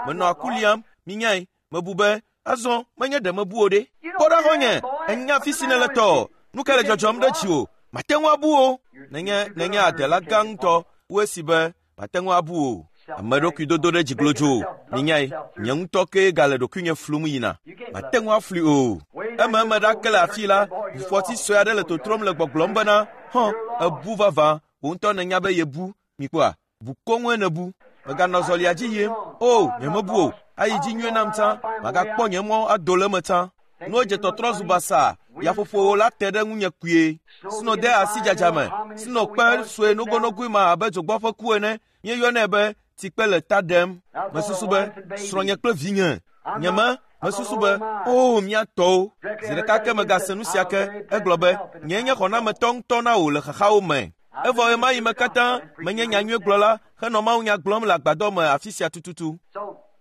Menɔ aku liam, minyae, mebu be, azɔ menye ɖe mebu o ɖe. Kpɔ ɖa xɔ̃nye, ènya afi si nèle tɔ. Nu ka le dzɔdzɔm ɖe dziwò? Mate ŋu abu o. Nenye nenye adela gã ŋutɔ wu esi be mate ŋu abu o. Ame ɖokui dodo ɖe dzi glodzo. Minyae, nye ŋutɔ kee gale ɖokuinye flum yina. Mate ŋu aflui o. Eme eme ɖake le afi la, ʋufɔti sue aɖe le totrom le gbɔgblɔm bena, hɔn, ebu vavã, wò ŋutɔ nènya be yebu. Mikpɔa? Bu koŋue nèbu. Meganɔ zɔlia dzi yim. O, nyemebu o. Ayi dzi nyuie nam tsã. Magakpɔ nye mɔ ado le eme tsã. Nuwo dze tɔtrɔ zu basaa. Yaƒoƒowo la te ɖe ŋunye kpuie. Sno de asi dzadza me. Sno kpe sue nogonogoe ma abe dzogbɔ ƒe ku ene. Míeyɔnɛ be tsikpe le ta ɖem. Mesusu be, srɔ̃nye kple vinye. Nye me, mesusu be, o, mía tɔwo. Zi ɖeka ke megase nu sia ke, egblɔ be, nye nye xɔnametɔ ŋutɔ na wò le xaxawo me. Evɔ ɣemaɣi me katã menye nyanyuiegblɔla henɔ mawunya gblɔm le agbadɔ me afi sia tututu.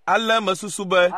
Ale mesusu be,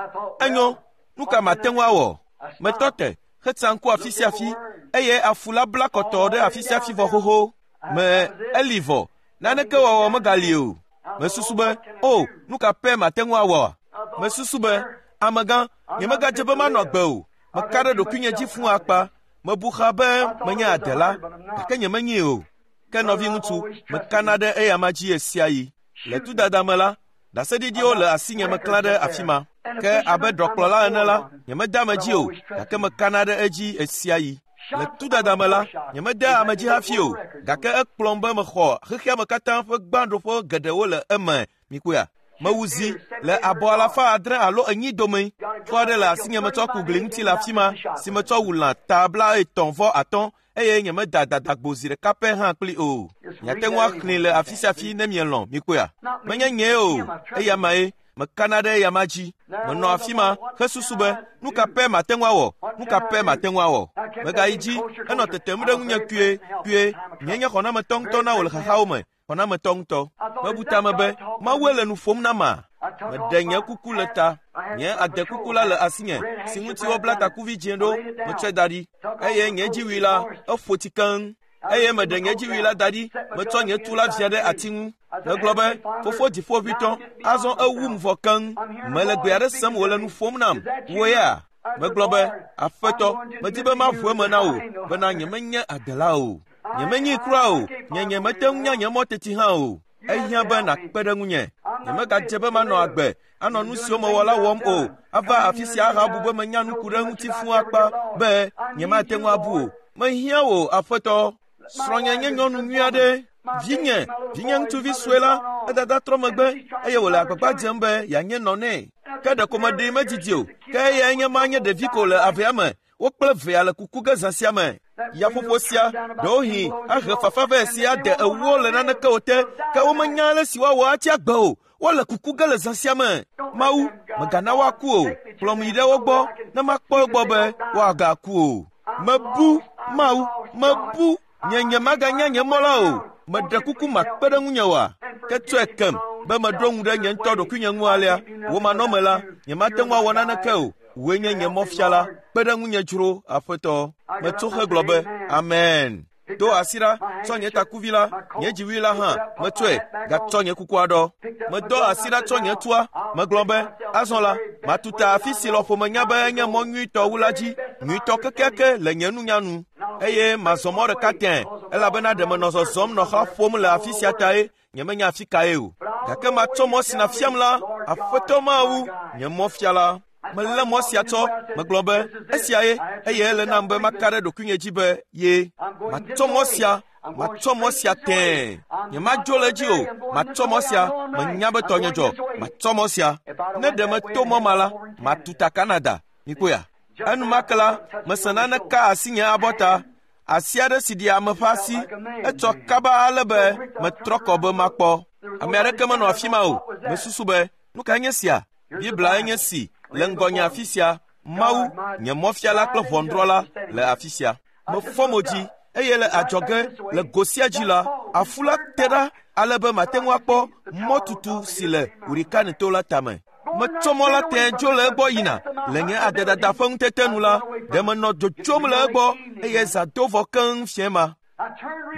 enyo, nu ka mate ŋu awɔ? Metɔ te hetsa ŋku afi sia afi eye afu la bla kɔtɔɔ ɖe afi sia afi vɔ xoxo. Me eli vɔ, naneke wɔwɔ megali o. Mesusu be, o, nu ka pɛ mate ŋu awɔa? Mesusu be, amegã, nyemegadze be manɔ agbe o. Meka ɖe ɖokuinye dzi fũu akpa. Mebu xa be menye adela, gake nyemenyee o. Ke nɔviŋutsu, mekana ɖe eyama dzi ɣe sia ɣi. Le tudada me la, ɖaseɖiɖiwo le asinye meklã ɖe afi ma. Ke abe ɖɔkplɔla ene la, nyemedea ame dzi o, gake mekana ɖe edzi ɣe sia ɣi. Le tudada me la, nyemedea ame dzi hafi o, gake ekplɔm be mexɔ xexea me katã ƒe gbãɖoƒe geɖewo le eme. Mikpɔea? Mewu zi le abɔ alafa adre alo enyi dome. Xɔ aɖe le asinye metsɔ ku gli ŋuti le afi ma si metsɔ wu lã ta blaetɔ̃ vɔ atɔ̃ eye nyemeda dadagbo zi ɖeka pɛ hã kpli o. Miate ŋu axlẽe le afi sia afi ne mielɔ̃. Mikpɔea? Menye nyee o, eya mae. Mekana ɖe eyama dzi. Menɔ afi ma hesusu be, nu ka pɛ mate ŋu awɔ? Nu ka pɛ mate ŋu awɔ? Megayi dzi henɔ tetem ɖe ŋunye kpuie kpuie. Nye nye xɔnametɔ ŋutɔ na wò le xaxawo me. Xɔnametɔ ŋutɔ. Mebu tame be, Mawue le nu ƒom nam ma? Meɖe nye kuku le ta. Nye adekuku la le asinye si ŋuti wobla takuvi dzĩ ɖo. Metsɔe da ɖi eye nye dziwui la eƒo tsi keŋ. Eye meɖe nye dziwui la da ɖi. Metsɔ nye tu la via ɖe ati ŋu. Megblɔ be, fofo dziƒoʋĩtɔ, azɔ ewum vɔ keŋ. Mele gbe aɖe sem wòle nu ƒom nam. Wò ya? Megblɔ be, Aƒetɔ, medi be maʋu eme na wò bena nyemenye adela o. Nyemenyi kura o. Nye nyemete ŋu nya nye mɔ teti hã o. Ehiã be nàkpe ɖe ŋunye. Nyemegadze be manɔ agbe, anɔ nu siwo mewɔ la wɔm o. Ava afi sia ahabu be menya nu ku ɖe ŋuti fũu akpa be nyemate ŋu abu o. Mehiã wò, Aƒetɔ. Srɔ̃nye nye nyɔnu nyui aɖe. Vinye, vinye ŋutsuvi sue la, edada trɔ megbe eye wòle agbagba dzem be yeanye nɔ nɛ. Ke ɖeko meɖee medzidzi o. Ke eyae nye ma nye ɖevi ko le avea me. Wo kple vea le kuku ge zã sia me. Yaƒoƒo sia, ɖewohĩ ahe fafa vɛ si ade ewo le naneke o te, ke womenya ale si woawɔ atsi agbe o. Wole kuku ge le zã sia me. Mawu, mègana woaku o. Kplɔm yi ɖe wo gbɔ ne makpɔ egbɔ be woagaku o. Mebu, Mawu, mebu. Nye nyemaganya nye mɔ la o. Meɖe kuku makpe ɖe ŋunye oa? Ke tsɔe kem be meɖo ŋu ɖe nye ŋutɔ ɖokuinye ŋu alea. Wò manɔme la, nyemate ŋu awɔ naneke o. Wòe nye nye mɔfiala. Kpe ɖe ŋunye dzro, Aƒetɔ. Metso hegblɔ be, Amen. Do asi ɖa, tsɔ nye takuvi la, nye dziwui la hã, metsɔe, gatsɔ nye kukua ɖɔ. Medɔ asi ɖa tsɔ nye tua, megblɔ be, azɔ la, matuta afi si lɔƒo menya be enye mɔ nyuitɔ wu la dzi, nyuitɔ kekeake le nye nunya nu. Eye mazɔ mɔ ɖeka tẽe, elabena ɖe menɔ zɔzɔm nɔ xlã ƒom le afi sia tae, nyemenya afi kae o. Gake matsɔ mɔ si nàfiam la, Aƒetɔ Mawu, nye mɔfiala. Melé mɔ sia tsɔ, megblɔ be, esia ye, eye ele nam be maka ɖe ɖokuinye dzi be ye. Matsɔ mɔ sia, matsɔ mɔ sia tẽe. Nyemadzo le edzi o, matsɔ mɔ sia, menya be tɔnye dzɔ, matsɔ mɔ sia. Ne ɖe meto mɔ ma la, matuta Canada. Mikpɔea? Enumake la, mese nane ka asinye abɔta. Asi aɖe si ɖi ame ƒe asi, etsɔ kaba ale be metrɔ kɔ be makpɔ. Ame aɖeke menɔ afi ma o. Mesusu be, nu kae nye sia? Biblia nye si le ŋgɔnye afi sia. Mawu, nye mɔfiala kple ʋɔnudrɔ̃la le afi sia. Mefɔ mo dzi eye le adzɔge le go sia dzi la, afu la te ɖa ale be mate ŋu akpɔ mɔtutu si le Hurricane-to la tame. Metsɔ mɔ la tẽe dzo le egbɔ yina. Le nye adedada ƒe ŋutete nu la, ɖe menɔ dzodzom le egbɔ eye zã do vɔ keŋ fiẽ ma.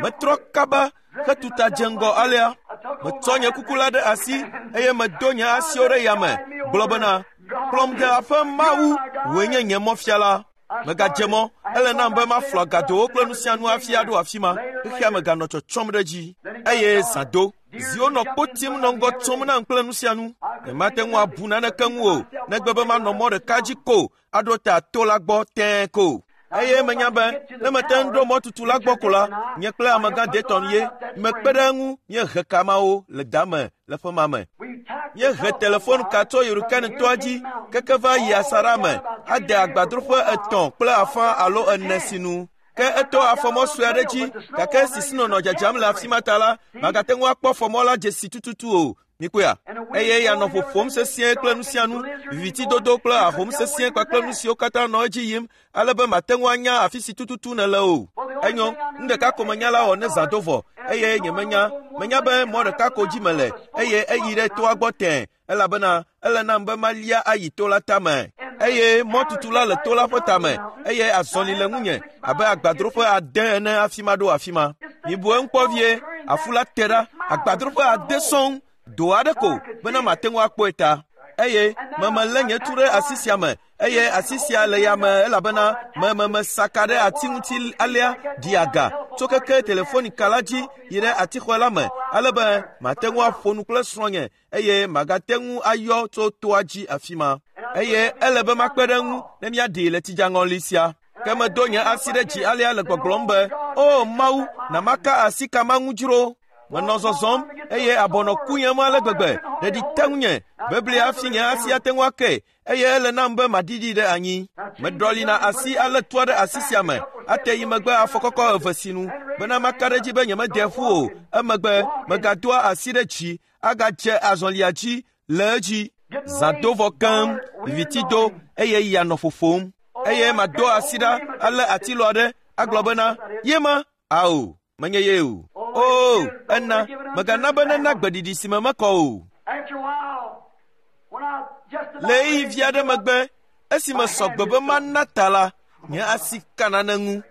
Metrɔ kaba hetuta dze ŋgɔ alea. Metsɔ nye kuku la ɖe asi eye medo nye asiwo ɖe yame gblɔ bena, kplɔm de aƒe Mawu, wòe nye nye mɔfiala. Megadze mɔ, ele nam be maflɔ agadowo kple nu sia nu hafi aɖo afi ma. Xexea me ganɔ tsɔtsɔm ɖe edzi eye zã do. Ziwo nɔ kpo tim nɔ ŋgɔ tsom nam kple nu sia nu. Nyemate ŋu abu naneke ŋu o, negbe be manɔ mɔ ɖeka dzi ko aɖo ta to la gbɔ tẽe ko. Eye menya be ne mete ŋu ɖo mɔtutu la gbɔ ko la, nye kple amegã Dayton ye mekpe ɖe eŋu míehe kamawo le dame le ƒe ma me. Míehe telefon ka tso Hurricane-toa dzi keke va yi asaɖa me ade agbadroƒe etɔ̃ kple afã alo ene sinu. Ke eto afɔmɔ sue aɖe dzi, gake esi sinɔ nɔ dzadzam le afi ma ta la, magate ŋu akpɔ fɔmɔ la dzesi tututu o. Mikpɔea? Eye ya nɔ ƒoƒom sesĩe kple nu sia nu, vivitidodo kple ahom sesĩe kpakple nu siwo katã nɔ edzi yim, ale be mate ŋu anya afi si tututu nèle o. Enyo, nu ɖeka ko menya la wɔ ne zã do vɔ, eye nyemenya. Menya be mɔ ɖeka ko dzi mele, eye eyi ɖe toa gbɔ tẽe, elabena ele nam be malia ayi to la tame. Eye mɔtutu la le to la ƒe tame, eye azɔli le ŋunye abe agbadroƒe ade ene hafi maɖo afi ma. Mibu eŋu kpɔ vie, afu la te ɖa, agbadroƒe ade sɔŋ, do aɖe ko bena mate ŋu akpɔe ta. Eye memelé nye tu ɖe asi sia me, eye asi sia le yame elabena mememesaka ɖe ati ŋuti alea ɖi aga tso keke telefonika la dzi yi ɖe atixɔ la me, ale be mate ŋu aƒo nu kple srɔ̃nye eye magate ŋu ayɔ tso toa dzi afi ma. Eye ele be makpe ɖe eŋu ne míaɖii le tsidzaŋɔli sia. Ke medo nye asi ɖe dzi alea le gbɔgblɔm be, O Mawu, na maka asi ka ma ŋu dzro. Menɔ zɔzɔm eye abɔnɔ kuyem ale gbegbe, ɖeɖi te ŋunye, bebli hafi nye asi ate ŋu ake, eye ele nam be maɖiɖi ɖe anyi. Meɖɔlina asi alé tua ɖe asi sia me, ate yi megbe afɔkɔkɔ eve sinu, bena maka ɖe edzi be nyemede ƒu o. Emegbe megadoa asi ɖe dzi, agadze azɔlia dzi le edzi. Zã do vɔ keŋ, viviti do, eye ya nɔ ƒoƒom. Eye mado asi ɖa alé atilɔ aɖe, agblɔ bena, ye ma? Ao, menye ye o. O, ena, megana be nena gbeɖiɖi si me mekɔ o. After a while, when I just about Le ɣeyiɣi vi aɖe megbe, esime sɔgbe be mana ta la, nye asi ka nane ŋu.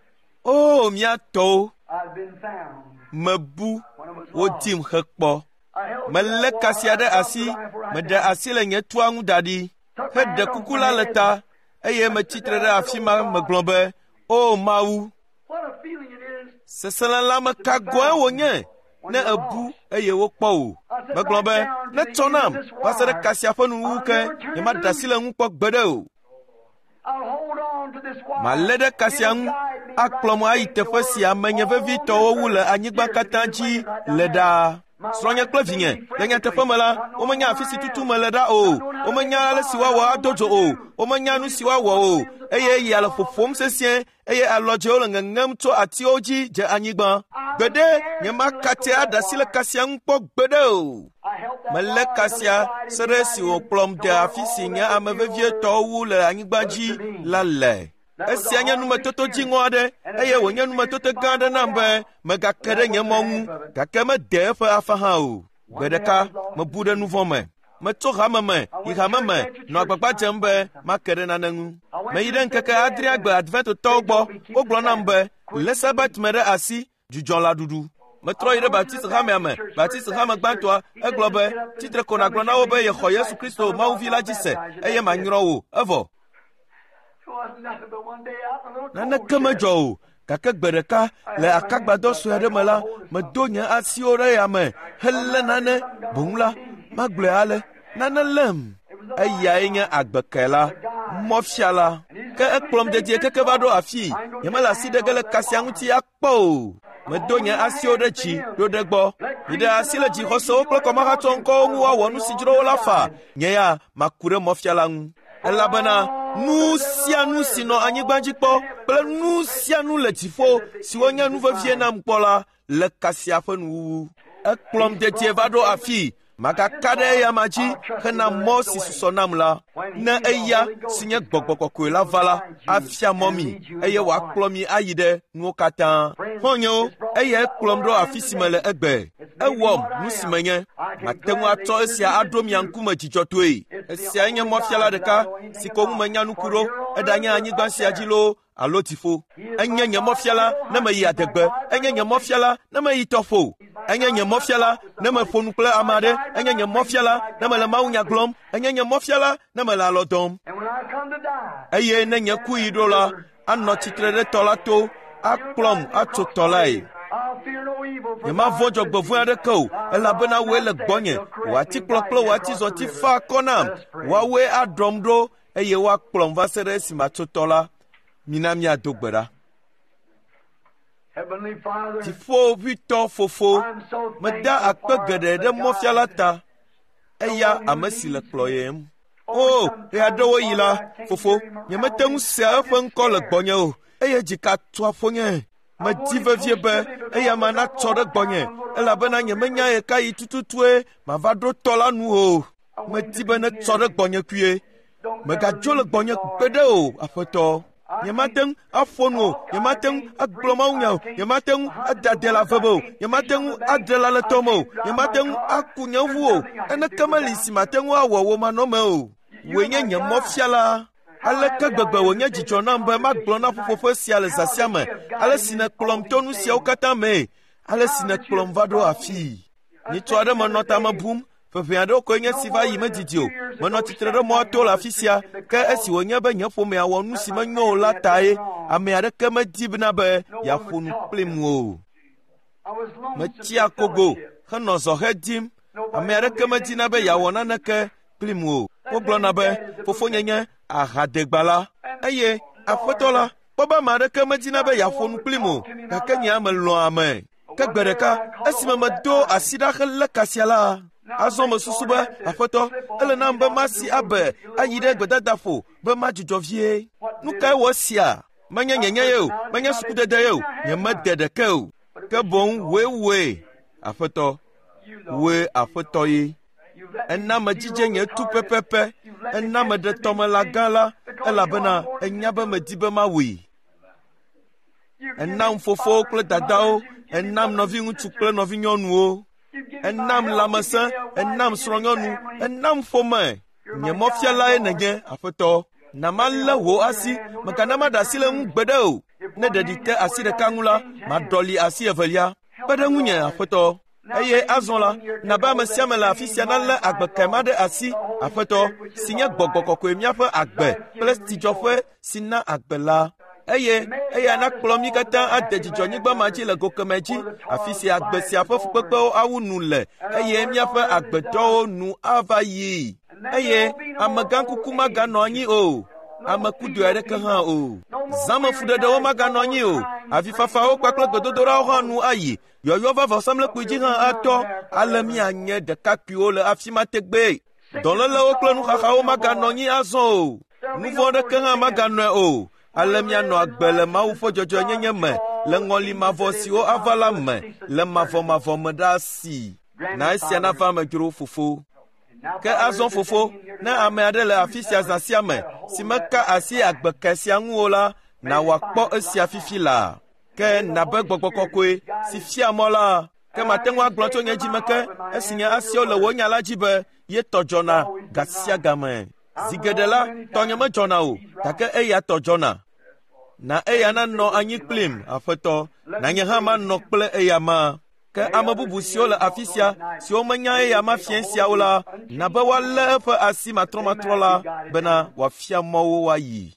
O, mía tɔwo, I'd been found. mebu, When I was lost. wodim hekpɔ. I held to Melé that wire, kasia ɖe I asi, dropped the rifle right meɖe down. asi le nye tua ŋu da ɖi, heɖe kuku la le ta, eye metsitre ɖe afi ma megblɔ be, O Mawu, What a feeling it is. seselelãme ka gɔ̃e wònye ne ebu eye wokpɔ wò. Megblɔ be, netsɔ nam va se ɖe kasia ƒe nuwuwu ke, nyemaɖe asi le ŋu kpɔ gbeɖe o. I'll hold on to this wire. Malé ɖe kasia ŋu, akplɔm ayi teƒe si amenye vevitɔwo wu le anyigba katã dzi le ɖaa. Srɔ̃nye kple vinye, le nyateƒe me la, womenya afi si tutu mele ɖa o. Womenya ale si woawɔ ado dzo o. Womenya nu si woawɔ o. Eye ya le ƒoƒom sesĩe, eye alɔdzewo le ŋeŋem tso atiwo dzi dze anyigba. Gbeɖe, nyemakate aɖe asi le kasia ŋu kpɔ gbeɖe o. I held that Melé wire till kasia it guided se me ɖe right esi in wòkplɔm de to where afi si all nye that ame was vevietɔwo wu le anyigba dzi la le. Esia nye numetoto dziŋɔ aɖe eye wònye numetoto gã aɖe nam be megake ɖe nye mɔ ŋu, gake mede eƒe afa hã o. Gbe ɖeka mebu ɖe nu vɔ̃ me. Metso hame me yi hame me nɔ agbagba dzem be make ɖe nane ŋu. Meyi ɖe ŋkeke adrea gbe Adventotɔwo gbɔ, wogblɔ nam be lé Sabat me ɖe asi, dzudzɔ lãɖuɖu. Metrɔ yi ɖe Baptist hamea me, Baptist hame gbãtɔa, egblɔ be, tsitre ko nàgblɔ na wo be yexɔ Yesu Kristo Mawu Vi la dzi se, eye manyrɔ wò, evɔ. It wasn't nothing but one day out in a little cold Naneke shed. medzɔ o, gake gbe ɖeka le akagbadɔ sue aɖe me la, medo nye asiwo ɖe yame helé nane boŋ la, magblɔe ale, nane lém. Eyae nye agbeke la, mɔfiala. Ke ekplɔm dedie keke va ɖo afii, nyemele asi ɖe ge le kasia ŋuti akpɔ o. Medo nye asiwo ɖe dzi ɖo ɖe gbɔ. Miɖe asi le dzixɔsewo kple kɔmahatsɔ ŋkɔwo ŋu woawɔ nu si dzro wo la faa. Nye ya maku ɖe mɔfiala ŋu. Elabena nu sia nu si nɔ anyigba dzi kpɔ kple nu sia nu le dziƒo siwo nye nu vevie nam kpɔ la le kasia ƒe nuwuwu. Ekplɔm dedie va ɖo afii, magaka ɖe eyama dzi hena mɔ si susɔ nam la. Ne eya si nye Gbɔgbɔ Kɔkɔe la va la, afia mɔ mi eye wòakplɔ mi ayi ɖe nuwo katã. Xɔ̃nyewo, eyae kplɔm ɖo afi si mele egbe. Ewɔm nu si menye. Mate ŋu atsɔ esia aɖo mia ŋkume dzidzɔtɔe. Esiae nye mɔfiala ɖeka si ko ŋu menya nu ku ɖo, eɖanye anyigba sia dzi loo alo dziƒo. Enye nye mɔfiala ne meyi adegbe, enye nye mɔfiala ne meyi tɔƒo. Enye nye mɔfiala ne meƒo nu kple ame aɖe, enye nye mɔfiala ne mele mawunya gblɔm, enye nye mɔfiala ne mele alɔ dɔm. And when I come to die, Eye ne nye ku yi ɖo la, anɔ tsitre ɖe tɔ la to, akplɔm atso tɔ lae. I'll fear no evil. For Nyemavɔ̃ dzɔgbevɔ̃e aɖeke o, elabena wòe le gbɔnye. Wò atikplɔ kple wò atizɔti fa akɔ nam. Woawoe aɖɔm ɖo eye woakplɔm va se ɖe esime matso tɔ la. Mina míado gbe ɖa. Heavenly Father, Dziƒoʋĩtɔ Fofo, I'm so meda thankful akpe for geɖe the ɖe mɔfiala guide. ta, eya ame si le kplɔyem. O, ɣeaɖewoɣi la, fofo, nyemete ŋu sea eƒe ŋkɔ le gbɔnye o, eye dzika tua ƒonye. Medi vevie be eya ma natsɔ ɖe gbɔnye elabena nyemenya ɣekaɣi tututue mava ɖo tɔ la nu o. Medi be netsɔ ɖe gbɔnye kpuie. Megadzo le gbɔnye gbeɖe o, Aƒetɔ. Nyemate ŋu aƒo nu o, nyemate ŋu agblɔ mawunya o, nyemate ŋu ada ade le ave me o, nyemate ŋu adre la le tɔ me o, nyemate ŋu aku nye ʋu o, naneke meli si mate ŋu awɔ wò manɔme o. Wòe nye nye mɔfiala. Aleke gbegbe wònye dzidzɔ nam be magblɔ na ƒuƒoƒe sia le zã sia me, ale si nèkplɔm to nu siawo katã mee, ale si nèkplɔm va ɖo afii. Nyitsɔ aɖe menɔ tame bum, ƒeƒe aɖewo koe nye si va yi medidi o. Menɔ tsitre ɖe mɔa to le afi sia, ke esi wònye be nye ƒomea wɔ nu si menyo o la tae, ame aɖeke medi bena be yeaƒo nu kplim o. Metsi akogo henɔ zɔhɛ dim. Ame aɖeke medina be yeawɔ naneke kplim o. Wogblɔna be fofonye nye ahadegbala eye aƒetɔ la kpɔ be ame aɖeke medina be yeaƒo nu kplim o, gake nye ame lɔ̃a ame. Ke gbe ɖeka esime medo asi ɖa helé kasia la, azɔ mesusu be aƒetɔ ele nam be masi abe ayi ɖe gbedadaƒo be madzudzɔ vie. Nu kae wɔ esia? Menye nyenye ye o, menye sukudede ye o, nyemede ɖeke o. Ke boŋ wòe wòe, Aƒetɔ, wòe Aƒetɔ ye. Ena medzidze nye tu pɛpɛpɛ, ena meɖe tɔmelã gã la, elabena enya be medi be mawui. Enam fofowo kple dadawo, enam nɔviŋutsu kple nɔvinyɔnuwo, enam lãmesẽ, enam srɔ̃nyɔnu, enam ƒome. Nye mɔfialae nènye, Aƒetɔ. Na malé wò asi, mègana maɖe asi le ŋu gbeɖe o. Ne ɖeɖi te asi ɖeka ŋu la, maɖɔli asi evelia. Kpe ɖe ŋunye, Aƒetɔ. Eye azɔ la, na be ame sia ame le afi sia nalé agbekae ma ɖe asi, Aƒetɔ, si nye gbɔgbɔ kɔkɔe míaƒe agbe kple tsidzɔƒe si na agbe la. Eye eya nakplɔ mí katã ade dzidzɔnyigba ma dzi le go kemɛ dzi, afi si agbe sia ƒe fukpekpewo awu nu le, eye míaƒe agbetɔwo nu ava yi. Eye amegãkuku maganɔ anyi o, amekudoe aɖeke hã o. Zãmefuɖeɖewo maganɔ anyi o, avifafawo kpakple gbedodoɖawo hã nu ayi, yɔyɔ va vɔsamlekpui dzi hã atɔ, ale míanye ɖekakpuiwo le afi ma tegbee. Dɔlélewo kple nuxaxawo maganɔ anyi azɔ o, nu vɔ̃ aɖeke hã maganɔe o. Ale míanɔ agbe le Mawu ƒe dzɔdzɔenyenye me, le ŋɔli mavɔ siwo ava la me, le mavɔmavɔ me ɖaa si. Na esia nava eme dzro, Fofo. Ke azɔ Fofo, ne ame aɖe le afi sia zã sia me, si meka asi agbekae sia ŋu o la, na wòakpɔ esia fifi laa. Ke nabe gbɔgbɔ kɔkɔe si fia mɔ la, ke mate ŋu agblɔ tso nye dzime ke esi nye asiwo le wò nya la dzi be ye tɔ dzɔna ga sia game. Zi geɖe la, tɔnye medzɔna o, gake eya tɔ dzɔna. Na eya nanɔ anyi kplim, Aƒetɔ, na nye hã manɔ kple eya ma. Ke ame bubu siwo le afi sia, siwo menya eya ma fiẽ siawo la, na be woalé eƒe asi matrɔmatrɔ la bena wòafia mɔ wo woayi.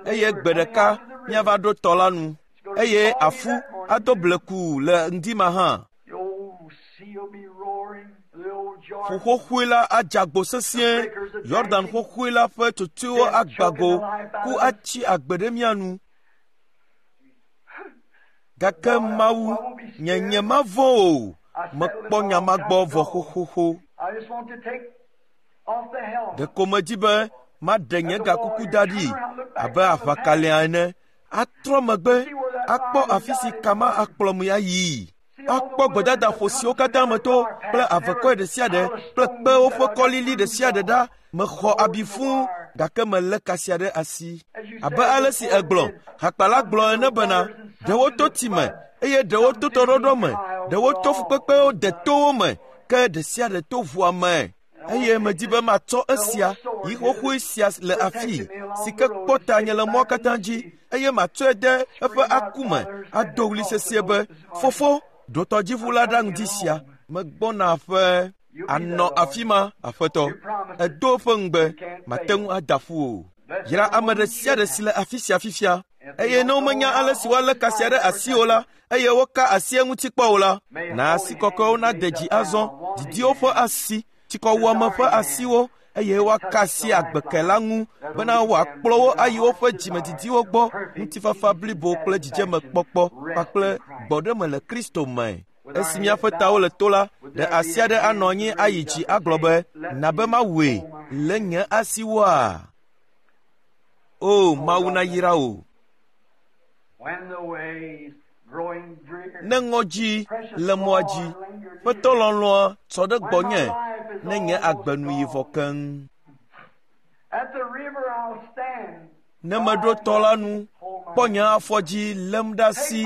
Eye gbe ɖeka míava ɖo tɔ la nu, eye afu ado bleku le ŋdi ma hã. The old sea will be roaring, the old Ƒu Jordan. xoxoe la adze agbo sesĩe, Yɔdan xoxoe la ƒe tsotsoewo agba go, ku atsi agbe ɖe mía nu. Gake Mawu, nye nye mavɔ̃ o, mekpɔ nya ma gbɔ vɔ xoxoxo. I just want to take off the helmet. Ɖeko medi be maɖe nye gakuku da ɖi abe aʋakalẽa ene, atrɔ megbe akpɔ afi si kama akplɔm ayii. Akpɔ gbedadaƒo siwo katã meto kple avekɔe ɖe sia ɖe kple kpewo ƒe kɔlili ɖe sia ɖe ɖa. Mexɔ abi fũu gake melé kasia ɖe asi. Abe ale si egblɔ, hakpala gblɔ ene bena, ɖewo to tsi me eye ɖewo to tɔɖɔɖɔ me, ɖewo to fukpekpewo de towo me, ke ɖe sia ɖe to ʋua me. Eye medi be matsɔ esia yi xoxoe sia le afii si ke kpɔ ta nye le mɔ katã dzi eye matsɔe de eƒe aku me ado ɣli sesĩe be, Fofo, ɖo tɔdziʋu la ɖa ŋdi sia, megbɔna aƒe. Anɔ afi ma, Aƒetɔ. Edo eƒe ŋugbe, mate ŋu ada ƒu o. Yra ame ɖe sia ɖe si le afi sia fifia. Eye ne womenya ale si woalé kasia ɖe asi o la, eye woka asi eŋuti kpɔ o la, na asi kɔkɔewo nade dzi azɔ, didiwo ƒe asi, tsikɔwuame ƒe asiwo, eye woaka asi agbeke la ŋu bena wòakplɔ wo ayi woƒe dzimedidiwo gbɔ, ŋutifafa blibo kple dzidzemekpɔkpɔ kpakple gbɔɖeme le Kristo me. Esi míaƒe tawo le to la, ɖe asi aɖe anɔ anyi ayi dzi agblɔ be, na be mawɔe le nye asiwoa? O, Mawu nayra wò. When the ways Ne ŋɔdzi le mɔa dzi, ƒetɔ lɔlɔ̃a tsɔ ɖe gbɔnye ne nye agbe nu yi vɔ keŋ. Ne meɖo tɔ la nu, kpɔ nye afɔ dzi lém ɖe asi,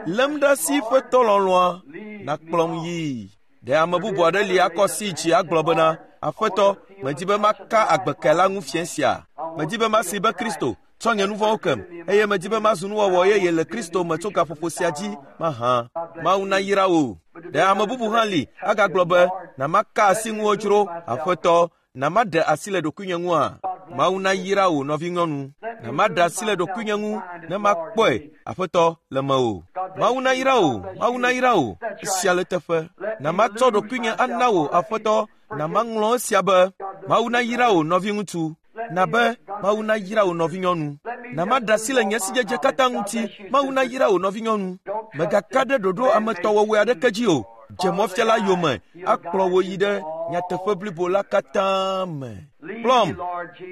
lém ɖe asi ƒetɔ lɔlɔ̃a nakplɔm yii. Ɖe ame bubu aɖe li akɔ asi dzi agblɔ bena, Aƒetɔ, medi be maka agbeke la ŋu fiẽ sia. Medi be masi be Kristo tsɔ nye nu vɔ̃wo kem eye medi be mazu nuwɔwɔ yeye le Kristo me tso gaƒoƒo sia dzi mahã. Mawu nayra wò. Ɖe ame bubu hã li agagblɔ be, na maka asi ŋuwò dzro, Aƒetɔ, na maɖe asi le ɖokuinye ŋua? Mawu nayra wò nɔvinyɔnu. Na maɖe asi le ɖokuinye ŋu ne makpɔe, Aƒetɔ, le mewò. Mawu nayra wò, Mawu nayra wò, esia le teƒe. Na matsɔ ɖokuinye ana wò, Aƒetɔ, na maŋlɔ esia be. Mawu nayra wò nɔviŋutsu. Na be Mawu nayra wò nɔvinyɔnu. Na maɖe asi le nye sidzedze katã ŋuti. Mawu nayra wò nɔvinyɔnu. Mègaka ɖe ɖoɖo ametɔwɔwɔe aɖeke dzi o. Dze mɔfiala yome akplɔ wò yi ɖe nyateƒe blibo la katã me. Kplɔm,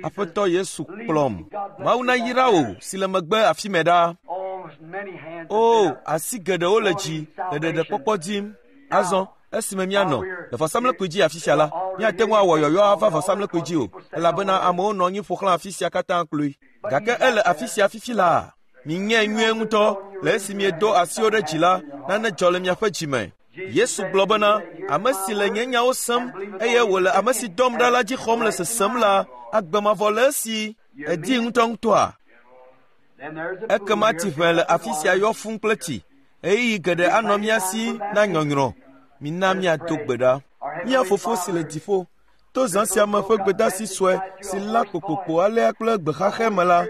Aƒetɔ Yesu kplɔm. Mawu nayra wò si le megbe afi mɛ ɖa. O, asi geɖewo le dzi le ɖeɖekpɔkpɔ dim. Azɔ esime míanɔ le vɔsamlekpui dzi afi sia la, míate ŋu awɔ yɔyɔ ava vɔsamlekpui dzi o, elabena amewo nɔ anyi ƒo xlã afi sia katã kloe. Gake ele afi sia fifi laa. Minyae nyuie ŋutɔ le esi miedo asiwo ɖe dzi la, nane dzɔ le miaƒe dzime. Yesu gblɔ bena, ame si le nye nyawo sem eye wòle ame si dɔm ɖa la dzi xɔm le sesem la, agbe mavɔ le esi. Èdi ŋutɔŋutɔa? Ekema tsiʋe le afi sia yɔ fũu kple tsi. Ɣeyiɣi geɖe anɔ mía si na nyɔnyrɔ. Mina míado gbe ɖa. Mía Fofo si le dziƒo, to zã sia me ƒe gbedeasi sue si la kpokpokpo alea kple gbexaxɛ me la,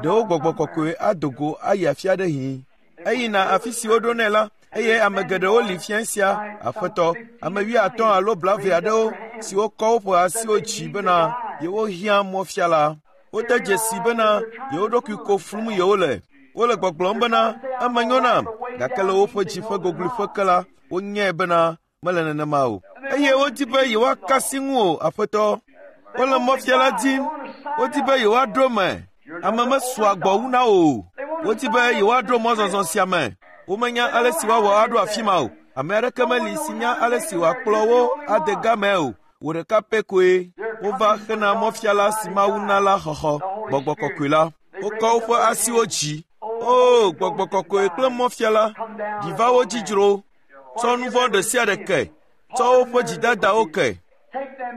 ɖewo gbɔgbɔ kɔkɔe ado go ayi afi aɖe hĩ. Eyina afi si woɖo nɛ la, eye ame geɖewo li fiẽ sia, Aƒetɔ, ame wuiatɔ̃ alo blaeve aɖewo siwo kɔ woƒe asiwo dzi bena yewohiã mɔfiala. Wode dzesi bena yewo ɖokui ko flum yewole. Wole gbɔgblɔm bena eme nyo nam, gake le woƒe dzi ƒe gogloƒe ke la, wonyae bena mele nenema o. Eye wodi be yewoaka asi ŋu o, Aƒetɔ. Wole mɔfiala dim. Wodi be yewoaɖo eme. Ame mesua gbɔ wu na wo o. Wodi be yewoaɖo mɔzɔzɔ sia me. Womenya ale si woawɔ aɖo afi ma o. Ame aɖeke meli si nya ale si wòakplɔ wo ade game o. Wò ɖeka pɛ koe. Wova hena mɔfiala si Mawu na la xɔxɔ, Gbɔgbɔ Kɔkɔe la. Wokɔ woƒe asiwo dzi. O, Gbɔgbɔ Kɔkɔe kple mɔfiala, ɖi va wo dzi dzro. Tsɔ nu vɔ̃ ɖe sia ɖe ke. Tsɔ woƒe dzidadawo ke.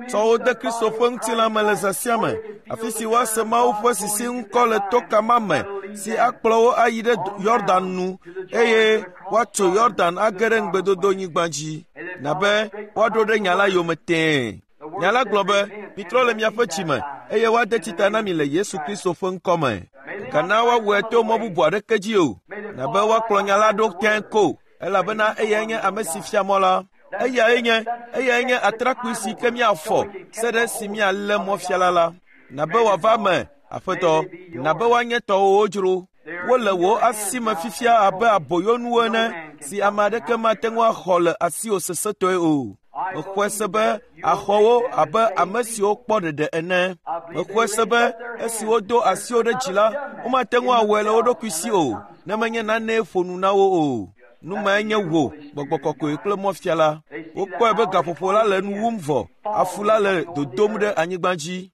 Tsɔ wo de Kristo ƒe ŋutilã me le zã sia me, afi si woase Mawu ƒe sisi ŋkɔ le toka ma me si akplɔ wo ayi ɖe Yɔdan nu eye woatso Yɔdan age ɖe ŋugbedodonyigba dzi. Na be woaɖo ɖe nya la yome tẽe. Nya la gblɔ be, mitrɔ le miaƒe dzime eye woade tsita na mi le Yesu Kristo ƒe ŋkɔ me. Gana woawɔe to mɔ bubu aɖeke dzi o. Na be woakplɔ nya la ɖo tẽe ko, elabena eyae nye ame si fia mɔ la. Eyae nye, eyae nye atrakpui si ke míafɔ se ɖe si míalé mɔfiala la. Na be wòava eme, Aƒetɔ, na be woanye tɔwòwo dzro. Wole wò asi me fifia abe aboyonuwo ene si ame aɖeke mate ŋu axɔ le asiwò sesẽtɔe o. Mexɔe se be axɔ wo abe ame siwo kpɔ ɖeɖe ene. Mexɔe se be esi wodo asiwo ɖe dzi la, womate ŋu awɔe le wo ɖokui si o, ne menye nanee ƒo nu na wo o. Nu mae nye wò, Gbɔgbɔ Kɔkɔe kple mɔfiala. Wokpɔe be gaƒoƒo la le nu wum vɔ, afu la le dodom ɖe anyigba dzi.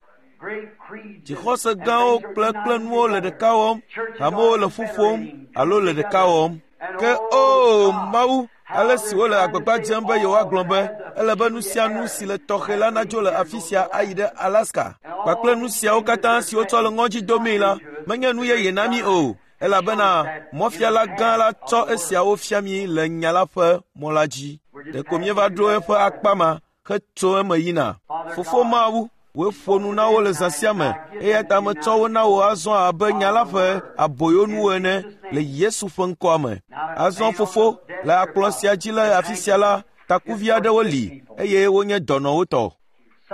Dzixɔse gãwo kple kple nuwo le ɖeka wɔm, hamewo le ƒu ƒom alo le ɖeka wɔm. Ke o Mawu, ale si wole agbagba dzem be yewoagblɔ be ele be nu sia nu si le tɔxɛ la nadzo le afi sia ayi ɖe Alaska kpakple nu siawo katã si wotsɔ le ŋɔdzi domii la, menye nu yeye na mí o, elabena mɔfiala gã la tsɔ esiawo fia mí le nya la ƒe mɔ la dzi. Ɖeko míeva ɖo eƒe akpa ma hetso eme yina. Fofo Mawu, wòe ƒo nu na wo le zã sia me, eya ta metsɔ wo na wò azɔ abe nya la ƒe aboyonuwo ene le Yesu ƒe ŋkɔa me. Azɔ Fofo, le akplɔ sia dzi le afi sia la, takuvi aɖewo li eye wonye dɔnɔwo tɔ.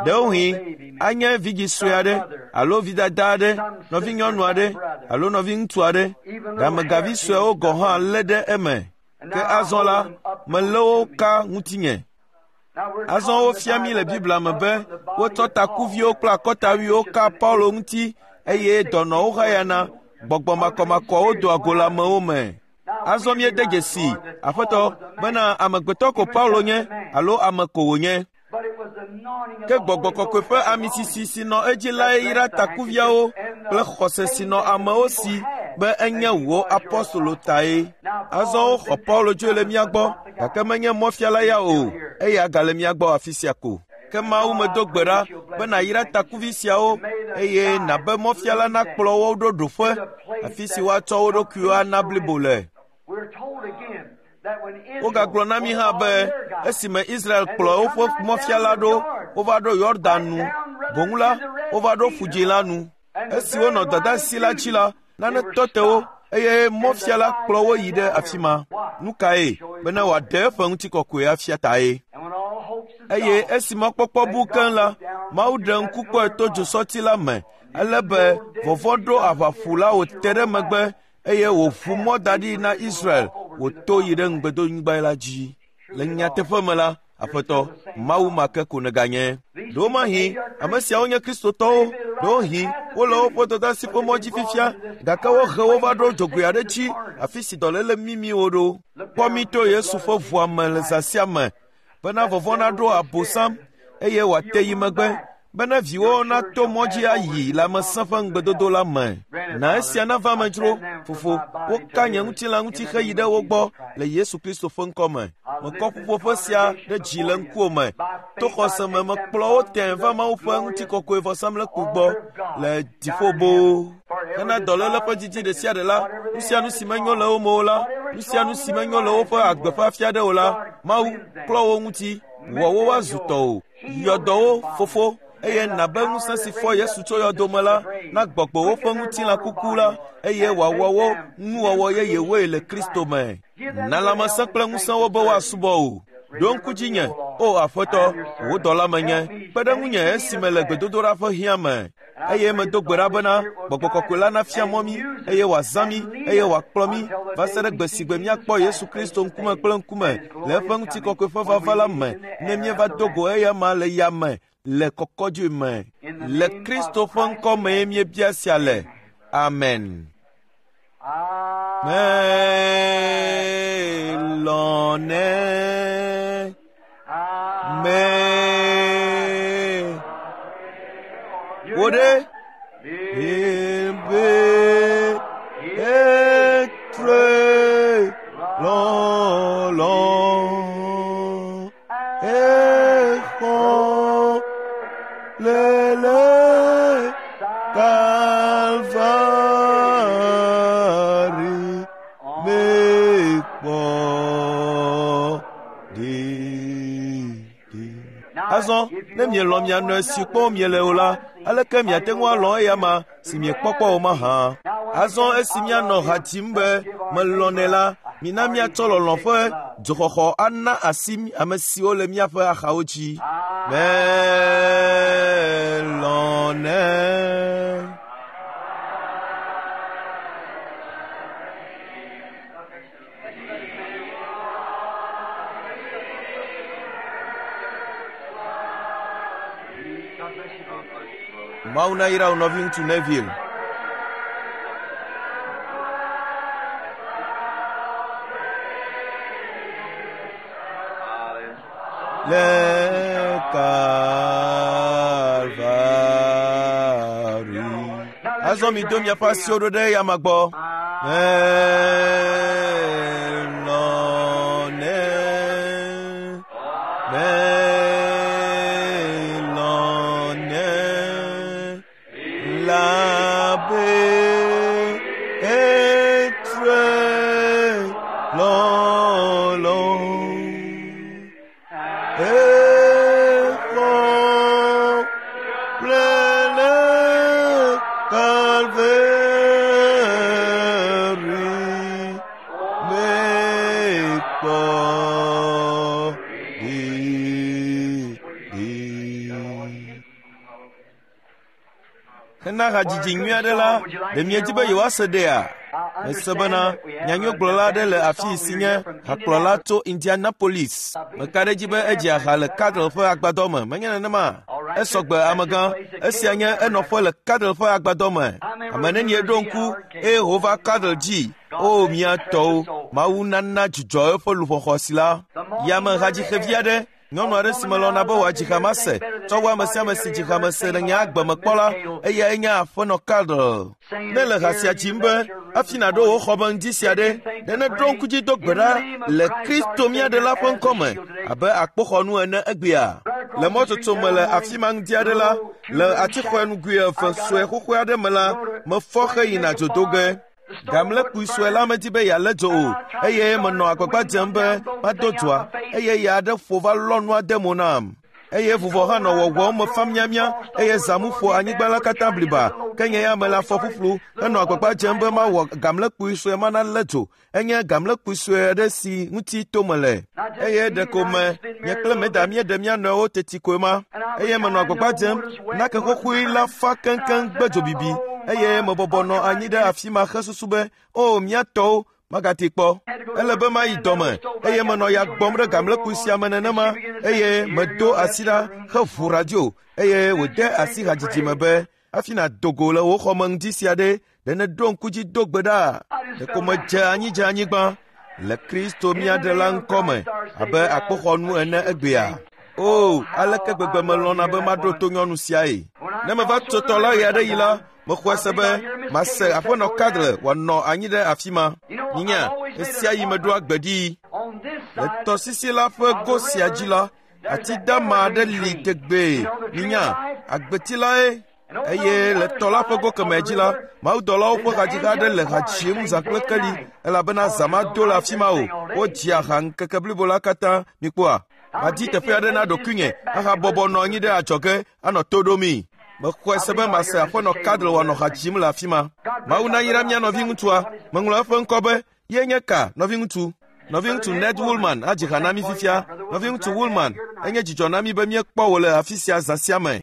Ɖewohĩ anye vidzi sue aɖe alo vidada aɖe, nɔvinyɔnu aɖe alo nɔviŋutsu aɖe. Ɖamegavi suewo gɔ̃ hã lé ɖe eme. Ke azɔ la, melé wo ka ŋutinye. Azɔ wofia mí le Biblia me be wotsɔ takuviwo kple akɔtawuiwo ka Paulo ŋuti eye dɔnɔwo hayana, gbɔgbɔ makɔmakɔwo doa go le amewo me. Azɔ míede dzesi, Aƒetɔ, bena amegbetɔ ko Paulo nye alo ame ko wònye. Ke gbɔgbɔ kɔkɔe ƒe amisisi si nɔ edzi lae yra takuviawo kple xɔse si nɔ amewo si be enye wò apɔstolo tae. Azɔ woxɔ Paulo tsoe le mía gbɔ, gake menye mɔfiala ya o, eya gale mía gbɔ afi sia ko. Ke Mawu medo gbe ɖa be nàyra takuvi siawo eye nàbe mɔfiala nakplɔ wo ɖo ɖoƒe, afi si woatsɔ wo ɖokuiwo ana blibo le. Wogagblɔ na mí hã be esime Israel kplɔ woƒe mɔfiala ɖo, wova ɖo Yɔdan nu. Boŋ la, wova ɖo Ƒudzĩ la nu. Esi wonɔ dɔdeasi la dzi la, nane tɔ te wo eye mɔfiala kplɔ wo yi ɖe afi ma. Nu kae? Bena wòaɖe eƒe ŋutikɔkɔe afia tae. Eye esi mɔkpɔkpɔ bu keŋ la, Mawu ɖe ŋku kpɔe to dzosɔti la me, ale be vɔvɔ̃ ɖo aʋaƒu la wòte ɖe megbe eye wòʋu mɔ da ɖi na Israel wòto yi ɖe ŋugbedonyigba la dzi. Le nyateƒe me la, Aƒetɔ, Mawu ma ke ko nèganye. Ɖewomahi ame siawo nye Kristotɔwo, ɖewohi wole woƒe dɔdeasi ƒe mɔ dzi fifia, gake wohe wo va ɖo dzogoe aɖe dzi, afi si dɔléle mimi wo ɖo. Kpɔ mí to Yesu ƒe ʋua me le zã sia me, bena vɔvɔ̃ naɖo Abosam eye wòate yi megbe, bena viwo nato mɔ dzi ayi lãmesẽ ƒe ŋugbedodo la me. Na esia nava eme dzro, Fofo, woka nye ŋutilã ŋuti heyi ɖe wo gbɔ le Yesu Kristo ƒe ŋkɔ me. Mekɔ ƒuƒoƒe sia ɖe dzi le ŋkuwò me. To xɔse me mekplɔ wo tẽ va Mawu ƒe ŋutikɔkɔe vɔsamlekpui gbɔ le dziƒo boo. Hena dɔléle ƒe didi ɖe sia ɖe la, nu sia nu si menyo le wo me o la, nu sia nu si menyo le woƒe agbe ƒe afi aɖe o la, Mawu, klɔ wo ŋuti, wɔ wo woazu tɔwò. Yɔ dɔ wo, Fofo, eye nàbe ŋusẽ si fɔ Yesu tso yɔdo me la na gbɔgbɔ woƒe ŋutilã kuku la eye wòawɔ wo nuwɔwɔ yeyewoe le Kristo me. Na lãmesẽ kple ŋusẽ wo be woasubɔ wò. Ɖo ŋku dzinye, o Aƒetɔ, wò dɔla menye, kpe ɖe ŋunye esime le gbedodoɖa ƒe hiã me. Eye medo gbe ɖa bena gbɔgbɔ kɔkɔe la nafia mɔ mí eye wòazã mí eye wòakplɔ mí va se ɖe gbe si gbe míakpɔ Yesu Kristo ŋkume kple ŋkume le eƒe ŋutikɔkɔe ƒe vava la me ne míeva do go eyama le yame le kɔkɔdzoe me. Le Kristo ƒe ŋkɔ mee míebia sia le. Amen. Melɔ̃nɛ. Me. Wo ɖe? Ebe etre lɔlɔ. Exɔ lele Kalvari mekpɔ ɖeɖe. Azɔ ne mielɔ̃ mia nɔe si kpɔm miele o la, aleke miate ŋu alɔ̃ eyama si miekpɔkpɔ o mahã? Azɔ esi míanɔ ha dzim be melɔ̃nɛ la, mina míatsɔ lɔlɔ̃ ƒe dzoxɔxɔ ana asi ame siwo le míaƒe axawo dzi. Melɔ̃nɛ. Mawu nayra wò nɔviŋutsu Neville. Le Kalvari. Azɔ mi do miaƒe asiwo ɖo ɖe eyama gbɔ. Melɔ̃nɛ. Melɔ̃nɛ. Labe etre lɔlɔ. Exɔ lele Kalvari mekpɔ ɖeɖe. Hena hadzidzi nyui aɖe la, ɖe miedi be yewoase ɖea? Mese bena nyanyuigblɔla aɖe le afi si nye hakplɔla tso Indianapolis. Meka ɖe edzi be edzea ha le Cadle ƒe agbadɔ me, menye nenema? Esɔgbe amegã, esia nye enɔƒe le Cadle ƒe agbadɔ me. Ame nenie ɖo ŋku eye wòva Cadle dzi? O mía tɔwo, Mawu nana dzidzɔ eƒe luʋɔ xɔasi la. Yame hadzixevi aɖe, nyɔnu aɖe si melɔ̃na be wòadzi ha mase, tsɔ wu ame sia ame si dzi ha mese le nye agbe me kpɔ la, eyae nye aƒenɔ Cardle. Ne le ha sia dzim be hafi nàɖo wò xɔ me ŋdi sia ɖe, ɖe nèɖo ŋku dzi do gbe ɖa le Kristo mía Ɖela ƒe ŋkɔme abe akpoxɔnu ene egbea. Le mɔtsotso me le afi ma ŋdi aɖe la, le atixɔe nugoe eve sue xoxoe aɖe me la, mefɔ heyina dzo do ge. Gamlekpui sue la medi be yealé dzo o, eye menɔ agbagba dzem be mado dzoa, eye ya aɖe ƒo va lɔ nua de mo nam. Eye vuvɔ hã nɔ wɔwɔm mefa miamia, eye zãmu ƒo anyigba la katã bliba. Ke nye ya mele afɔ ƒuƒlu henɔ agbagba dzem be mawɔ gamlekpui sue ma nalé dzo. Enye gamlekpui sue aɖe si ŋuti tome le. Eye ɖeko me nye kple Meda míeɖe mía nɔewo teti koe ma. Eye menɔ agbagba dzem nake xoxoe la fa keŋkeŋ gbe dzobibi. Eye mebɔbɔ nɔ anyi ɖe afi ma hesusu be, o mía tɔwo, magate kpɔ. Ele be mayi dɔme, eye menɔ ya gbɔm ɖe gamlekpui sia me nenema, eye medo asi ɖa heʋu radio, eye wòde asi hadzidzi me be, hafi nàdo go le wò xɔme ŋdi sia ɖe, ɖe nèɖo ŋku dzi do gbe ɖa. Ɖeko medze anyi dze anyigba le Kristo mía Ɖela ŋkɔme abe akpoxɔnu ene egbea. O, aleke gbegbe melɔ̃na be maɖo to nyɔnu siae. Ne meva tso tɔ la ɣe aɖe yi la, mexɔe se be mase aƒenɔ Cardle wòanɔ anyi ɖe afi ma. Nyinya, ɣe sia ɣi meɖoa gbe ɖii. Le tɔsisi la ƒe go sia dzi la, ati dama aɖe li tegbee. Nyinya, agbeti lae. Eye le tɔ la ƒe go kemɛ dzi la, mawudɔlawo ƒe hadziha aɖe le ha dzim zã kple keli, elabena zã mado le afi ma o. Wodzia ha ŋkeke blibo la katã. Mikpɔa? Madi teƒe aɖe na ɖokuinye ahabɔbɔ nɔ anyi ɖe adzɔge anɔ to ɖomii. Mexɔe se be mase aƒenɔ Cardle wòanɔ ha dzim le afi ma. Mawu nayra mía nɔviŋutsua. Meŋlɔ eƒe ŋkɔ be ye nye ka, nɔviŋutsu. Nɔviŋutsu Ned Woolman adzi ha na mí fifia. Nɔviŋutsu Woolman, enye dzidzɔ na mí be míekpɔ wò le afi sia zã sia me.